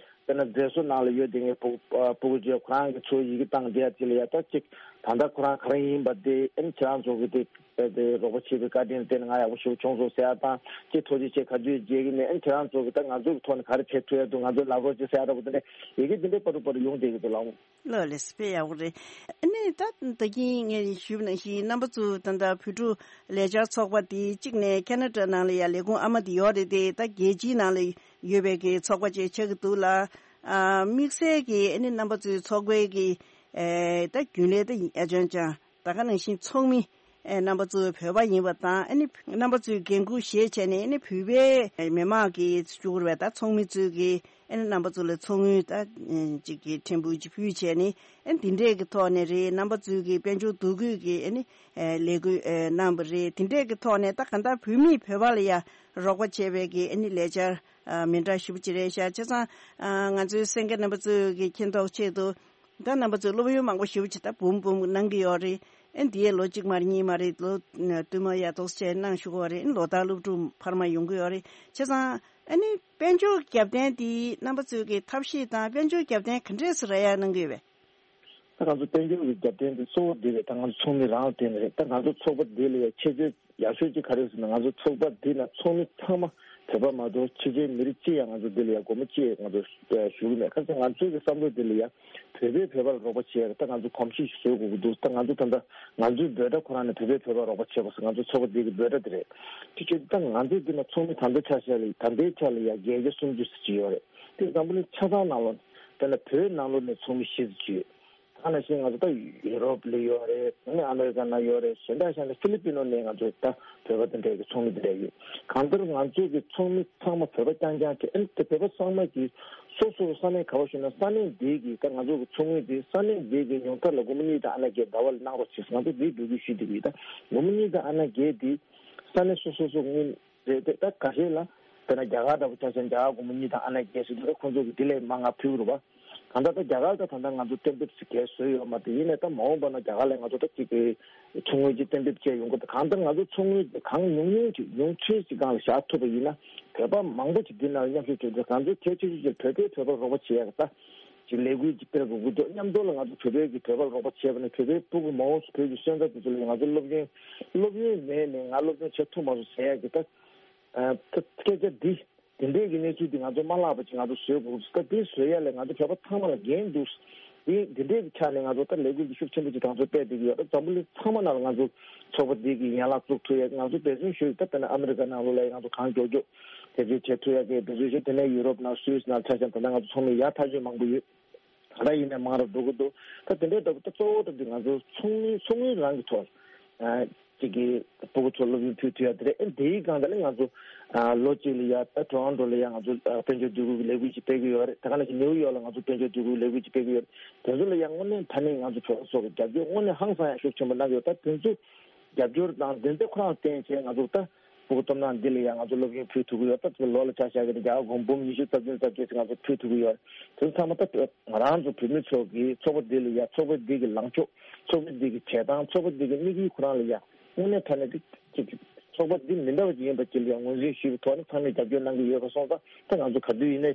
དཔེར་ན་མཛེས་བཟོ་ནང་ལ་ཡོད་དེ་ངའི་སྤུ་སྤུ་གུ་ཅིག་ཁོ་རང་གི་ཚོ་ཡི་གེ་བཏང་བསྡད་ཡ་དེ་ལ་ཡ་ད་ཅིག་ད་ལྟ་ཁོ་རང་ག་རེ་ཡིན་པ་དེ་ཨ་ནི་ཁྱེད་རང་ཚོ་གི་དེ་དཔེ་དེ་རོགས་པ་བྱེད་པའི་བཀའ་དྲིན་བརྟེན་ནས་ང་ཡག་པོ་ཞེ་པོ་བྱུང་སོང་ཟེར་ཡ་དང་ཅིག་ཐུགས་རྗེ་ཆེ་ག་དུས་མཇལ་གི་མེད། ཨ་ནི་ཁྱེད་རང་ཚོ་གི་ད་ང་ཚོ་གི་ཐོག་ནས་ག་རེ་བྱེད་ཐུབ་ཡ་འདུག་ང་ཚོ་ལབ་རོགས་བྱེད་ཟེར་ཡ་འདྲ་པོ་དེ་འདྲ་ཡི་གེ་དེ་འདྲའི་པར་དུ་པར་དུ་ཡོང་བསྡད་ཀྱི་འདུག་ལགས། ལགས་ལགས་དཔེ་ཡག་པོ་རེད། ཨ་ནི་ད་ད་གིན་ངས་ཞུས་པ་ནང་བཞིན་རྣམ་པ་ཚོ་ད་ལྟ་བོད་ཕྲུག་ལས་འཆར་ཚོགས་པ་དེ་གཅིག་ནས་ཁེ་ན་ཌ་ནང་ལ་ཡ་ལས་ཁུངས་ཨ་མ་དེ་ཡོད་རེད་དེ། ད་རྒྱལ་སྤྱིའི་ནང་ལ་ཡོད་པའི་གི་ཚོགས་པ་ཅིག་ཆགས་ཀྱི་འདུག་ལ། ཨ་དམིགས་བསལ་གྱི་ཨ་ནི་རྣམ་པ་ཚོའི་ཚོགས་པའི་གི་ཨེ་ད་རྒྱུན་ལས་ད་ཡིན་ཨ་ཅང་ཅང་ད་ག་ནང་བཞིན་ཚོགས་མི་ཨེ་རྣམ་པ་ཚོ་བོད་པ་ཡིན་པ་དང་། ཨ་ནི་རྣམ་པ་ཚོས་འགན་ཁུར་བཞེས་བྱས་ནས་ཨ་ནི་བོད་པའི་མི་མང་གི་ཅིག་རེད་པ། ད་ཚོགས་མི་ཚོས་གི་ཨ་ནི་རྣམ་པ་ཚོ་ལ་ཚོགས་དངུལ་ད་ཅིག་གི་ཕྲན་བུ་ཅིག་ཕུལ་བྱས་ནས་ཨ་ནི་འདི་འདྲས་ཀྱི་ཐོག་ནས་རེད། རྣམ་པ་ཚོས་གི་དཔལ་འབྱོར་འདུ་འགོད་ཀྱི་ཨ་ནི་ལས་འགུལ་གནང་བ་རེད། འདི་འདྲས་ཀྱི་ཐོག་ནས་ད་གང་ལྟར་བོད་མིས་བོད་པ་ལ་ཡ་རོགས་པ་བྱས་པའི་གི་ཨ་ནི་ལས་འཆར་མི་འདྲ་ཞེ་པོ་ཅིག་རེད་ཤག་བྱས་ཙང་ང་ཚོའི་གསན་མཁན་རྣམ་པ་ཚོས་གི་མཁྱེན་རྟོགས་ཆེད་དུ། ད་རྣམ་པ་ཚོས་སློབ་ཡོན་མང་པོ་ཞེ་པོ་ཅིག་ད་འབུམ་འབུམ་གནང་གི་ཡོད་རེད། ཨ་འདི་ཡས་ལོ་གཅིག་མ་རེད་གཉིས་མ་རེད། ལོ་བསྟུད་མར་ཡ་ཏོག་ཙམ་གནང་བཞུགས་ཀྱི་ཡོད་རེད། ཨ་ལོ་ལྟར་སློབ་ཕྲུག་འཕར་མ་ཡོང་གི་ཡོད་རེད། བྱས་ཙང་ཨ་ནི་དཔལ་འབྱོར་རྒྱབ་རྟེན་འདི་རྣམ་པ་ཚོས་ཀྱི་ཐབས་ཤེས་དང་དཔལ་འབྱོར་རྒྱབ་རྟེན་ག་འདྲས་སེ་རག་ཡ་གནང་གི་ཡོད་པས། ད་ང་ཚོ་དཔལ་འབྱོར་གྱི་རྒྱབ་རྟེན་འདི་གཙོ་བོ་འདི་རེད། ད་ང་ཚོ་ཚོགས་མི་རང་ལ་བརྟེན་ནས་རེད། ད་ང་ཚོ་ཚོགས་པ་འདི་ལ་ཡ་ཆེ་བརྗོད་ཡག་ཤོས་ཅིག་ག་རེ་ཟེར་ན། ང་ཚོ་ཚོགས་པ་འདི་ན་ཚོགས་མི་ཚང་མ་བོད་པ་མ་གཏོགས་ཕྱི་རྒྱལ་མི་རིགས་གཅིག་ཡང་ང་ཚོ་འདི་ལ་ཡ་སྒོར་མོ་གཅིག་ང་ཚོ་ཞུ་གི་མེད། ག་ཚོད་ང་ཚོའི་གི་བསམ་བློ་འདི་ལ་ཡ་བོད་པས་བོད་པ་ལ་རོགས་པ་བྱེད་ཡ་ད་ང་ཚོ་གོམས་གཤིས་ཤིག་བཟོ་དགོས་ཀྱི་འདུག་ད་ང་ཚོ་ད་ལྟ་ང་ཚོའི་འབོད་སྒྲ་ཁོ་རང་ནི་བོད་པས་བོད་པར་རོགས་པ་བྱེད་པ་ཟེར་ང་ཚོ་ཚོགས་པ་འདི་གི་འབོད་སྒྲ་འདི་རེད། དེ་བྱས་ད་ང་ཚོ་འདི་ན་ཚོགས་མི་ད་ལྟའི་ཆ་བཞག་ལ་ད་ལྟའི་ཆ་ལ་ཡ་བརྒྱད་བརྒྱ་སུམ་ཅུ་ཙམ་ཅིག་ཡོད་རེད། དེ་འཛམ་བུ་གླིང་ཆ་ཚང་ནང་ལོགས་ད་ལྟ་བོད་ནང་ལོགས་ནས་ཚོགས་མི་བཞི་ཙམ་ཅིག་ཡོད། ད་ནང་བཞིན་ང་ཚོ་ད་ཡུ་རོབ་ལ་ཡོད་རེད། ཨ་ནི་ཨ་མེ་རི་ཀ་ནང་ཡོད་རེད། གཞན་དག་གཞན་ལ་ཧྥི་ལི་པི་ནོ་ནས་ང་ཚོ་ད་བོད་པ་དེ་འདྲའི་གི་ཚོགས་མི་དེ་འདྲ་ཡོད། གང་ལྟར་ང་ཚོ་གི་ཚོགས་མི་ཚང་མ་བོད་པ་རྐྱང་རྐྱང་རེད། ཨ་ནི་དེ་བོད་པ་ཚང་མ་གི་སོ་སོ་ས་གནས་ག་པར་བཞུགས་ན་ས་གནས་དེ་གི་ད་ང་ཚོ་གི་ཚོགས་མི་དེ་ས་གནས་དེ་གི་ཉུང་མཐར་ལ་སྒོར་མོ་གཉིས་དང་ཨ་ན་བརྒྱད་ཟླ་བ་ལ་གནང་རོགས་བྱེད་ཟེར་ང་ཚོ་དེའི་འབོད་སྐུལ་ཞུས་བསྡད་ཀྱི་ཡོད། ད་སྒོར་མོ་གཉིས་དང་ཨ་ན་བརྒྱད་དེ་ས་གནས་སོ་སོ་སོ་གི་རེད་དེ། ད་ཁ་ཤས་ལ་དཔེར་ན་རྒྱ་གར་འདྲ་པོ་ཆ་བཞག་ན་རྒྱ་གར་སྒོར་མོ་གཉིས་དང་ཨ་ན་བརྒྱད་ཟེར་དུས་ད་ཁོང་ཚོ་གི་དེ་ལས་མང་ང་ཕུལ་གི་རེད་པ། གང་ལྟར་ད་རྒྱ་གར་ད་ད་ལྟ་ང་ཚོ་གཏན་འབེབས་ཟེར་གས་བཟོས་ཡོད་མ་རེད། ཡིན་ནའི་ད་མ་འོངས་པ་ན་རྒྱ་གར་ལ་ང་ཚོ་ད་ཅིག་གི་ཚོགས་དངུལ་ཅིག་གཏན་འབེབས་བྱས་ཡོང་གི་ད། གང་ལྟར་ང་ཚོ་ཚོགས་དངུལ་གང་ཉུང་ཉུང་ཅིག་ཉུང་ཤོས་ཅིག་སྒང་ལ་བཞག་ཐུབ་པ་ཡིན་ན་བོད་པ་མང་པོ་ཅིག་འདི་ནང་ལ་མཉམ་ཞུགས་བྱེད་དུས་ང་ཚོ་གལ་ཆེ་ཤོས་ཅིག་བོད་པས་བོད་པར་རོགས་པ་བྱེད་ཡག་ད་ཅིག་ལས་འགུལ་ཅིག་སྤེལ་དགོས་ཀྱི་འདུག་མཉམ་དུ་ལ་ང་ཚོ་བོད་པའི་གི་བོད་པར་རོགས་པ་བྱས་པ་ནས་བོད་པའི་སྤུ་གུ་མ་འོངས་སུ་བོད་ཀྱི་སོན་རྩ་དེ་ཚོ་ལ་ང་ཚོ་སློབ་ཡོན་སློབ་ཡོན་མེད་ནས་ང་སློབ་སྦྱོང་བྱེད་ཐུབ་མ་སོང་ཟེར་ཡག་གི་ད། ཨ་ད་སྐད་ཆ་འདི་དེ་འདྲའི་གི་གནས་ཚུལ་འདི་ང་ཚོ་མ་བརླག་པ་ཅིག་ང་ཚོ་བཟོ་དགོས་ཀྱི་འདུག་ད་འདི་བཟོ་ཡ་ལ་ང་ཚོ་བོད་པ་ཚང་མ་ལ་འགན་འདུག་དེ་འདི་འདྲའི་ཆ་ནས་ང་ཚོ་ད་ལས་འགུལ་འདི་ཤུགས་ཆེན་པོ་ཅིག་ང་ཚོ་སྤེལ་བསྡད་ཀྱི་ཡོད། ད་འཛམ་བུ་གླིང་ཚང་མ་ནང་ལ་ང་ཚོ་ཚོགས་པ་འདི་གི་ཡན་ལག་བཙུགས་ཐུབ་ཡ། ང་ཚོ་འབད་བརྩོན་ཞུ་ཡི། ད་དཔེར་ན་ཨ་མི་རི་ཀ་ནང་ལོགས་ལ་ཡང་ང་ཚོ་གང་མགྱོགས་མགྱོགས་དེ་ཚོ་བྱེད་ཐུབ་ཡ་གི་འབད་བརྩོན་ཞུ། དེ་ནས་ཡུ་རོབ་ནང་སུད་སི་ནང་ཆ་བཞག་ན། ད་ལྟ་ང་ཚོ་ཚོགས་མི་ཡར་ཐག་ཆོད་མང་པོ་ཡོད། ད་ལྟ་ཡིན་ནའི་མང་རུ་འགྲོ་གི་འདུག་ད་དེ་འདྲའི་འདྲ་པོ་ད་གཙོ་བོ་འདྲ་འདི་ང་ཚོ་ཚོགས་མི་ཚོགས་མི་རང་གི་ཐོག་ཨ་གཅིག་གི་སྤུ་གུ་ཚོ་སློབ་ཡོན་ཕུལ་ཐུབ་ཡ་དེ་རེད། ཨེ་དེའི་སྒང་དེ་ལ་ང་ཚོ་ཨ་ལོ་གཅིག་ལ་ཡ་ད་ཊོ་རོན་ཊོ་ལ་ཡ་ང་ཚོ་ཨ་དཔལ་འབྱོར་འདེགས་སྐྱོར་གྱི་ལས་འགུལ་ཅིག་སྤེལ་གི་ཡོད་རེད། དེ་ག་ནང་བཞིན་ནེའུ་ཡོག་ལ་ང་ཚོ་དཔལ་འབྱོར་འདེགས་སྐྱོར་གྱི་ལས་འགུལ་ཅིག་སྤེལ་གི་ཡོད་རེད། དེ་ཚོ་ལ་ཡ་དངོས་གནས་དྲང་གནས་ང་ཚོ་བོད་པ་ཚོ་གི་རྒྱབ་སྐྱོར་དངོས་གནས་ཧང་སང་ཡ་ཤུགས་ཆེན་པོ་གནང་གི་ཡོད། ད་དེ་ཚོ་རྒྱབ་སྐྱོར་དང་དེ་ཚོ་ཁོ་རང་བརྟེན་བྱས་ང་ཚོ་ད་སྤུ་གུ་སྟོབས་ན་འདི་ལ་ཡང་ང་ཚོ་སློབ་ཡོན་ཕུལ་ཐུབ་ཀྱི་ཡོད། ད་ལོ་ལ་ཆ་བཞག་གི་ན་རྒྱ་གར་སྒོར་འབུམ་ཉི་ཤུ་རྩ་བདུན་རྩ་བརྒྱད་ཙམ་ང་ཚོ་ཕུལ་ཐུབ་ཀྱི་ཡོད། དེ་ཚོ་ཚང་མ་ད་ང་རང་ཚོ་བོད་མི་ཚོ་གིས་ཚོགས་པ་འདི་ལ་ཡ་ཚོགས་པ་འདི་གི་ལངས་ཕྱོགས། ཚོགས་པ་འདི་གི་བྱེད་སྟངས། ཚོགས་པ་འདི་གི་དམིགས་ཡུལ་ཁོ་རང་ལ་ཡ་དངོས་གནས་དྲང་གནས་འདི་གཅིག་ཚོགས་པ་འདི་མི་འདྲ་བ་ཅིག་ཡིན་པ་ཅིག་ལ་ཡ་ངོས་འཛིན་ཞུས་པའི་ཐོག་ནས་ཚང་མས་རྒྱབ་སྐྱོར་གནང་གི་ཡོད་པ་སོང་ཙང་། ད་ང་ཚོ་ག་དུས་ཡིན་ནའི་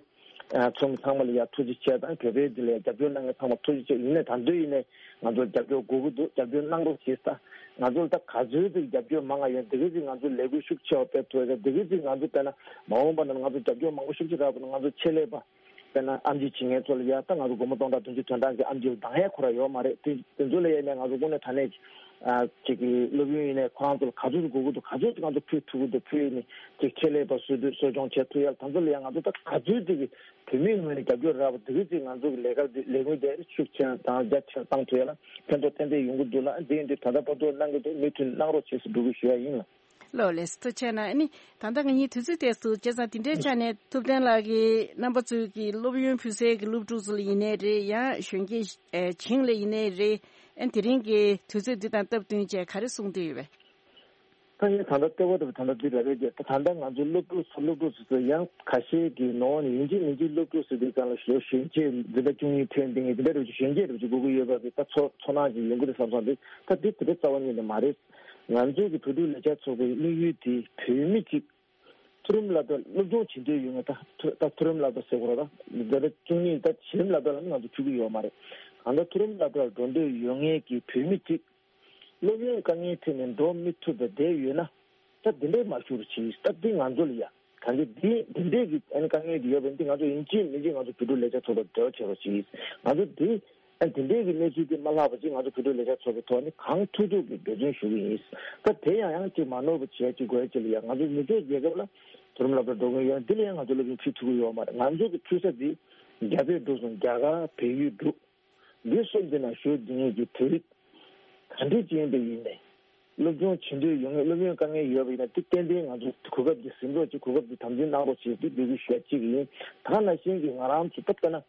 ཚོགས་མི་ཚང་མ་ལ་ཡ་ཐུགས་རྗེ་ཆེ་དང་། བོད་པའི་འདི་ལ་ཡ་རྒྱབ་སྐྱོར་གནང་མཁན་ཚང་མ་ཐུགས་རྗེ་ཆེ། ཡིན་ནའི་ད་དུང་ཡིན་ནའི་ང་ཚོར་རྒྱབ་སྐྱོར་དགོས་ཀྱི་འདུག་རྒྱབ་སྐྱོར་གནང་རོགས་བྱེད་ས། ང་ཚོར་ད་ག་ཚོད་ཅིག་རྒྱབ་སྐྱོར་མང་ང་ཡོད། དེ་ག་ཅིག་ང་ཚོ་ལས་འགུལ་ཤུགས་ཆེ་བ་སྤེལ་ཐུབ་ཡ། དེ་ག་ཅིག་ང་ཚོ་དཔེར་ན་མ་འོངས་པ་ན་ང་ཚོ་རྒྱབ་སྐྱོར་མང་པོ་ཤུགས་ཆེ་རག་པ་ན་ང་ཚོ་ཆེད་ལས་པ་དཔེར་ན་ཨེམ་ཆི་བྱེད་མཁན་ཚོ་ལ་ཡ་ད་ང་ཚོ་སྒོར་མོ་སྟོང་ཕྲག་བདུན་ཅུ་དོན་གྲངས་ཀྱི་ཨེམ་ཆི་འདང་ཡ་ཁོ་ར་ཡོད་མ་རེད། དེ་དེ་ཚོ་ལ་ཡ་ནས་ང་ཚོ་དངོས་གནས་དྲང་གནས་ཀྱི་ཨ་ཅིག་གི་སློབ་ཡོན་ཡིན་ནའི་ཁོ་རང་ཚོ་ལ་ག་ཚོད་ཅིག་དགོས་ཀྱི་འདུག་ག་ཚོད་ཅིག་ང་ཚོ་ཕུལ་ཐུབ་ཀྱི་འདུག་ཕུལ་ནས་ཅིག་ཆེད་ལས་པ་གསོ་སྐྱོང་བྱེད་ཐུབ་ཡ། ད་ཚོ་ལ་ཡ་ང་ཚོ་ད་ག་ཚོད་ཅིག་གི་བོད་མིའི་ངོས་ནས་རྒྱབ་སྐྱོར་རག་པ་དེ་ག་ཅིག་ང་ཚོ་གི་ལས་ཀ་འདི་ལས་འགུལ་འདི་ཤུགས་ཆེ་དང་རྒྱ་ཆེར་བཏང་ཐུབ་ཡ་ལ་ཕན་ཐོགས་ཏན་ཏན་ཡོང་གི་འདུག་ལ། འདི་ཡིན་དུས་ད་ལྟ་བར་དུ་གནང་གི་འདུག་མུ་མཐུད་གནང་རོགས་བྱེད་ཟེར་འབོད་སྐུལ་ཞུ་ཡ་ཡིན་ལ། ལགས་ལགས་སོ། ཐུགས་རྗེ་ཆེ་གནང་། ཨ་ནི་ད་ལྟ་ང་གཉིས་དུས་ཚོད་དེ་སུ་བྱས་ཙང་དེ་འདྲའི་ཆ་ནས་ཐུབ་བསྟན་ལགས་ཀྱིས་རྣམ་པ་ཚོའི་གི་སློབ་ཡོན་ཕུལ་སའི་གི་སློབ་ཕྲུག་ཚོ་ལ་ཡིན་ནའི་རེད། ཡང་གཞོན་སྐྱེས་ཨེ་བྱིངས་ལ་ཡིན་ནའི་རེད། ཨ་ནི་དེ་རིང་གི་དུས་ཚོད་འདི་དང་སྟབས་བསྟུན་བྱས་ག་རེ་གསུང་འདོད་ཡོད་པས། ད་ངས་ད་ལྟ་ལྟེ་བ་དང་ད་ལྟ་འདི་རེ་རེ་བརྒྱབ། ད་ད་ལྟ་ང་ཚོའི་སློབ་ཕྲུག་ཚོ་སློབ་ཕྲུག་ཚོ་ཚོ་ཡང་ཁ་ཤས་ཀྱིས་ནོར་ནས་ཡིན་གཅིག་མིན་གཅིག་སློབ་ཕྲུག་ཟེར་དུས་ཙམ་ལ་གཞོན་གཞོན་སྐྱེས་འཛིན་གྲྭ་བཅུ་གཉིས་ཐོན་བསྡད་མཁན་འཛིན་གྲྭ་རེ་བཅུ་གཞོན་སྐྱེས་རེ་བཅུ་དགོས་ཀྱི་ཡོད་པ་གི་ད་ཚོ་ཚོར་སྣང་ཅིག་ཡོང་གི་རེད་བསམ་སོང་། འདི་ད་འདི་དེ་འདྲ་རྩ་བ་ཉིད་ནས་མ་རེད། ང་ཚོ་གི་བོད་ཕྲུག་ལས་འཆར་ཚོགས་པའི་དམིགས་ཡུལ་དེ་བོད་མི་གཅིག་མཐོ་རིམ་སློབ་གྲྭ་སློབ་སྦྱོང་བྱེད་འདོད་ཡོད་མཁན། ད་མཐོ་ད་མཐོ་རིམ་སློབ་གྲྭ་ཟེར་དགོས་རེད། ད་འཛིན་གྲྭ་བཅུ་གཉིས་ད་གཞི་རིམ་སློབ་གྲྭ་ལ་ང་ཚོ་ཚུད་ཀྱི་ཡོད་མ་རེད། གང་ལྟར་མཐོ་རིམ་སློབ་གྲྭར་འགྲོ་འདོད་ཡོད་མཁན་གྱི་བོད་མི་གཅིག་སློབ་ཡོན་དཀའ་ངལ་འཕྲད་ནས་འགྲོ་མི་ཐུབ་པ་བསྡད་ཡོད་ན། ད་འདི་འདྲའི་མ་ཞུ་རོགས་གྱིས། ད་འདི་ང་ཚོ་ལ་ཡ་གང་གི་འདི་འདི་འདྲའི་གི་ཨ་ནི་དཀའ་ངལ་འདི་ཡོད་པ་འདི་ང་ཚོ་ཡིན་གཅིག་མིན་གཅིག་ང་ཚོ་བོད་ཕྲུག་ལས་འཆར་ཚོགས་པར་འབྲེལ་བ་བྱེད་རོགས་གྱིས། ང་ཚོ་འདི་ཨ་འདི་འདྲའི་གི་གནས་ཚུལ་འདི་མ་ལྷག་པ་ཅིག་ང་ཚོ་བོད་ཕྲུག་ལས་འཆར་ཚོགས་པའི་ཐོག་ནས་གང་ཐུབ་ཐུབ་ཀྱི་འབད་བརྩོན་ཞུ་གི་ཡིན། ད་དེ་ཡང་ཡང་ཅིག་མ་ནོར་བ་བྱས་ཅིག་དགོས་ཅིག་ལ་ཡ་ང་ཚོ་མི་ཚོགས་རྒྱལ་ཁབ་ལ་མཐོ་རིམ་སློབ་གྲྭ་འགྲོ་མཁན་ཡོད་འདི་ལ་ཡང་ང་ཚོ་སློབ་ཡོན་ཕུལ་ཐུབ་ཀྱི་ཡོད་མ་རེད། ང་ཚོ་གི་ཕུལ་ས་འདི་རྒྱ་བལ་འབྲུག་གསུམ། རྒྱ་གར། བལ་ཡུལ། འབྲུག་འདི་གསུམ་འདི་ནང་བཞུགས་བསྡད་མཁན་གྱི་བོད་རིགས་ག་འདྲ་ཅིག་ཡིན་པ་ཡིན་ནའི། སློབ་སྦྱོང་བྱེད་འདོད་ཡོད་མཁན། སློབ་ཡོན་དཀའ་ངལ་ཡོད་པ་ཡིན་ན་དེ་ཏན་ཏན་ང་ཚོ་གོ་སྐབས་འདི་ཟིན་རོགས་གྱིས། གོ་སྐབས་འདི་དམ་འཛིན་གནང་རོགས་བྱེད་ཅེས་འདི་འབོད་སྐུལ་ཞུ་ཡ་གཅིག་ཡིན། ད་ག་ནང་བཞིན་གྱི་ང་རང་ཚོ་ད་ལྟ་ན་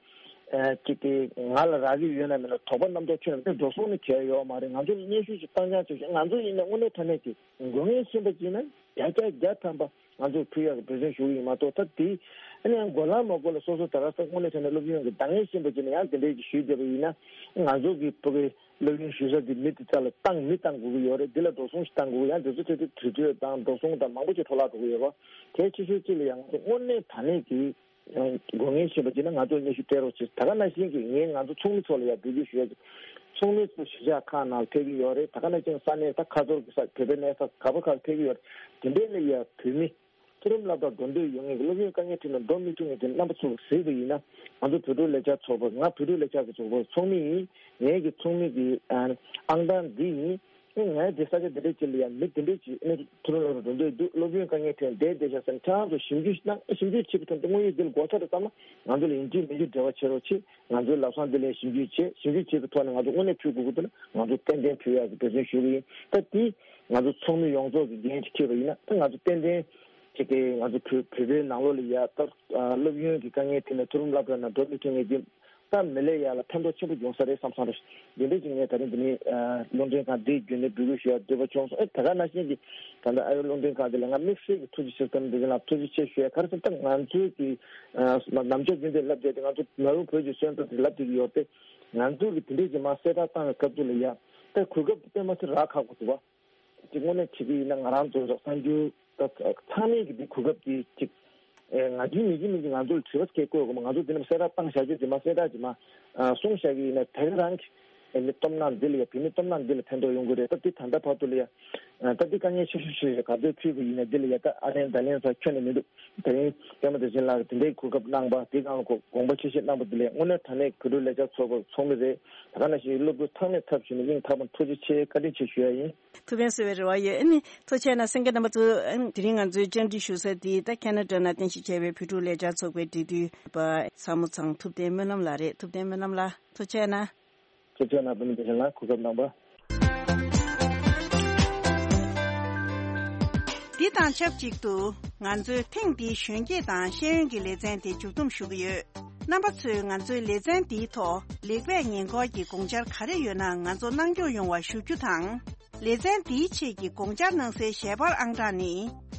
ཨ་ཅིག་གི་ང་ལ་རག་གི་ཡོད་ན་མེད་ན་དོགས་པ་རྣམ་རྟོག་ཁྱོན་ནས་འགྲོ་སོང་ནི་བྱས་ཡོད་མ་རེད། ང་ཚོ་ལ་སྙན་ཞུ་ཞིག་བཏང་རྐྱང་བྱས་ཤིང་། ང་ཚོ་ཡིན་ན་དངོས་གནས་དྲང་གནས་ཀྱི་དགོས་ངེས་ཤེས་པ་ཅིག་ན་བརྒྱ་ཆ་བརྒྱ་ཐམ་པ་ང་ཚོ་ཕུལ་ཡག་གི་འབད་བརྩོན་ཞུ་གི་ཡིན་མ་གཏོགས། ད་དེ་ཨ་ནི་ཡང་དགོས་ལ་མ་དགོས་ལ་སོ་སོ་ད་ག་ས་དངོས་གནས་དྲང་གནས་སློབ་ཡོན་གྱི་འདང་ངེས་ཤེས་པ་ཅིག་ན་ཡང་དེ་འདྲའི་ཞུས་བསྡད་པ་ཡིན་ན། ང་ཚོ་གི་ཕ་གི་སློབ་ཡོན་ཞུ་ས་དེ་མི་དེ་ཚོ་ལ་བཏང་མི་བཏང་དགོས་ཀྱི་ཡོད་རེད། འདི་ལ་འགྲོ་སོང་ཞིག་བཏང་དགོས་ཀྱི། ཡང་དེ་ཚོ་ཆེད་དུ་དུས་ཚོད་དང་འགྲོ་སོང་དང་མང་པོ་ཅིག་འཕྲོ་བརླག་འགྲོ་གི་ཡོད་པ། གལ་ཆེ་ཤོས་གཅིག་ལ་ཡང་ང་ཚོ་དངོས་གནས་དྲང་གནས་ཀྱི་དགོས་ངེས་ཤེས་པ་ཅིག་ན་ང་ཚོ་སྙན་ཞུ་སྤྲད་རོགས་བྱེད། ད་ག་ནང་བཞིན་གྱི་ངས་ང་ཚོ་ཚོགས་མི་ཚོ་ལ་ཡང་འབོད་སྐུལ་ཞུ་ཡ་ཅིག་ཚོགས་མི་ཚོ་གཞིས་ཆགས་ཁག་ནང་ཕེབས་ཀྱི་ཡོད་རེད། ད་ག་ནང་བཞིན་ས་གནས་ད་ཁ་ཐོར་གྱི་ས་བོད་པའི་གནས་ས་ག་པ་ཁག་ཕེབས་ཀྱི་ཡོད་རེད། དེ་འདྲའི་ལ་ཡ་བོད་མི་མཐོ་རིམ་སློབ་གྲྭར་འགྲོ་འདོད་ཡོད་མཁན་གྱི་སློབ་ཡོན་དཀའ་ངལ་འཕྲད་ནས་འགྲོ་མི་ཐུབ་མཁན་གྱི་རྣམ་པ་ཚོ་གཟིགས་པ་ཡིན་ན། ང་ཚོ་བོད་ཕྲུག་ལས་འཆར་ཚོགས་པ། ང་བོད་ཕྲུག་ལས་འཆར་གྱི་ཚོགས་པའི་ཚོགས་མི་ཡིན། ངེད་ཀྱི་ཚོགས་མི་གི་ཨང་གྲངས་འདི་ཡིན། ངས་ད་ས་ཆ་འདི་འདྲ་ཅིག་ལ་ཡང་མི་འདི་འདྲ་ཅིག་ཨ་ནི་མཐོ་རིམ་སློབ་གྲྭར་འགྲོ་འདོད་འདུག་སློབ་ཡོན་དཀའ་ངལ་འཕྲད་བསྡད་བསྡད་ཤག་ཟེར་ནས་ཁྱེད་རང་ཚོ་ཞིབ་འཇུག་གནང་། ཞིབ་འཇུག་བྱེད་པའི་ཐོག་ཏུ་དངོས་ཡོད་འདི་ལ་གོ་ཆ་རེ་བཏང་ན་ང་ཚོ་ལ་ཡིན་གཅིག་མིན་གཅིག་འབྲེལ་བ་བྱེད་རོགས་བྱེད། ང་ཚོའི་ལམ་སང་འདི་ལ་ཞིབ་འཇུག་བྱེད། ཞིབ་འཇུག་བྱེད་པའི་ཐོག་ནས་ང་ཚོ་དངོས་གནས་ཕུལ་དགོས་ཀྱི་འདུག་ན་ང་ཚོ་ཏན་ཏན་ཕུལ་ཡག་གི་འབད་བརྩོན་ཞུ་གི་ཡིན། ད་འདི་ང་ཚོ་ཚོགས་མི་ཡོངས་རྫོགས་ཀྱི་འགན་ཅིག་འཁྱེར་བ་ཡིན་ན། ད་ང་ཚོ་ཏན་ཏན་ཅིག་གི་ང་ཚོ་བོད་བོད་པའི་ནང་ལོགས་ལ་ཡ་ད་སློབ་ཡོན་གྱི་དཀའ་ངལ་འཕྲད་ནས་མཐོ་རིམ་སློབ་གྲྭ་ནང་འགྲོ་མི་ཐུབ་མཁན་གྱི་ད་མི་ལས་ཡག་ལ་ཕན་ཐོགས་ཆེན་པོ་འབྱུང་ས་རེད་བསམ་སོང་རེད། འདི་འདྲ་ཅིག་ངས་ད་རིང་འདི་ནས་ཨ་རླུང་འཕྲིན་ཁང་འདིའི་བརྒྱུད་ནས་འབོད་སྐུལ་ཞུ་ཡ་འདོད་པ་བྱུང་སོང་། ཨེ་ད་ག་ནང་བཞིན་གྱི་ད་ལྟ་ཨ་རླུང་འཕྲིན་ཁང་འདི་ལ་ང་དམིགས་བསལ་གྱི་ཐུགས་རྗེ་ཆེ་ཟེར་ནས་འདི་ག་ལ་ཐུགས་རྗེ་ཆེ་ཞུ་ཡ། ག་རེ་ཟེར་ན་ད་ང་ཚོའི་གི་ཨ་ནམ་ཞག་རྒྱུན་དུ་ལབ་བསྡད་དེ། ང་ཚོ་མ་རུ་བོད་ཀྱི་སོན་རྩ་དེ་ལབ་བསྡད་ཀྱི་ཡོད་པས། ང་ཚོ་གི་དེ་འདྲའི་གི་མར་གསལ་བསྒྲགས་བཏང་བའི་སྐབས་དུས་ལ་ཡ་ད་གོ་སྐབས་དེ་དཔེ་མ་སྲིད་རག་ཁག་པོ་འདུག་བ། དེ་དངོས་གནས་བྱེད་ཀྱི་ཡིན་ན་ང་རང་ཚོ་གསར་འགྱུར་ད་ཚང་མས་ཀྱི་འདི་གོ་སྐབས་ཀྱི་ཅིག་ཨེ་ང་རྒྱུན་མི་རྒྱུན་མི་རྒྱུན་ང་ཚོ་ལ་དྲི་བ་སྐད་བཀོད་དགོས་མ། ང་ཚོ་འདི་ནས་གསལ་བསྒྲགས་བཏང་བཞག་རྒྱུ་དེ་མ་གསལ་བསྒྲགས་ཀྱི་མ་ཨ་གསུངས་བཞག་གི་ཡིན་ན་ད་ག་རང་གི་ བོད་མི་སྟོབས་ནག་འདི་ལ་ཡ་བོད་མི་སྟོབས་ནག་འདི་ལ་ཕན་ཐོགས་ཡོང་གི་རེད། ད་འདི་ད་ལྟ་བར་དུ་ལ་ཡ་ད་འདི་དཀའ་ངལ་ཆེ་ཤོས་ཤིག་རེད། ག་དུས་ཕུད་པ་ཡིན་ན་འདི་ལ་ཡ་ད་ཨ་ལན་ད་ལན་ས་ཁྱོན་ནས་མི་འདུག་དེ་རིང་པད་མ་བདེ་ཆེན་ལགས་དེ་འདྲའི་གོ་སྐབས་གནང་པ་དེ་གང་དགོངས་པ་ཆེ་བཞེས་གནང་པ་དེ་ལ་དངོས་གནས་དྲང་གནས་བོད་ཕྲུག་ལས་འཆར་ཚོགས་པ་ཚོགས་མི་རེད། ད་ག་ནང་བཞིན་སློབ་ཕྲུག་ཚང་མས་ཚབ་ཞུས་ནས་སྙིང་ཐག་པ་ནས་ཐུགས་རྗེ་ཆེ་བཀའ་དྲིན་ཆེ་ཞུ་ཡ་ཡིན། ཐུགས་ཕན་གསོས་པའི་རེ་བ་ཡོད། ཨ་ནི་ཐུགས་རྗེ་གནང་། གསན་མཁན་རྣམ་པ་ཚོ། ཨ་ནི་དེ་རིང་ང་ཚོའི་བཅར་འདྲི་ཞུ་ས་དེ་ད་ཁེ་ན་ཌ་ནང་རྟེན་གཞི་བྱས་པའི་བོད་ཕྲུག་ལས་འཆར་ཚོགས་པའི་འབྲེལ་མཐུད་པ་ཚ་མོ་ཚང་ཐུབ་བསྟན་སྨོན་ལམ་ལགས་རེད། ཐུབ་བསྟན་སྨོན་ལམ་ལགས་ཐུགས་རྗེ་གནང་། ཐུགས་རྗེ་གནང་། བུ་མོ་བདེ་ཆེན་ལགས་གོ་སྐབས་གནང་བ། འདི་དང་ཆབས་ཅིག་ཏུ་ང་ཚོའི་ཐེངས་འདིའི་གཞོན་སྐྱེས་དང་ཤེས་ཡོན་གྱི་ལེ་ཚན་དེ་མཇུག་བསྡོམས་ཞུ་གི་ཡོད། རྣམ་པ་ཚོས་ང་ཚོའི་ལེ་ཚན་འདིའི་ཐོག་ལེགས་སྤེལ་ཉེས་འཁོར་གྱི་དགོངས་འཆར་ག་རེ་ཡོད་ན་ང་ཚོ་གནང་སྐྱོང་ཡོང་བ་ཞུ་རྒྱུ་དང་། ལེ་ཚན་འདིའི་ཆེད་ཀྱི་དགོངས་འཆར་གནང་སའི་ཞལ་པར་ཨང་གྲངས་ནི།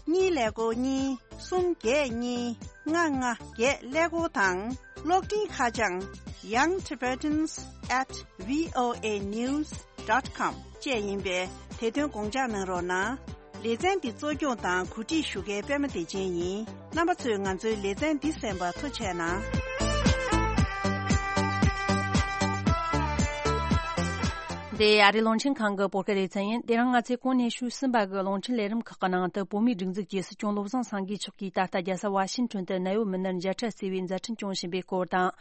གཉིས་ཀླད་ཀོར་གཉིས། གསུམ་བརྒྱད་གཉིས། ལྔ་ལྔ་བརྒྱད་ཀླད་ཀོར་དང་། གློག་འཕྲིན་ཁ་བྱང་young tibetans at voa news dot com བཅས་ཡིན་པས། དེ་དོན་དགོངས་འཇགས་གནང་རོགས་གནང་། ལེ་ཚན་འདི་གཙོ་སྐྱོང་དང་གོ་སྒྲིག་ཞུ་མཁན་པད་མ་བདེ་ཆེན་ཡིན། རྣམ་པ་ཚོས་ང་ཚོའི་ལེ་ཚན་འདི་གསན་པར་ཐུགས་རྗེ་གནང་། འདི་ཨ་རིའི་རླུང་འཕྲིན་ཁང་གི་བོད་སྐད་ལེ་ཚན་ཡིན། དེ་རིང་ང་ཚོས་གོང་ནས་ཞུས་ཟིན་པ་གི་རླུང་འཕྲིན་ལས་རིམ་ཁག་གི་ནང་དུ། བོད་མིའི་སྒྲིག་འཛུགས་ཀྱི་སྲིད་སྐྱོང་བློ་བཟང་སེང་གེ་མཆོག་གིས་ད་ལྟ་རྒྱལ་ས་ཝ་ཤིང་ཊོན་དུ་ནད་ཡོད་མི་སྣར་མཇལ་འཕྲད་བྱས་པའི་མཛད་འཕྲིན་སྐྱོང་བཞིན་པའི་སྐོར་དང་།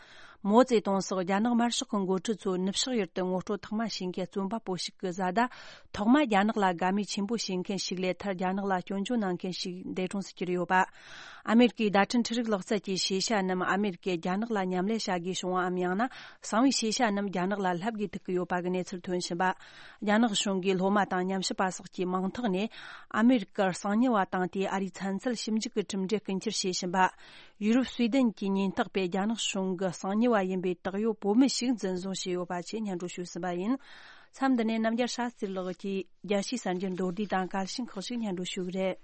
མའོ་ཙེ་ཏུང་སོགས་རྒྱ་ནག་དམར་ཤོག་གི་འགོ་ཁྲིད་ཚོ་ནུབ་ཕྱོགས་ཡུལ་དུ་ངོ་སྤྲོད་ཐོག་མ་བྱེད་མཁན་རྩོམ་པ་པོ་ཞིག་གི་བཟའ་ཟླ་ཐོག་མ་རྒྱ་ནག་ལ་དགའ་མོས་ཆེན་པོ་བྱེད་མཁན་ཞིག་ལས། མཐར་རྒྱ་ནག་ལ་སྐྱོན་བརྗོད་གནང་མཁན་ཞིག་འདས་གྲོངས་སུ་གྱུར་ཡོད་པ། ཨ་མེ་རི་ཀའི་བརྡ་འཕྲིན་འཕྲུལ་རིག་ལག་རྩལ་གྱི་ཤེས་བྱ་རྣམས་ཨ་མེ་རི་ཀས་རྒྱ་ནག་ལ་མཉམ་ལས་བྱ་དགོས་བྱུང་བའམ། ཡང་ན་གསང་བའི་ཤེས་བྱ་རྣམས་རྒྱ་ནག་ལ་ལྷབ་དགོས་ཐུག་གི་ཡོད་པ་གི་གནས་ཚུལ་ཐོན་བཞིན་པ། རྒྱ་ནག་གཞུང་གིས་སློབ་མ་དང་ཉམས་ཞིབ་པ་སོགས་ཀྱི་མིང་ཐོག་ནས་ཨ་མེ་རི་ཀར་གསང་ཉུལ་བ་བཏང་སྟེ། ཨ་རིའི་ཚན་རྩལ་ཞིབ་འཇུག་གི་གྲུབ་འབྲས་རྐུ་འཁྱེར་བྱེད་བཞིན་པ། ཡུ་རོབ་སུའེ་ཏེན་གྱི་ཉེན་རྟོག་པས་རྒྱ་ནག་གཞུང་གི་གསང་ཉུལ་བ་ཡིན་པའི་བཏགས་ཡོད་བོད་མི་ཞིག་འཛིན་བཟུང་བྱས་ཡོད་པ་བཅས་སྙན་སྒྲོན་ཞུས་ཟིན་པ་ཡིན། མཚམས་འདི་ནས་རྣམ་རྒྱལ་ཤཱ་སྟྲི་ལགས་ཀྱིས་རྒྱལ་སྤྱིའི་གསར་འགྱུར་མདོར་བསྡུས་དང་གལ་ཆེན་ཁག་ཅིག་སྙན་སྒྲོན་ཞུ་གི་རེད།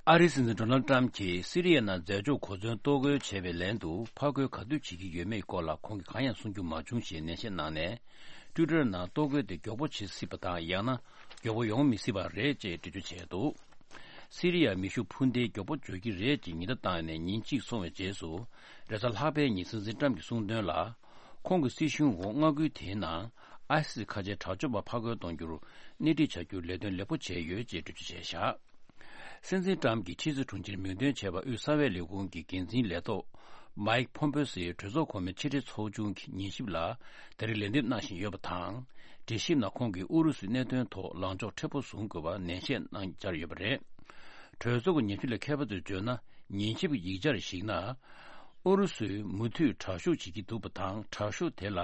ཨ་རིའི་སྲིད་འཛིན་ཌོ་ནལ་ཏྲམ་གྱིས་སི་རི་ཡའི་ནང་རྫས་སྦྱོར་གོ་མཚོན་གཏོར་རྒོལ་བྱས་པའི་ལན་དུ་ཕར་རྒོལ་ག་དུས་བྱེད་ཀྱི་ཡོད་མེད་སྐོར་ལ་ཁོང་གིས་གང་ཡང་གསུང་རྒྱུ་མ་བྱུང་ཞེས་ནན་བཤད་གནང་ནས། ཊུའི་ཊར་ནང་གཏོར་རྒོལ་དེ་མགྱོགས་པོ་བྱེད་སྲིད་པ་དང་། ཡང་ན་མགྱོགས་པོ་ཡོང་མི་སྲིད་པ་རེད་ཅེས་འགྲེལ་བརྗོད་བྱས་འདུག་སི་རི་ཡ་མེ་ཤུགས་འཕུར་མདེལ་མགྱོགས་པོ་འབྱོར་གྱི་རེད་ཅེས་ཉེན་བརྡ་བཏང་ནས་ཉིན་གཅིག་སོང་བའི་རྗེས་སུ། རེས་གཟའ་ལྷག་པའི་ཉིན་སྲིད་འཛིན་ཏྲམ་གྱིས་གསུངས་དོན་ལ། ཁོང་གི་སྲིད་གཞུང་འོག་མངའ་ཁུལ་དེའི་ནང་ཨའི་སི་སི་ཁ་ཆེའི་དྲག་སྤྱོད་པ་ཕར་རྒོལ་གཏོང་རྒྱུར་སྣེ་ཁྲིད་བྱ་རྒྱུར་ལས་དོན་ལེགས་པོ་བྱས་ཡོད་ཅེས་འགྲེལ་བརྗོད་བྱས་བཞག་སྲིད་འཛིན་ཏྲམ་གྱིས་ཕྱི་སྲིད་དྲུང་ཆེར་མིང་འདོན་བྱས་པ་དབུས་གསང་བའི་ལས་ཁུངས་ཀྱི་འགན་འཛིན་ལས་ཐོག་མའིག་ཕོམ་པེ་སིའི་གྲོས་ཚོགས་གོང་མའི་ཕྱི་དྲིལ་ཚོགས་ཆུང་གི་ཉན་ཞིབ་ལ་ད་རེས་ལན་འདེབས་གནང་བཞིན་ཡོད་པ་དང་། གྲོས་ཞིབ་ནང་ཁོང་གིས་ཨུ་རུ་སུའི་གནད་དོན་ཐོག་ལངས་ཕྱོགས་མཁྲེགས་པོ་བཟུང་དགོས་པ་ནན་བཤད་གནང་འཆར་ཡོད་པ་རེད། གྲོས་ཚོགས་ཀྱི་ཉན་ཞིབ་ལས་མཁས་པ་ཚོས་བརྗོད་ན། ཉན་ཞིབ་ཀྱི་ཡིག་ཆར་གཞིགས་ན། ཨུ་རུ་སུས་མུ་མཐུད་དྲག་ཤུགས་བྱེད་ཀྱི་འདུག་པ་དང་། དྲག་ཤུགས་དེ་ལ་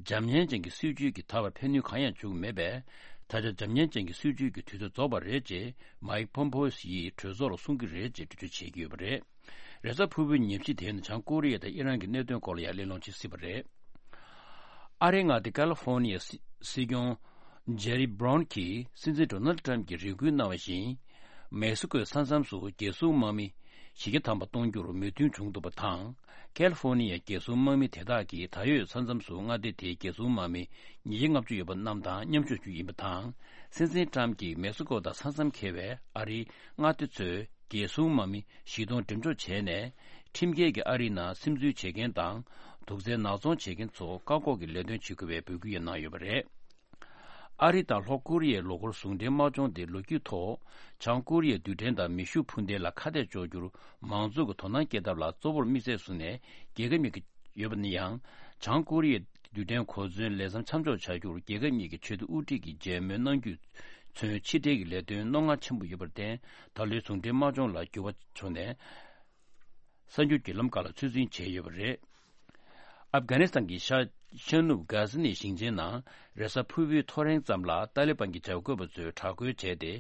འཇམ་མཉེན་ཅན་གྱི་སྲིད་ཇུས་ཀྱིས་ད་བར་ཕན་ནུས་གང་ཡང་བྱུང་མེད་པས། ད་ཆ་འཇམ་མཉེན་ཅན་གྱི་སྲིད་ཇུས་ཀྱི་དུས་ཚོད་རྫོགས་པ་རེད་ཅེས་མའིག་ཕོམ་པེ་ཡིས་གྲོས་ཚོགས་ལ་གསུང་གི་རེད་ཅེས་འགྲེལ་བརྗོད་བྱེད་ཀྱི་ཡོད་པ་རེད། རེས་གཟའ་ཕུར་བུའི་ཉིན་ཕྱེད་དེའི་ནང་བྱང་ཀོ་རི་ཡ་དང་ཨི་རན་གྱི་གནད་དོན་སྐོར་ལ་ཡང་གླེང་སློང་བྱེད་སྲིད་པ་རེད། ཨ་རིའི་མངའ་སྡེ་ཀ་ལི་ཧྥོར་ནི་ཡའི་སྲིད་སྐྱོང་ཇེ་རི་བྷ་རོན་གྱིས་སྲིད་འཛིན་ཌོ་ནལ་ཏྲམ་གྱིས་རེ་སྐུལ་གནང་བ་བཞིན། མེག་སི་ཀོའི་ས་མཚམས་སུ་རྒྱལ་སྲུང་དམག་མི་བཞི་བརྒྱ་ཐམ་པ་གཏོང་རྒྱུར་མོས་མཐུན་བྱུང་འདུག་པ་དང་། ཀལ་ཧྥོར་ནི་ཡའི་རྒྱལ་སྲུང་དམག་མི་དེ་དག་གིས་ད་ཡོད་ས་མཚམས་སུ་མངའ་སྡེ་དེའི་རྒྱལ་སྲུང་དམག་མི་ཉིས་བརྒྱ་ལྔ་བཅུ་ཡོད་པ་རྣམས་དང་མཉམ་ཞུགས་རྒྱུ་ཡིན་པ་དང་། སྲིད་འཛིན་ཏྲམ་གྱིས་མེག་སི་ཀོ་དང་ས་མཚམས་འཁེལ་བའི་ཨ་རིའི་མངའ་སྡེ་ཚོའི་རྒྱལ་སྲུང་དམག་མི་བཞི་སྟོང་འགྲེམས་འཇོག་བྱས་ནས། ཁྲིམས་འགལ་གྱིས་ཨ་རིའི་ནང་སིམ་འཛུལ་བྱེད་མཁན་དང་། དུག་རྫས་ནག་ཚོང་བྱེད་མཁན་ཚོ་བཀག་འགོག་གི་ལས་དོན་བྱེད་དགོས་པའི་འབོད་སྐུལ་ཡང་གནང་ཡོད་པ་རེད། ཨ་རི་དང་ལྷོ་ཀོ་རི་ཡའི་ལོ་འཁོར་ཟུང་འབྲེལ་དམག་སྦྱོང་དེ་ལོ་རྒྱུས་ཐོག་བྱང་ཀོ་རི་ཡའི་རྡུལ་ཕྲན་དང་མེ་ཤུགས་འཕུར་མདེལ་ལ་ཁ་གཏད་གཅོག་རྒྱུར་མང་གཙོ་གི་དོ་སྣང་སྐྱེད་ཐབས་ལ་གཙོ་བོར་དམིགས་བསལ་བཟུང་ནས་རྒྱལ་ཁ་གཉིས་ཀྱི་ཡོད་པ་ནི་ཡང་། བྱང་ཀོ་རི་ཡའི་རྡུལ་ཕྲན་གོ་མཚོན་ལས་མཚམས་མཚམས་འཇོག་བྱ་རྒྱུར་རྒྱལ་ཁབ་གཉིས་ཀྱི་ཆེས་མཐོའི་དབུ་ཁྲིད་ཀྱིས་མཇལ་མོལ་གནང་རྒྱུས་མཚོན་ཕྱི་འབྲེལ་གྱི་ལས་དོན་རྣོ་ངར་ཆེན་པོ་ཡོད་པར་བརྟེན། ད་ལོའི་ཟུང་འབྲེལ་དམག་སྦྱོང་ལ་འགྱུར་བ་བྱུང་ནས། གསར་འགྱུར་བརྒྱུད་ལམ་ཁག་ལ་ཚོད་འཛིན་བྱས་ཡོད་པ་རེད། ཨབ་གྷ་ནི་སི་ཐན་གྱི་ཤར་ཤར་ནུབ་གྷ་ཟི་ནི་ཞིང་ཆེན་ནང་རེས་གཟའ་ཕུར་བུའི་ཐོ་རེངས་ཙམ་ལ་ཏཱ་ལི་བན་གྱི་བྱ་དགོས་པ་ཚོས་དྲག་རྒོལ་བྱས་ཏེ།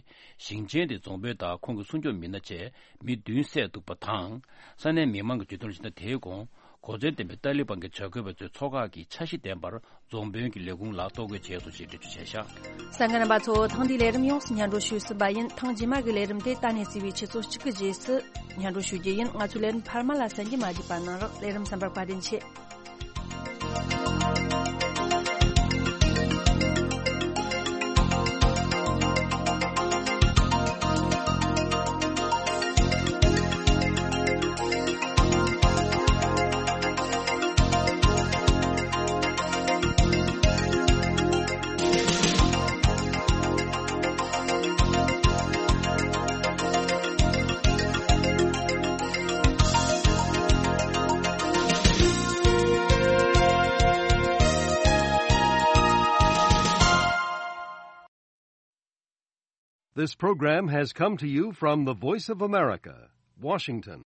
ཞིང་ཆེན་དེའི་རྫོང་དཔོན་དང་ཁོང་གི་སྲུང་སྐྱོབ་མི་སྣ་བཅས་མི་བདུན་བསད་འདུག་པ་དང་། ས་གནས་མི་མང་གིས་བརྗོད་དོན་ལ་གཞིགས་ན། དེའི་གོང་གོ་མཚོན་ལྡན་པའི་ཏཱ་ལི་བན་གྱི་བྱ་དགོས་པ་ཚོའི་ཚོགས་ཁག་གིས་འཆར་གཞི་ལྡན་པར་རྫོང་དཔོན་གྱི་ལས་ཁུངས་ལ་གཏོར་རྒོལ་བྱས་སོང་ཞེས་འགྲེལ་བརྗོད་བྱས་བཞག་གསན་མཁན་རྣམ་པ་ཚོ། ཐེངས་འདིའི་ལས་རིམ་ཡོངས་སུ་སྙན་སྒྲོན་ཞུས་ཟིན་པ་ཡིན། ཐེངས་རྗེས་མ་གི་ལས་རིམ་དེ་ད་ནས་བརྩིས་པའི་ཆུ་ཚོད་གཅིག་གི་རྗེས་སུ་སྙན་སྒྲོན་ཞུ་རྒྱུ་ཡིན། ང་ཚོའི་ལས་རིམ་འཕར་མ་ལ་གསན་རྒྱུ་མ་བརྗེད་པ་གནང་རོགས། ལས་རིམ་གསན་པར་བཀའ་དྲིན་ཆེ། This program has come to you from the Voice of America, Washington.